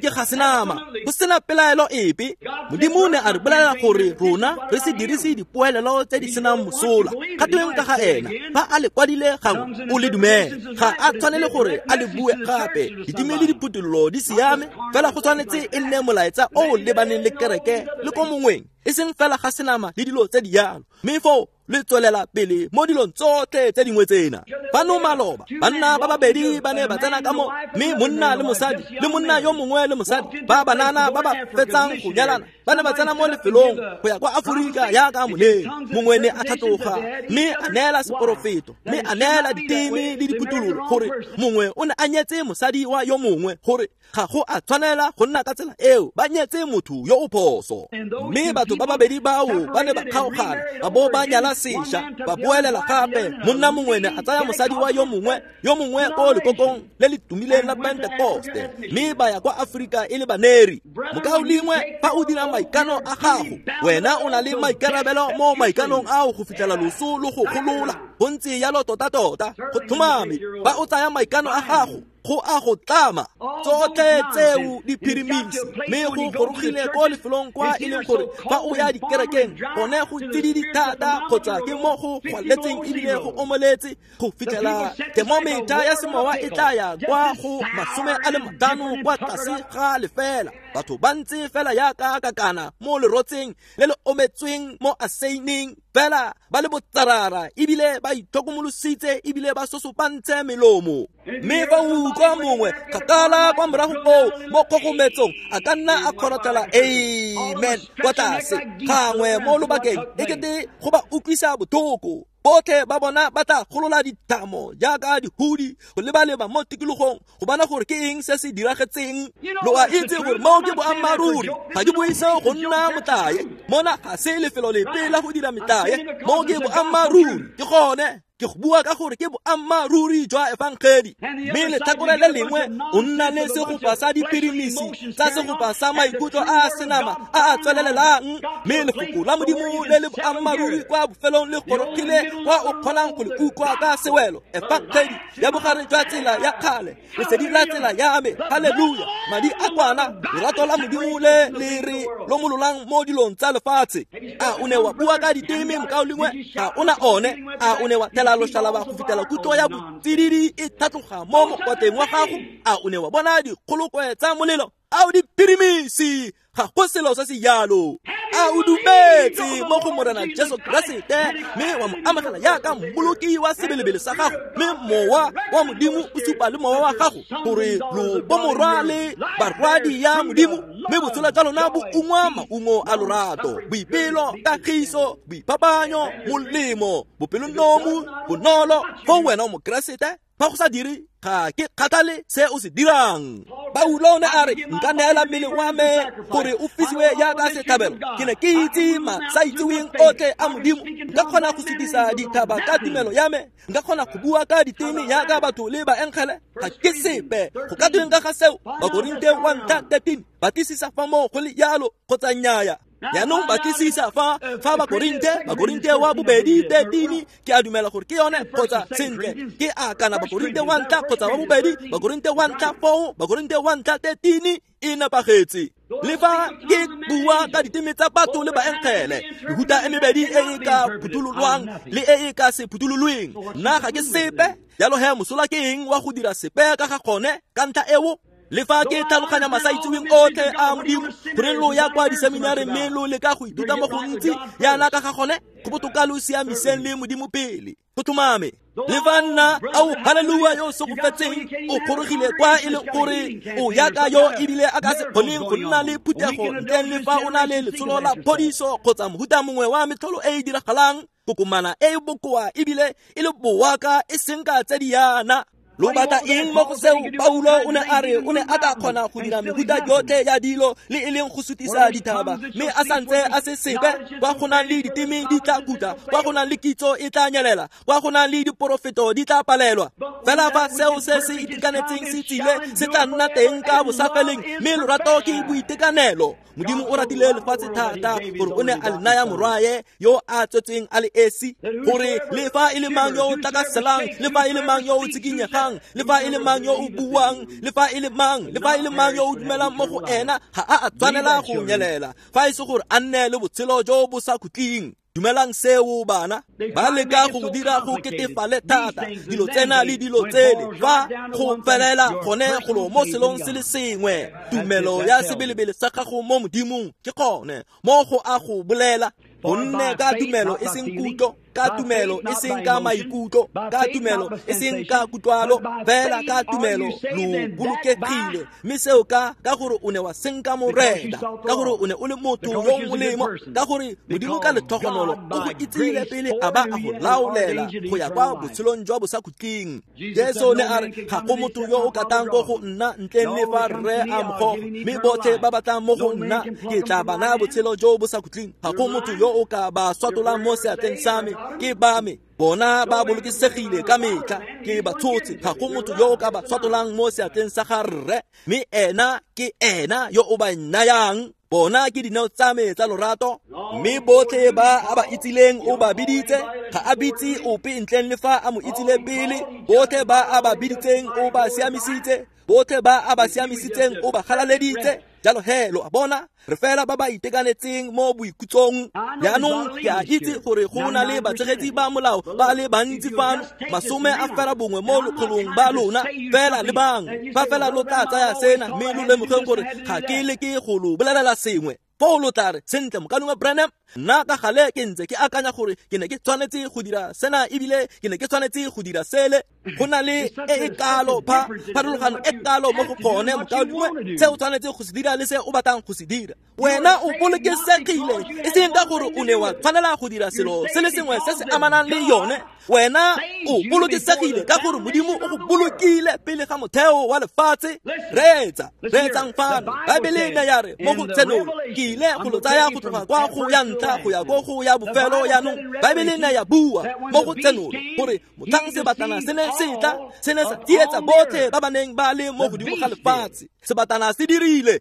ke ga senama, go sena pelaelo epe. Modimo ne a re bolelela gore rona re se dirise dipoelelo tse di senang mosola. Ga tweng ka ga ena, fa a le kwadile gangwe o le dumele, ga a tshwanele gore a le bue gape. Diteme le diputulolo di siame, fela go tshwanetse e nne molaetsa o o lebaneng le kereke le ko mongweng, e seng fela ga senama le dilo tse di jalo. Mme foo le tswelela pele mo dilong tsotlhe tse dingwe tsena. Fano maloba banna ba babedi ba ne ba tsena ka mo, mme monna le mosadi le monna yo mongwe le mosadi ba banana ba ba fetsang go nyalana ba ne ba tsena mo lefelong go ya kwa Aforika jaaka moneng. Mongwe ne a tlhatloga mme a neela seporofeto, mme a neela diteme le diputulolo gore mongwe o ne a nyetse mosadi wa yo mongwe, gore ga go a tshwanela go nna ka tsela eo, ba nyetse motho yo o phoso. Mme batho ba babedi bao ba ne ba kgaogana, ba bo ba nyala sešwa, ba boelela gape. Monna mongwe ne a tsaya mosadi wa yo mongwe, yo mongwe ko lekokong le le tumileng la Pentekoste, mme ba ya kwa Aforika e le baneri. Mokaulengwe, fa o dira maikano a gago, wena o na le maikarabelo mo maikanong ao go fitlhela loso lo go golola. Go ntse jalo tota-tota, go tlhomame. Fa o tsaya maikano a gago, go a go tlama tsotlhe tseo di phirimisi, mme go gorogile ko lefelong kwa e leng gore fa o ya dikerekeng gone go tsididi thata kgotsa ke mo go gwaletseng ebile go omoletse go fitlhela thermometer ya semowa e tla ya kwa go masome a le matlhano kwa tlase ga lefela. Batho ba ntse fela jaaka kakana mo lerotseng le le ometsweng mo aseineng, fela ba le botsarara ebile ba itlhokomolositse ebile ba sosopantse melomo. Mme fa o utlwa mongwe kgakala kwa morago koo mo kgogometsong, a ka nna a kgorotlhela amen kwa tlase gangwe mo lobakeng, e kete go ba utlwisa botlhoko. Botlhe ba bona ba tla golola dithamo jaaka dihudi go leba-leba mo tikologong go bona gore ke eng se se diragetseng. Lo a itse gore moo ke boammaaruri, ga di buise go nna motlae. Mona ga se lefelo lepe la go dira metlae, moo ke boammaaruri. Ke gone Ke go bua ka gore ke boammaaruri jwa efangedi. Mme letlhakore le lengwe o nna le segopa sa dipirimisi tsa segopa sa maikutlo a a senama a a tswelelelang, mme lefoko la Modimo le le boammaaruri kwa bofelong le gorogile kwa o kgonang go le utlwa ka sewelo. Efangedi ya bogare jwa tsela ya kgale, lesedi la tsela ya me, haleluya, madi a kwana, lerato la Modimo le le re lomololang mo dilong tsa lefatshe. A o ne wa bua ka diteme mokaulengwe? Ga o na one. A o ne wa thela loshalaba go fitlhela kutlo ya botsididi e tlhatloga mo mokoteng wa gago? A o ne wa bona dikgolokwe tsa molelo? A o dipirimisi? Ga go selo se se jalo. A o dumetse mo go Morena Jesu Keresete mme wa mo amogela jaaka mmoloki wa sebelebele sa gago, mme mowa wa Modimo o supa le mowa wa gago gore lo bomorwa le barwadi ya Modimo, mme botshelo jwa lona bo ungwa maungo a lorato, boipelo, kagiso, boiphapanyo, molemo, bopelonomi, bonolo. Foo wena o Mokeresete. Fa go sa dire, ga ke kgathale se o se dirang. Paulo o ne a re, nka neela mmele wa me gore o fisiwe jaaka setlhabelo. Ke ne ke itse masaitseweng otlhe a Modimo. Nka kgona go sutisa dithaba ka tumelo ya me. Nka kgona go bua ka diteme jaaka batho le baengele. Ga ke sepe. Go ka tweng ka ga seo? Bakorinte wa ntlha thirteen. Batlisisa fa moo go le jalo kgotsa nnyaya. Jaanong batlisisa fa fa Bakorinte, Bakorinte wa bobedi thirteen, ke a dumela gore ke yone kgotsa sentle. Ke a kana Bakorinte wa ntlha kgotsa wa bobedi, Bakorinte wa ntlha four, Bakorinte wa ntlha thirteen e nepagetse. Le fa ke bua ka diteme tsa batho le baengele, mehuta e mebedi e e ka phuthololwang le e e ka se phuthololweng, nna ga ke sepe. Jalo he mosola ke eng wa go dira sepe ka ga gone ka ntlha eo? Le fa ke tlhaloganya masaitseweng otlhe a Modimo, gore lo ya kwa diseminareng mme lo leka go ithuta mo gontsi yana ka ga gone, go botoka lo siamiseng le Modimo pele. Go tlhomame. Le fa nna, ao haleluya, yo o segofetseng, o gorogile kwa e leng gore o yaka yo ebile a ka se kgoneng go nna le phuthego ntleng le fa o na le letsholo la phodiso kgotsa mohuta mongwe wa metlholo e e diragalang, kokomana e e bokoa ebile e le boaka e seng ka tse di yana. Lo batla eng mo go seo? Paulo o ne a re o ne a ka kgona go dira mehuta yotlhe ya dilo le e leng go sutisa dithaba, mme a santse a se sepe. Kwa go nang le diteme di tla khutla, kwa go nang le kitso e tla nyelela, kwa go nang le diporofeto di tla palelwa. Fela fa seo se se itekanetseng se tsile, se tla nna teng ka bosafeleng, mme lorato ke boitekanelo. Modimo o ratile lefatshe thata gore o ne a le naya morwae yo a tswetsweng a le esi, gore le fa e le mang yo o tlakaselang, le fa e le mang yo o tsikinyegang, le fa e le mang yo o buang, le fa e le mang, le fa e le mang yo o dumelang mo go ena, ga a a tshwanela go nyelela, fa e se gore a nne le botshelo jo bo sa khutleng. Dumelang seo bana. Ba leka go dira go ketefale thata dilo tsena le dilo tsele, fa go felela gone golo mo selong se le sengwe. Tumelo ya sebelebele sa gago mo Modimong ke gone mo go a go bolela. Gonne ka tumelo e seng kutlo, ka tumelo e seng ka maikutlo, ka tumelo e seng ka kutlwalo, fela ka tumelo lo bolokegile. Mme seo ka ka gore o ne wa senka Morena, ka gore o ne o le motho yo molemo, ka gore Modimo ka letlhogonolo o go itsile pele a ba a go laolela go ya kwa botshelong jwa bosakhutleng. Jesu ne a re, ga go motho yo o ka tlang ko go nna ntleng le fa Rre a mo goga, mme botlhe ba ba tlang mo go nna ke tla ba naya botshelo jo bo sa khutleng. Ga go motho yo o ka ba swatolang mo seatleng sa me, ke ba me. Bona ba bolokesegile ka metlha, ke ba tshotse. Ga go motho yo o ka ba swatolang mo seatleng sa ga Rre, mme ena ke ena yo o ba nayang. Bona ke dineo tsa me tsa lorato, mme botlhe ba a ba itsileng o ba biditse. Ga a bitse ope ntleng le fa a mo itsile pele. Botlhe ba a ba biditseng o ba siamisitse, botlhe ba a ba siamisitseng o ba galaleditse. Jalo he lo a bona, re fela ba ba itekanetseng mo boikutsong. Jaanong ke a itse gore go na le batshegetsi ba molao ba le bantsi fano, masome a fela bongwe mo lekgolong ba lona. Fela lebang, fa fela lo tla tsaya sena mme lo lemogeng gore ga ke leke go lo bolelela sengwe. Foo lo tla re, sentle mokaulengwe Branham, nna ka gale ke ntse ke akanya gore ke ne ke tshwanetse go dira sena ebile ke ne ke tshwanetse go dira sele. Go na le e e kalo pha pharologano e kalo mo go gone mokaulengwe, se o tshwanetse go se dira le se o batlang go se dira. Wena o bolokesegile, e seng ka gore o ne wa tshwanela go dira selo se le sengwe se se amanang le yone. Wena o bolokesegile ka gore Modimo o go bolokile pele ga motheo wa lefatshe. Reetsa, reetsang fano. Baebele ne ya re mo go Tshenolo, ke ile go lo tsaya go tloga kwa go ya ntlha ntlha go ya ko go ya bofelo yaanong Baebele ne ya bua mo go Tsenolo gore motlhang sebatana se ne se tla se ne sa tsietsa botlhe ba ba neng ba le mo godimo ga lefatshe. Sebatana se dirile,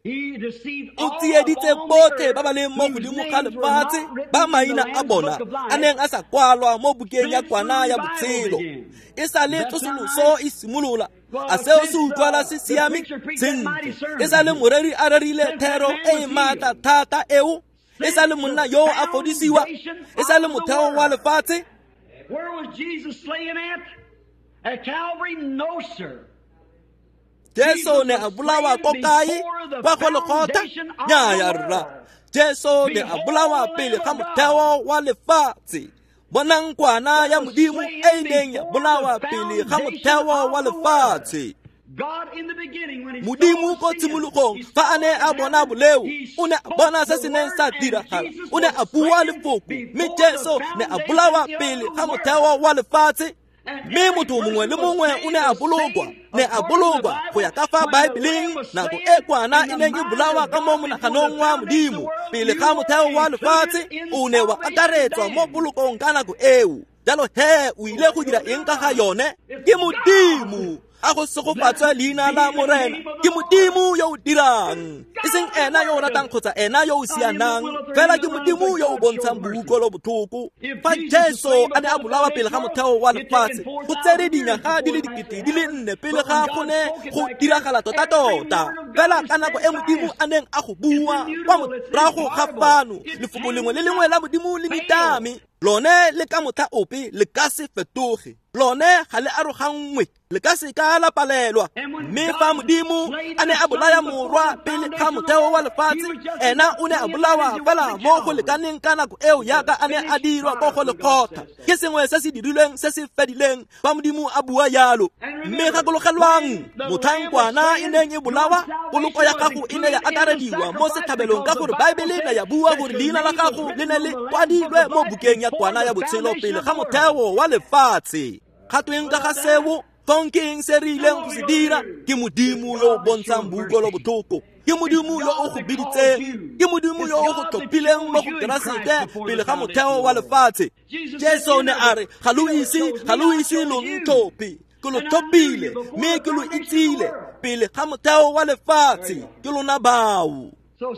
o tsieditse botlhe ba ba leng mo godimo ga lefatshe ba maina a bona a neng a sa kwalwa mo bukeng ya kwana ya botshelo. E sa le tsosoloso e simolola. A seo se utlwala se siame? Sentle. E sa le moreri a rerile thero e e maatla thata eo. E sa le monna yo a fodisiwa. E sa le motheo wa lefatshe. Where was Jesus slain at? At Calvary? No, sir. Jesu ne a bolawa ko kae? Kwa Golgotha? Nnyaya rra. Jesu ne a bolawa pele ga motheo wa lefatshe. Bonang kwana ya Modimo e e neng ya bolawa pele ga motheo wa lefatshe. Modimo ko tshimologong fa a ne a bona boleo, o ne a bona se se neng sa diragala, o ne a bua lefoko, mme Jesu ne a bolawa pele ga motheo wa lefatshe. Mme motho mongwe le mongwe o ne a bolokwa, ne a bolokwa go ya ka fa Baebeleng nako e kwana e neng e bolawa ka mo monaganong wa Modimo pele ga motheo wa lefatshe, o ne wa akaretswa mo polokong ka nako eo. Jalo he o ile go dira eng ka ga yone? Ke Modimo. A go segofatswe leina la Morena. Ke Modimo yo o dirang, e seng ena yo o ratang kgotsa ena yo o sianang, fela ke Modimo yo o bontshang boutlwelo botlhoko. Fa Jesu a ne a bolawa pele ga motheo wa lefatshe, go tsere dinyaga di le dikete di le nne pele ga go ne go diragala tota-tota. Fela ka nako e Modimo a neng a go bua kwa morago ga fano, lefoko lengwe le lengwe la Modimo le nitame. Lone le ka motlha ope le ka se fetoge, lone ga le aroganngwe, le ka se ka la palelwa. Mme fa Modimo a ne a bolaya morwa pele ga motheo wa lefatshe, ena o ne a bolawa fela mo go lekaneng ka nako eo yaka a ne a dirwa ko Golgotha. Ke sengwe se se dirilweng se se fedileng fa Modimo a bua yalo. Mme gakologelwang, motlhang kwana e neng e bolawa, poloko ya gago e ne ya akarediwa mo setlhabelong ka gore Baebele ne ya bua gore leina la gago le ne le kwadilwe mo bukeng ya kwana ya botshelo pele ga motheo wa lefatshe. Ga tweng ka ga seo? Fong ke eng se re ileng go se dira? Ke Modimo yo o bontshang boutlwelo botlhoko. Ke Modimo yo o go biditseng. Ke Modimo yo o go tlhophileng mo go Keresete pele ga motheo wa lefatshe. Jesu ne a re, ga lo ise, ga lo ise lo ntlhophe, ke lo tlhophile mme ke lo itsile pele ga motheo wa lefatshe. Ke lona bao.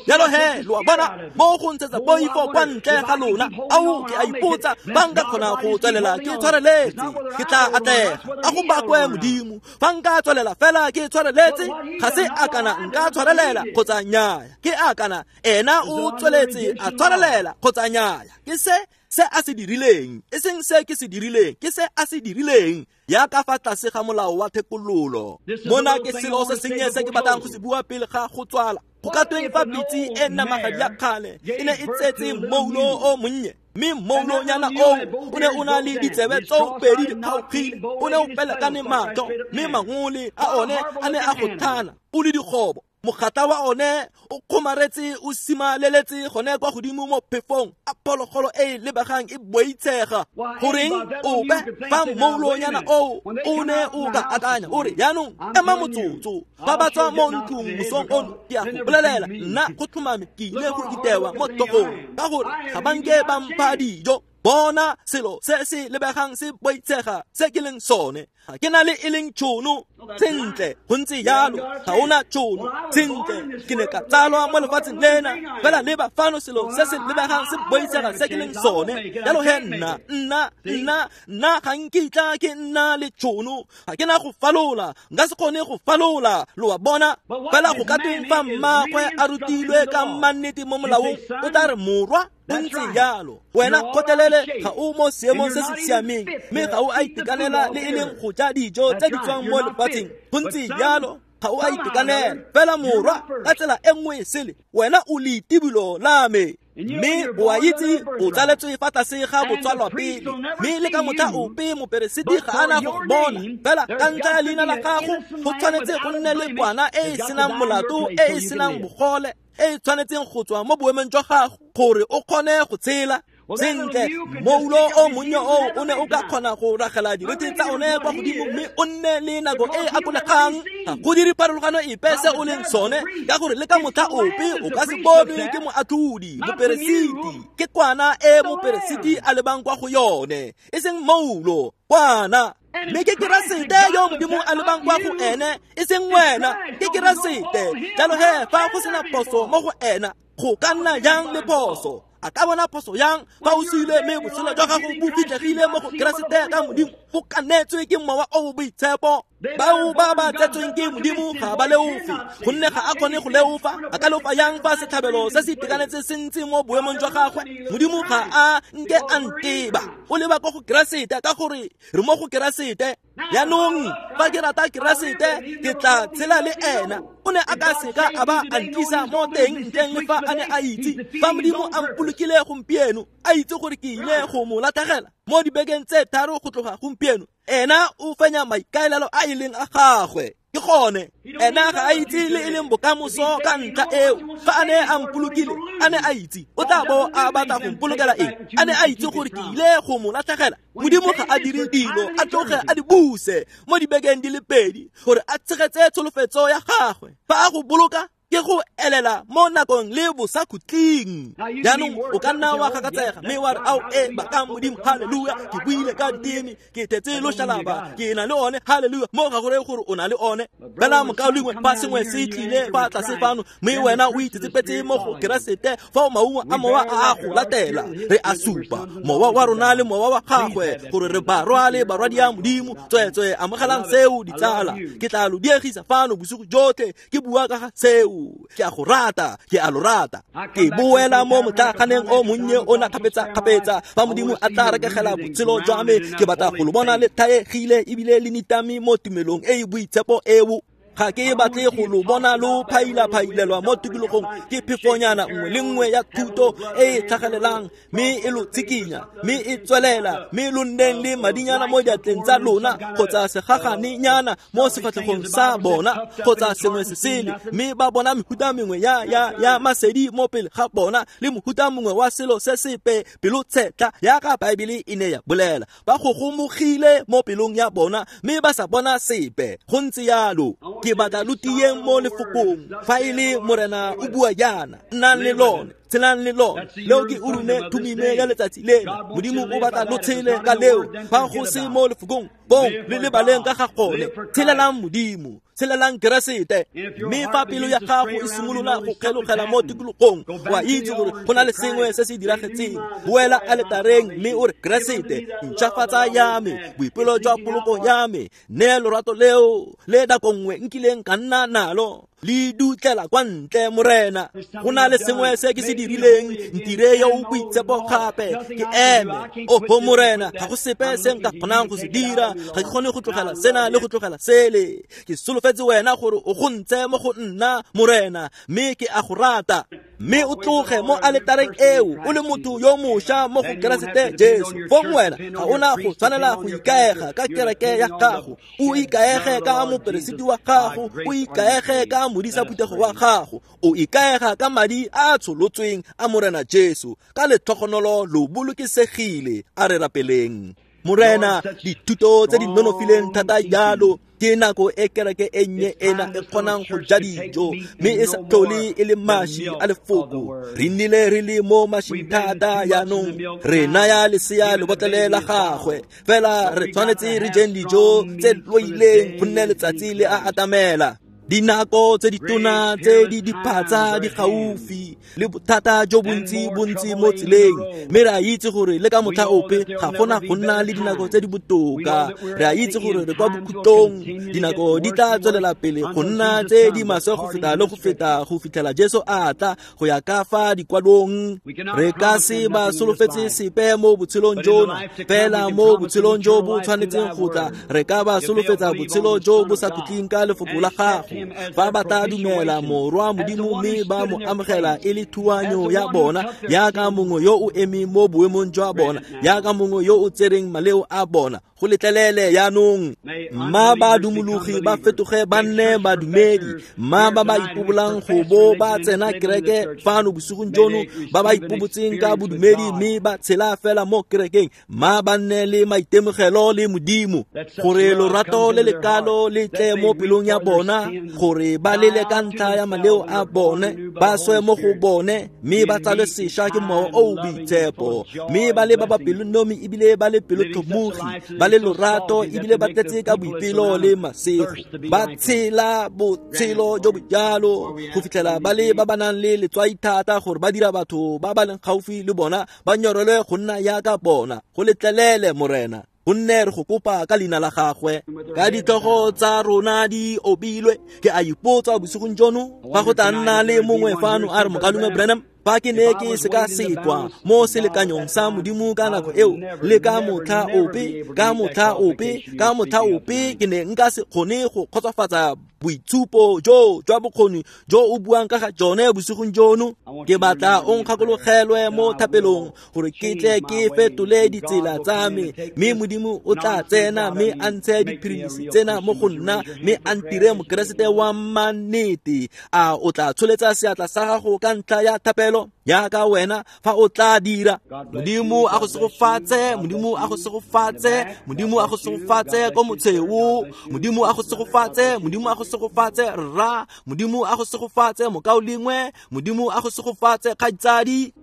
Jalo he, lo a bona, mo go ntshetsa poifo kwa ntle ga lona. Ao, ke a ipotsa, fa nka kgona go tswelela ke tshwareletse, ke tla atlega. A go bakwe Modimo, fa nka tswelela fela ke tshwareletse, ga se a kana nka tshwarelela kgotsa nnyaya. Ke a kana ena o tsweletse a tshwarelela kgotsa nnyaya. Ke se se a se dirileng, e seng se ke se dirileng, ke se a se dirileng. Ya ka fa tlase ga molao wa thekololo. Mona ke selo se sennye se ke batlang go se bua pele ga go tswala. Go ka tweng fa pitse e namagadi ya kgale e ne e tsetse moulo o monnye, mme moulonyana oo o ne o na le ditsebe tseo pedi di kgaogile, o ne o pelekane matlho, mme mangole a one a ne a go thana o le dikgobo. Mogata wa one o kgomaretse o simaleletse gone kwa godimo mo phefong, a phologolo e e lebegang e boitshega. Goreng ope fa moulonyana oo o ne o ka akanya o re, jaanong ema motsotso, ba ba tswa mo ntlong mosong ono, ke a go bolelela nna go tlhomame ke ile go itewa mo tlhogong ka gore ga ba nke ba mpha dijo. Bona selo se se lebegang se boitshega se ke leng sone. Ga ke na le e leng tšhono. Sentle, go ntse jalo, ga ona tšhono. Sentle, ke ne ka tsalwa mo lefatsheng lena, fela leba fano selo se se lebegang se boitshega se ke leng sone. Jalo he nna, nna, nna, nna ga nkitla ke nna le tšhono. Ga ke na go falola, nka se kgone go falola, lo a bona. Fela go ka tweng fa mmaagwe a rutilwe ka mannete mo molaong, o tla re morwa o ntse jalo. Wena kgotlelele, ga o mo seemong se se siameng, mme ga o a itekanela le e leng go ja dijo tse di tswang mo lefatsheng. Go ntse jalo, ga o a itekanela. Fela morwa, ka tsela e nngwe e sele, wena o leitibolo la me. Mme o a itse o tsaletswe fa tlase ga botswalwa pele, mme le ka motlha ope moperesiti ga a na go bona. Fela ka ntlha ya leina la gago go tshwanetse go nne le kwana e e senang molato, e e senang bogole, e e tshwanetseng go tswa mo boemong jwa gago gore o kgone go tshela. Sentle, moulo o monnye o o ne o ka kgona go ragela dirite tsa one kwa godimo mme o nne le nako e akolegang. Ga go dire pharologano epe se o leng sone, ka gore le ka motlha ope o ka se bonwe ke moatlhodi, moperesiti. Ke kwana e moperesiti a lebang kwa go yone, e seng moulo, kwana. Mme ke Keresete yo Modimo a lebang kwa go ene, e seng wena, ke Keresete. Jalo he, fa go sena phoso mo go ena, go ka nna jang le phoso? A ka bona phoso yang fa o sule mme botshelo jwa gago bo fitlhegile mo go Keresete ka Modimo, go kanetswe ke Mowa o o Boitshepo. Bao ba ba tsetsweng ke Modimo ga ba leofe, gonne ga a kgone go leofa. A ka leofa yang fa setlhabelo se se itekanetse se ntse mo boemong jwa gagwe? Modimo ga a nke a nteba, o leba kwa go Keresete, ka gore re mo go Keresete. Jaanong fa ke rata Keresete, ke tla tshela le ena. O ne a ka seka a ba a ntlisa mo teng ntleng le fa a ne a itse. Fa Modimo a mpolokile gompieno, a itse gore ke ile go mo latlhegela mo dibekeng tse tharo go tloga gompieno, ena o fenya maikaelelo a e leng a gagwe. Ke gone, ena ga a itse le e leng bokamoso ka ntlha eo. Fa a ne a mpolokile, a ne a itse o tla bo a batla go mpolokela eng? A ne a itse gore ke ile go mo latlhegela. Modimo ga a dire dilo a tloge a di buse mo dibekeng di le pedi gore a tshegetse tsholofetso ya gagwe. Fa a go boloka, ke go elela mo nakong le bosakhutleng. Jaanong o ka nna wa gakatsega mme wa re, ao e bakang Modimo, halleluja, ke buile ka diteme, ke thetse loshalaba, ke na le one, halleluja. Mo ga go reye gore o na le one. Fela mokaulengwe, fa sengwe se tlile fa tlase fano, mme wena o itsetsepetse mo go Keresete, fa maungo a Mowa a a go latela, re a supa mowa wa rona le mowa wa gagwe gore re barwa le barwadi ya Modimo. Tsweetswe amogelang seo, ditsala. Ke tla lo diegisa fano bosigo jotlhe ke bua ka ga seo. Ke a go rata, ke a lo rata. Ke boela mo motlaganeng o monnye o na kgapetsa-kgapetsa. Fa Modimo a tla rekegela botshelo jwa me, ke batla go lo bona le thaegile ebile le nitame mo tumelong e e boitshepo eo. Ga ke batle go lo bona lo phaila-phailelwa mo tikologong ke phefonyana nngwe le nngwe ya thuto e e tlhagelelang, mme e lo tshikinya, mme e tswelela, mme lo nneng le madinyana mo diatleng tsa lona, kgotsa segaganenyana mo sefatlhegong sa bona, kgotsa sengwe se sele, mme ba bona mehuta mengwe ya ya ya masedi mo pele ga bona, le mohuta mongwe wa selo se sepe pelotshetlha yaka Baebele e ne ya bolela. Ba gogomogile mo pelong ya bona, mme ba sa bona sepe. Go ntse yalo. Ke batla lo tieng mo lefokong. Fa e le Morena o bua jaana, nnang le lone, tshelang le lone. Leo ke Urime Thumime ya letsatsi lena. Modimo o batla lo tshele ka leo. Fa go se mo lefokong, bong le lebaleng ka ga gone. Tshelelang Modimo, tshelelang Keresete. Mme fa pelo ya gago e simolola go kgelogela mo tikologong, wa itse gore go na le sengwe se se diragetseng, boela aletareng mme o re, Keresete, ntšhafatsa ya me, boipelo jwa poloko ya me, nne lorato leo le nako nngwe nkileng ka nna nalo, le dutlela kwa ntle, Morena. Go na le sengwe se ke se dirileng, ntire yo o boitshepo gape, ke eme. Oho Morena, ga go sepe se nka kgonang go se dira, ga ke kgone go tlogela sena le go tlogela sele. Ke solofetse wena gore o go ntse mo go nna, Morena, mme ke a go rata. Mme o tloge mo aletareng eo o le motho yo mošwa mo go Keresete Jesu. Fong wena ga ona go tshwanela go ikaega ka kereke ya gago, o ikaege ka moperesiti wa gago, o ikaege ka modisa phuthego wa gago, o ikaega ka madi a a tsholotsweng a Morena Jesu. Ka letlhogonolo lo bolokesegile. A re rapeleng. Morena, dithuto tse di nonofileng thata jalo, ke nako e kereke e nnye ena e kgonang go ja dijo, mme e sa tlhole e le maši a lefoko. Re nnile re le mo mašing thata jaanong, re naya lesea lebotlele la gagwe. Fela re tshwanetse re jeng dijo tse loileng, gonne letsatsi le a atamela. Dinako tse ditona tse di diphatsa di gaufi, le bothata jo bontsi bontsi mo tseleng, mme re a itse gore le ka motlha ope ga gona go nna le dinako tse di botoka. Re a itse gore re kwa bokhutlong, dinako di tla tswelela pele go nna tse di maswe go feta le go feta go fitlhela Jesu a tla go ya ka fa dikwalong. Re ka se ba solofetse sepe mo botshelong jona, fela mo botshelong jo bo tshwanetseng go tla, re ka ba solofetsa botshelo jo bo sa khutleng ka lefoko la gago. Fa ba tla dumela Morwa Modimo mme ba mo amogela e le thuanyo ya bona, yaka mongwe yo o emeng mo boemong jwa bona, yaka mongwe yo o tsereng maleo a bona, Go letlelele yaanong. Mma ba dumologi ba fetoge ba nne badumedi. Mma ba ba ipobolang go bo ba tsena kereke fano bosigong jono, ba ba ipobotseng ka bodumedi mme ba tshela fela mo kerekeng, mma ba nne le maitemogelo le Modimo, gore lorato le lekalo le tle mo pelong ya bona, gore ba lele ka ntlha ya maleo a bone, ba swe mo go bone, mme ba tsalwe sešwa ke Mowa o o Boitshepo, mme ba le ba ba pelonomi ebile ba le pelotlhomogi, ba le lorato ebile ba tletse ka boipelo le masego, ba tshela botshelo jo bo jalo go fitlhela ba le ba ba nang le letswai thata gore ba dira batho ba ba leng gaufi le bona ba nyorelwe go nna yaka bona. Go letlelele Morena, gonne re go kopa ka leina la gagwe. Ka ditlhogo tsa rona di obilwe, ke a ipotsa bosigong jono fa go tla nna le mongwe fano a re, Mokalume Branham, fa ke ne ke sekasekwa mo selekanyong sa Modimo ka nako eo, le ka motlha ope, ka motlha ope, ka motlha ope ke ne nka se kgone go kgotsofatsa boitshupo jo jwa bokgoni jo o buang ka ga jone bosigong jono. Ke batla o nkgakologelwe mo thapelong gore ke tle ke fetole ditsela tsa me, mme Modimo o tla tsena mme a ntshe diphirimisi tsena mo go nna, mme a ntire mokeresete wa mannete. A o tla tsholetsa seatla sa gago ka ntlha ya thapelo yaka wena fa o tla dira? Modimo a go segofatse, Modimo a go segofatse, Modimo a go segofatse ko motsheo, Modimo a go segofatse, Modimo a go segofatse rra, Modimo a go segofatse mokaulengwe, Modimo a go segofatse kgaitsadi.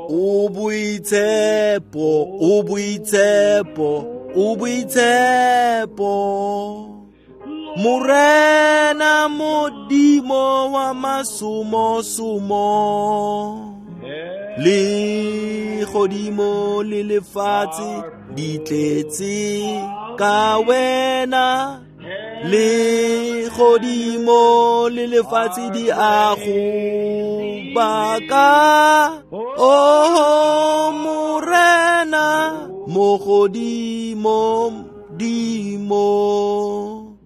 O boitshepo, o boitshepo, o boitshepo, Morena Modimo wa masomosomo, le godimo le lefatshe di tletse ka wena, le godimo le lefatshe di a go baka. Oh Morena mo godimo dimo,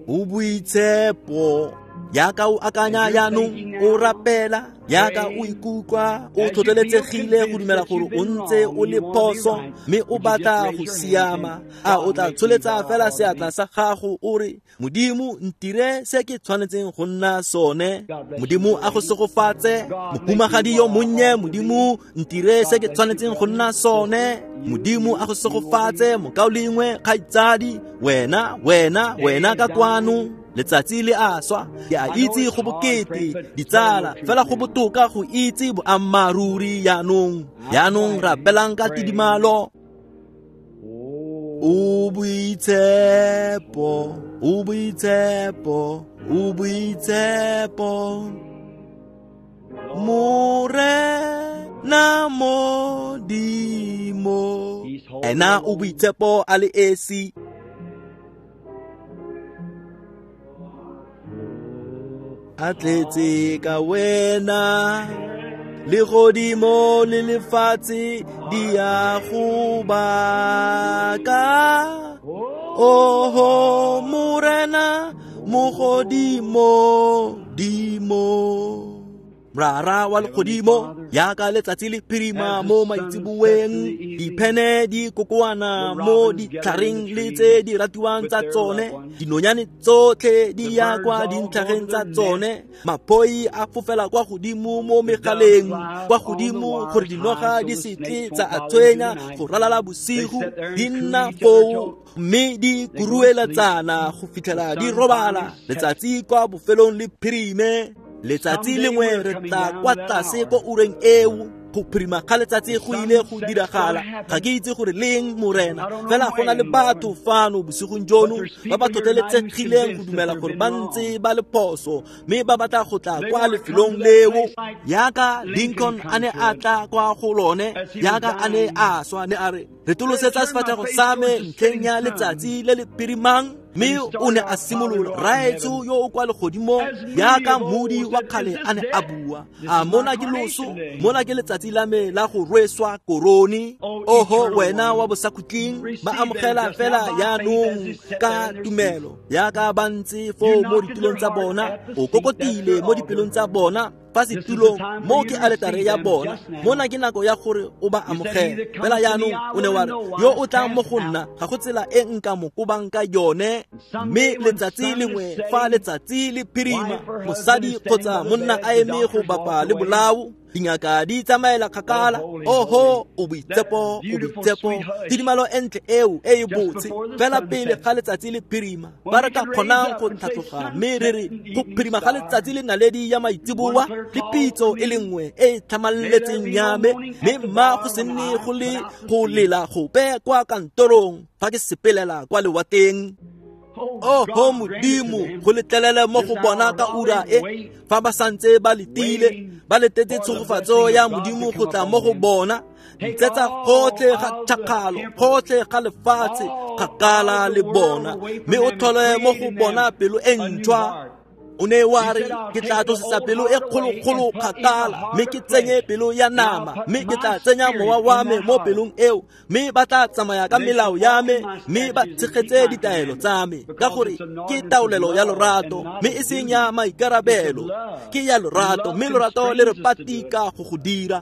o boitshepo. Yaka o akanya yaanong, o rapela, yaka o ikutlwa o tlhotlheletsegile go dumela gore o ntse o le phoso mme o batla go siama, a o tla tsholetsa fela seatla sa gago o re, Modimo ntire se ke tshwanetseng go nna sone. Modimo a go segofatse, mohumagadi yo monnye, Modimo ntire se ke tshwanetseng go nna sone. Modimo a go segofatse, mokaulengwe, kgaitsadi, wena, wena, wena ka kwano. Letsatsi le a swa, ke a itse go bokete ditsala, fela go botoka go itse boammaaruri yaanong. Yaanong rapelang ka tidimalo. O boitshepo, o boitshepo, o boitshepo, Morena Modimo. Ena o boitshepo a le esi. A tletse ka wena, le godimo le lefatshe di a go baka. Oho Morena mo godimo dimo. Rara wa legodimo, yaka letsatsi le phirima mo maitseboeng, diphene di kokoana mo ditlhareng le tse di ratiwang tsa tsone, dinonyane tsotlhe di ya kwa dintlhageng tsa tsone, maphoi a fofela kwa godimo mo megaleng, kwa godimo gore dinoga di se tle tsa a tshwenya go ralala bosigo, di nna foo mme di kurueletsana go fitlhela di robala. Letsatsi kwa bofelong le phirime. Letsatsi lengwe re tla kwa tlase ko ureng eo, go phirima ga letsatsi go ile go diragala. Ga ke itse gore leng Morena, fela go na le batho fano bosigong jono ba ba tlhotlheletsegileng go dumela gore ba ntse ba le phoso, mme ba batla go tla kwa lefelong leo yaka Lincoln a ne a tla kwa go lone, yaka a ne a swa, ne a re, retolosetsa sefatlhego sa me ntlheng ya letsatsi le le phirimang. Mme o ne a simolola, Raetsho yo o kwa legodimong, yaka modi wa kgale a ne a bua, a mona ke loso, mona ke letsatsi la me la go rweswa korone. Oho wena wa bosakhutleng, ba amogela fela yaanong ka tumelo, yaka ba ntse foo mo ditulong tsa bona, o kokotile mo dipelong tsa bona. fa setulong mo ke aletare ya bona. Mona ke nako ya gore o ba amogele. Fela jaanong o ne wa re, yo o tlang mo go nna ga go tsela e nka mo kobang ka yone. Mme letsatsi lengwe fa letsatsi le phirima, mosadi kgotsa monna a eme go bapa le bolao, dingaka di tsamaela kgakala. Oho, o boitshepo, o boitshepo, tidimalo e ntle eo e e botse. Fela pele ga letsatsi le phirima, ba re ka kgonang go tlhatloga mme re re go phirima ga letsatsi le naledi ya maitseboa le pitso e le nngwe e e tlhamalletseng ya me, mme mma go se nne go le go lela gope kwa kantorong fa ke sepelela kwa lewateng. Oho Modimo, go letlelele mo go bona ka ura e, fa ba santse ba letile, ba letetse tshegofatso ya Modimo go tla mo go bona. Ntsetsa gotlhe ga tšhakgalo, gotlhe ga lefatshe, kgakala le bona, mme o tlhole mo go bona pelo e ntšhwa. O ne wa re, ke tla tlosetsa pelo e kgolokgolo kgakala, mme ke tsenye pelo ya nama, mme ke tla tsenya mowa wa me mo pelong eo, mme ba tla tsamaya ka melao ya me, mme ba tshegetse ditaelo tsa me. Ka gore ke taolelo ya lorato, mme e seng ya maikarabelo, ke ya lorato, mme lorato le re patika go go dira.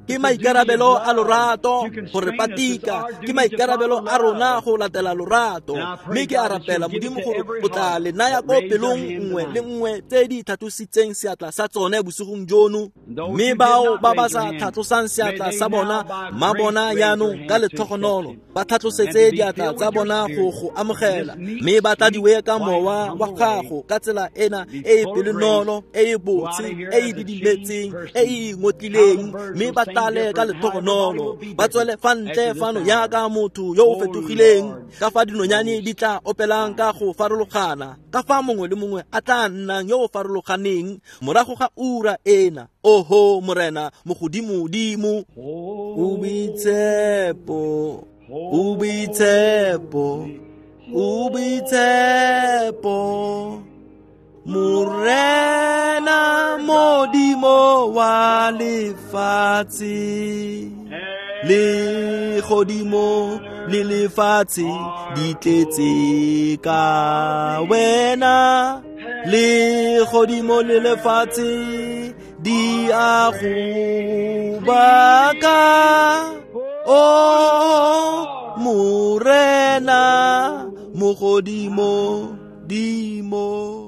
Ke maikarabelo a lorato go re patika, ke maikarabelo a rona go latela lorato. Mme ke a rapela Modimo gore o tla le naya ko pelong nngwe le nngwe tse di tlhatlositseng seatla sa tsone bosigong jono. Mme bao ba ba sa tlhatlosang seatla sa bona, mma bona jaanong ka letlhogonolo ba tlhatlosetse diatla tsa bona go go amogela, mme ba tladiwe ka mowa wa gago ka tsela ena e e pelonolo, e e botse, e e didimetseng, e e ingotlileng, mme ba tlale ka letlhogonolo, ba tswele fa ntle fano jaaka motho yo o fetogileng, ka fa dinonyane di tla opelang ka go farologana, ka fa mongwe le mongwe a tla nnang yo o farologaneng morago ga ura ena. Oho Morena mogodimodimo, o boitshepo, o boitshepo, o boitshepo, Morena Modimo wa lefatshe. Le godimo le lefatshe di tletse ka wena, le godimo le lefatshe di a go baka. O Morena mogodimo dimo.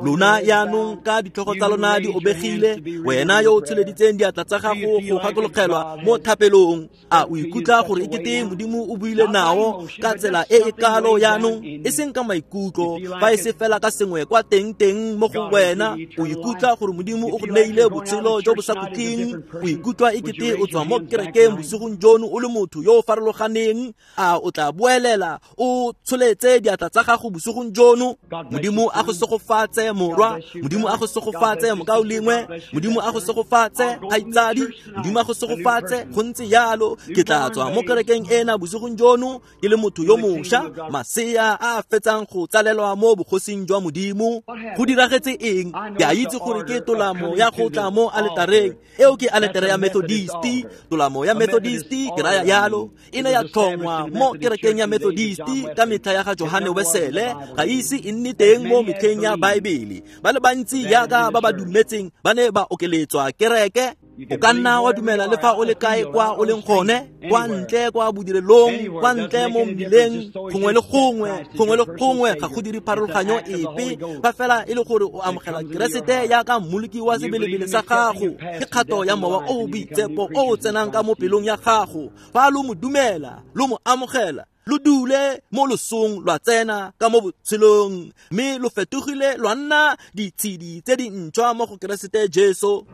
Lona jaanong ka ditlhogo tsa lona di obegile, wena yo o tsholeditseng diatla tsa gago go gakologelwa mo thapelong, a o ikutlwa gore ekete Modimo o buile nao ka tsela e e kalo jaanong, e seng ka maikutlo, fa e se fela ka sengwe kwa teng-teng mo go wena? O ikutlwa gore Modimo o go neile botshelo jo bo sa khutleng? O ikutlwa ekete o tswa mo kerekeng bosigong jono o le motho yo o farologaneng? A o tla boelela o tsholetse diatla tsa gago bosigong jono? Modimo a go segofatse morwa, Modimo a go segofatse mokaulengwe, Modimo a go segofatse kgaitsadi, Modimo a go segofatse. Go ntse jalo, ke tla tswa mo kerekeng ena bosigong jono ke le motho yo mošwa, masea a a fetsang go tsalelwa mo bogosing jwa Modimo. Go diragetse eng? Ke a itse gore ke tolamo ya go tla mo aletareng eo, ke aletare ya Methodisti. Tolamo ya Methodisti ke raya jalo, e ne ya tlhongwa mo kerekeng ya Methodisti ka metlha ya ga Johane Wesele, ga ise e nne teng mo metlheng ya Baebele. Ba le bantsi jaaka ba ba dumetseng ba ne ba okeletswa kereke. O ka nna wa dumela le fa o le kae kwa o leng gone, kwa ntle kwa bodirelong, kwa ntle mo mmileng, gongwe le gongwe, gongwe le gongwe, ga go dire pharologanyo epe, fa fela e le gore o amogela Keresete jaaka mmoloki wa sebelebele sa gago. Ke kgato ya mowa o o boitshepo o o tsenang ka mo pelong ya gago. Fa lo mo dumela, lo mo amogela, lo dule mo losong lwa tsena ka mo botshelong, mme lo fetogile lwa nna ditshedi tse dintšhwa mo go Keresete Jesu.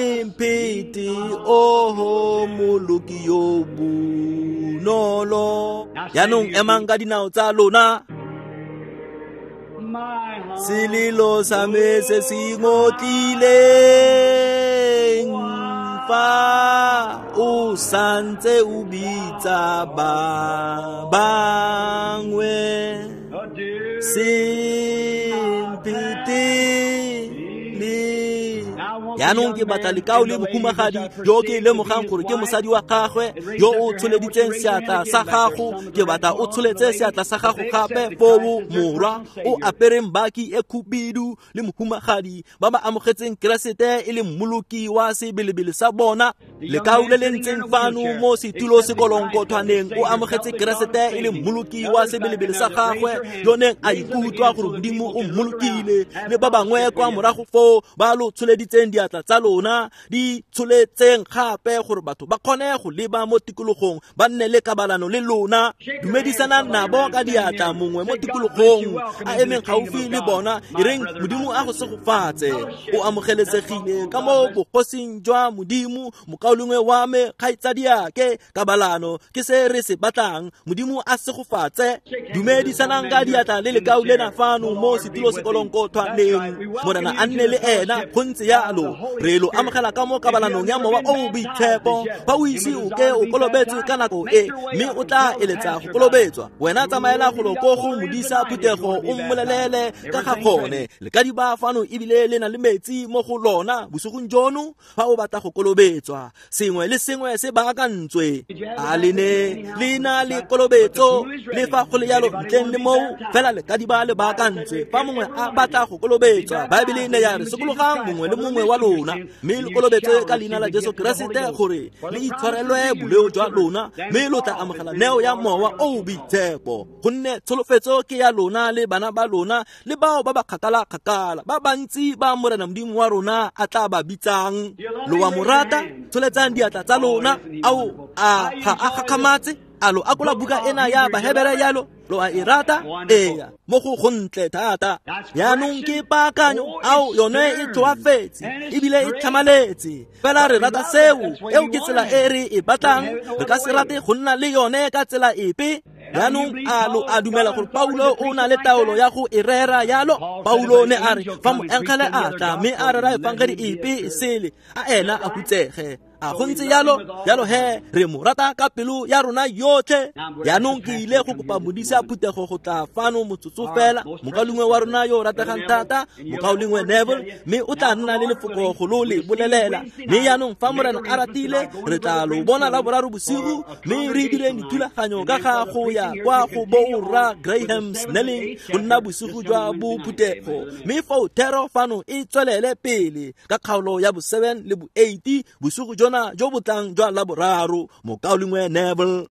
Semphete, oho moloki yo bonolo. Jaanong emang ka dinao tsa lona. Selelo sa me se se ngotlileng, fa o santse o bitsa ba bangwe. Semphete le. Yaanong ke batla lekao le mohumagadi yo ke lemogang gore ke mosadi wa gagwe yo o tsholeditseng seatla sa gago. Ke batla o tsholetse seatla sa gago gape foo, morwa o apereng baki e khubidu le mohumagadi ba ba amogetseng Keresete e le mmoloki wa sebelebele sa bona. Lekao le le ntseng fano mo setulo sekolonkothwaneng o amogetse Keresete e le mmoloki wa sebelebele sa gagwe yo neng a ikutlwa gore Modimo o mmolokile. Le ba bangwe kwa morago foo ba lo tsholeditseng diatla tsa lona di tsholetseng gape gore batho ba kgone go leba mo tikologong ba nne le kabalano le lona. Dumedisanang nabo ka diatla mongwe mo tikologong a emeng gaufi le bona, e reng Modimo a go segofatse, o amogelesegile ka mo bogosing jwa Modimo. Mokaulengwe wa me, kgaitsadiake, kabalano ke se re se batlang. Modimo a segofatse. Dumedisanang ka diatla le lekao lena fano mo setulo sekolonkothwaneng. Morena a nne le ena. Go ntse yalo, re lo amogela ka mo kabalanong ya Mowa o o Boitshepo. Fa o ise o ke o kolobetswe ka nako e, mme o tla eletsa go kolobetswa, wena tsamaela golo ko go modisa phuthego o mmolelele ka ga gone. Lekadiba fano ebile le na le metsi mo go lona bosigong jono fa o batla go kolobetswa. Sengwe le sengwe se baakantswe. A le ne le na le kolobetso? Le fa go le yalo ntleng le moo fela lekadiba le baakantswe. Fa mongwe a batla go kolobetswa, Baebele ne ya re sokologang mongwe le mongwe wa lona mme le kolobetswe ka leina la Jesu Keresete gore le itshwarelwe boleo jwa lona, mme lo tla amogela neo ya Mowa o o Boitshepo. Gonne tsholofetso ke ya lona le bana ba lona le bao ba ba kgakala-kgakala ba bantsi ba Morena Modimo wa rona a tla ba bitsang. Lo wa mo rata? Tsholetsang diatla tsa lona. Ao, a ga a gakgamatse? A lo akola buka ena ya Bahebere yalo? Lo a e rata? Eya, mo go gontle thata. Yaanong ke paakanyo, ao yone e tlhoafetse ebile e tlhamaletse. Fela re rata seo, eo ke tsela e re e batlang. Re ka se rate go nna le yone ka tsela epe. Yaanong a lo a dumela gore Paulo o na le taolo ya go e rera yalo? Paulo ne a re fa moengele a tla mme a rera efangedi epe e sele, a ena a hutsege. A go ntse yalo? Yalo he, re mo rata ka pelo ya rona yotlhe. Yaanong ke ile go kopa modisa phuthego go tla fano motsotso fela, mokaulengwe wa rona yo o rategang thata, mokaulengwe Neville, mme o tla nna le lefoko go lo le bolelela. Mme yaanong fa Morena a ratile, re tla lo bona la boraro bosigo, mme re direng dithulaganyo ka ga go ya kwa go borra Graham Snelling go nna bosigo jwa bophuthego. Mme foo thero fano e tswelele pele ka kgaolo ya bo seven le bo eight bosigo jona jo bo tlang jwa la boraro. Mokaulengwe Neville.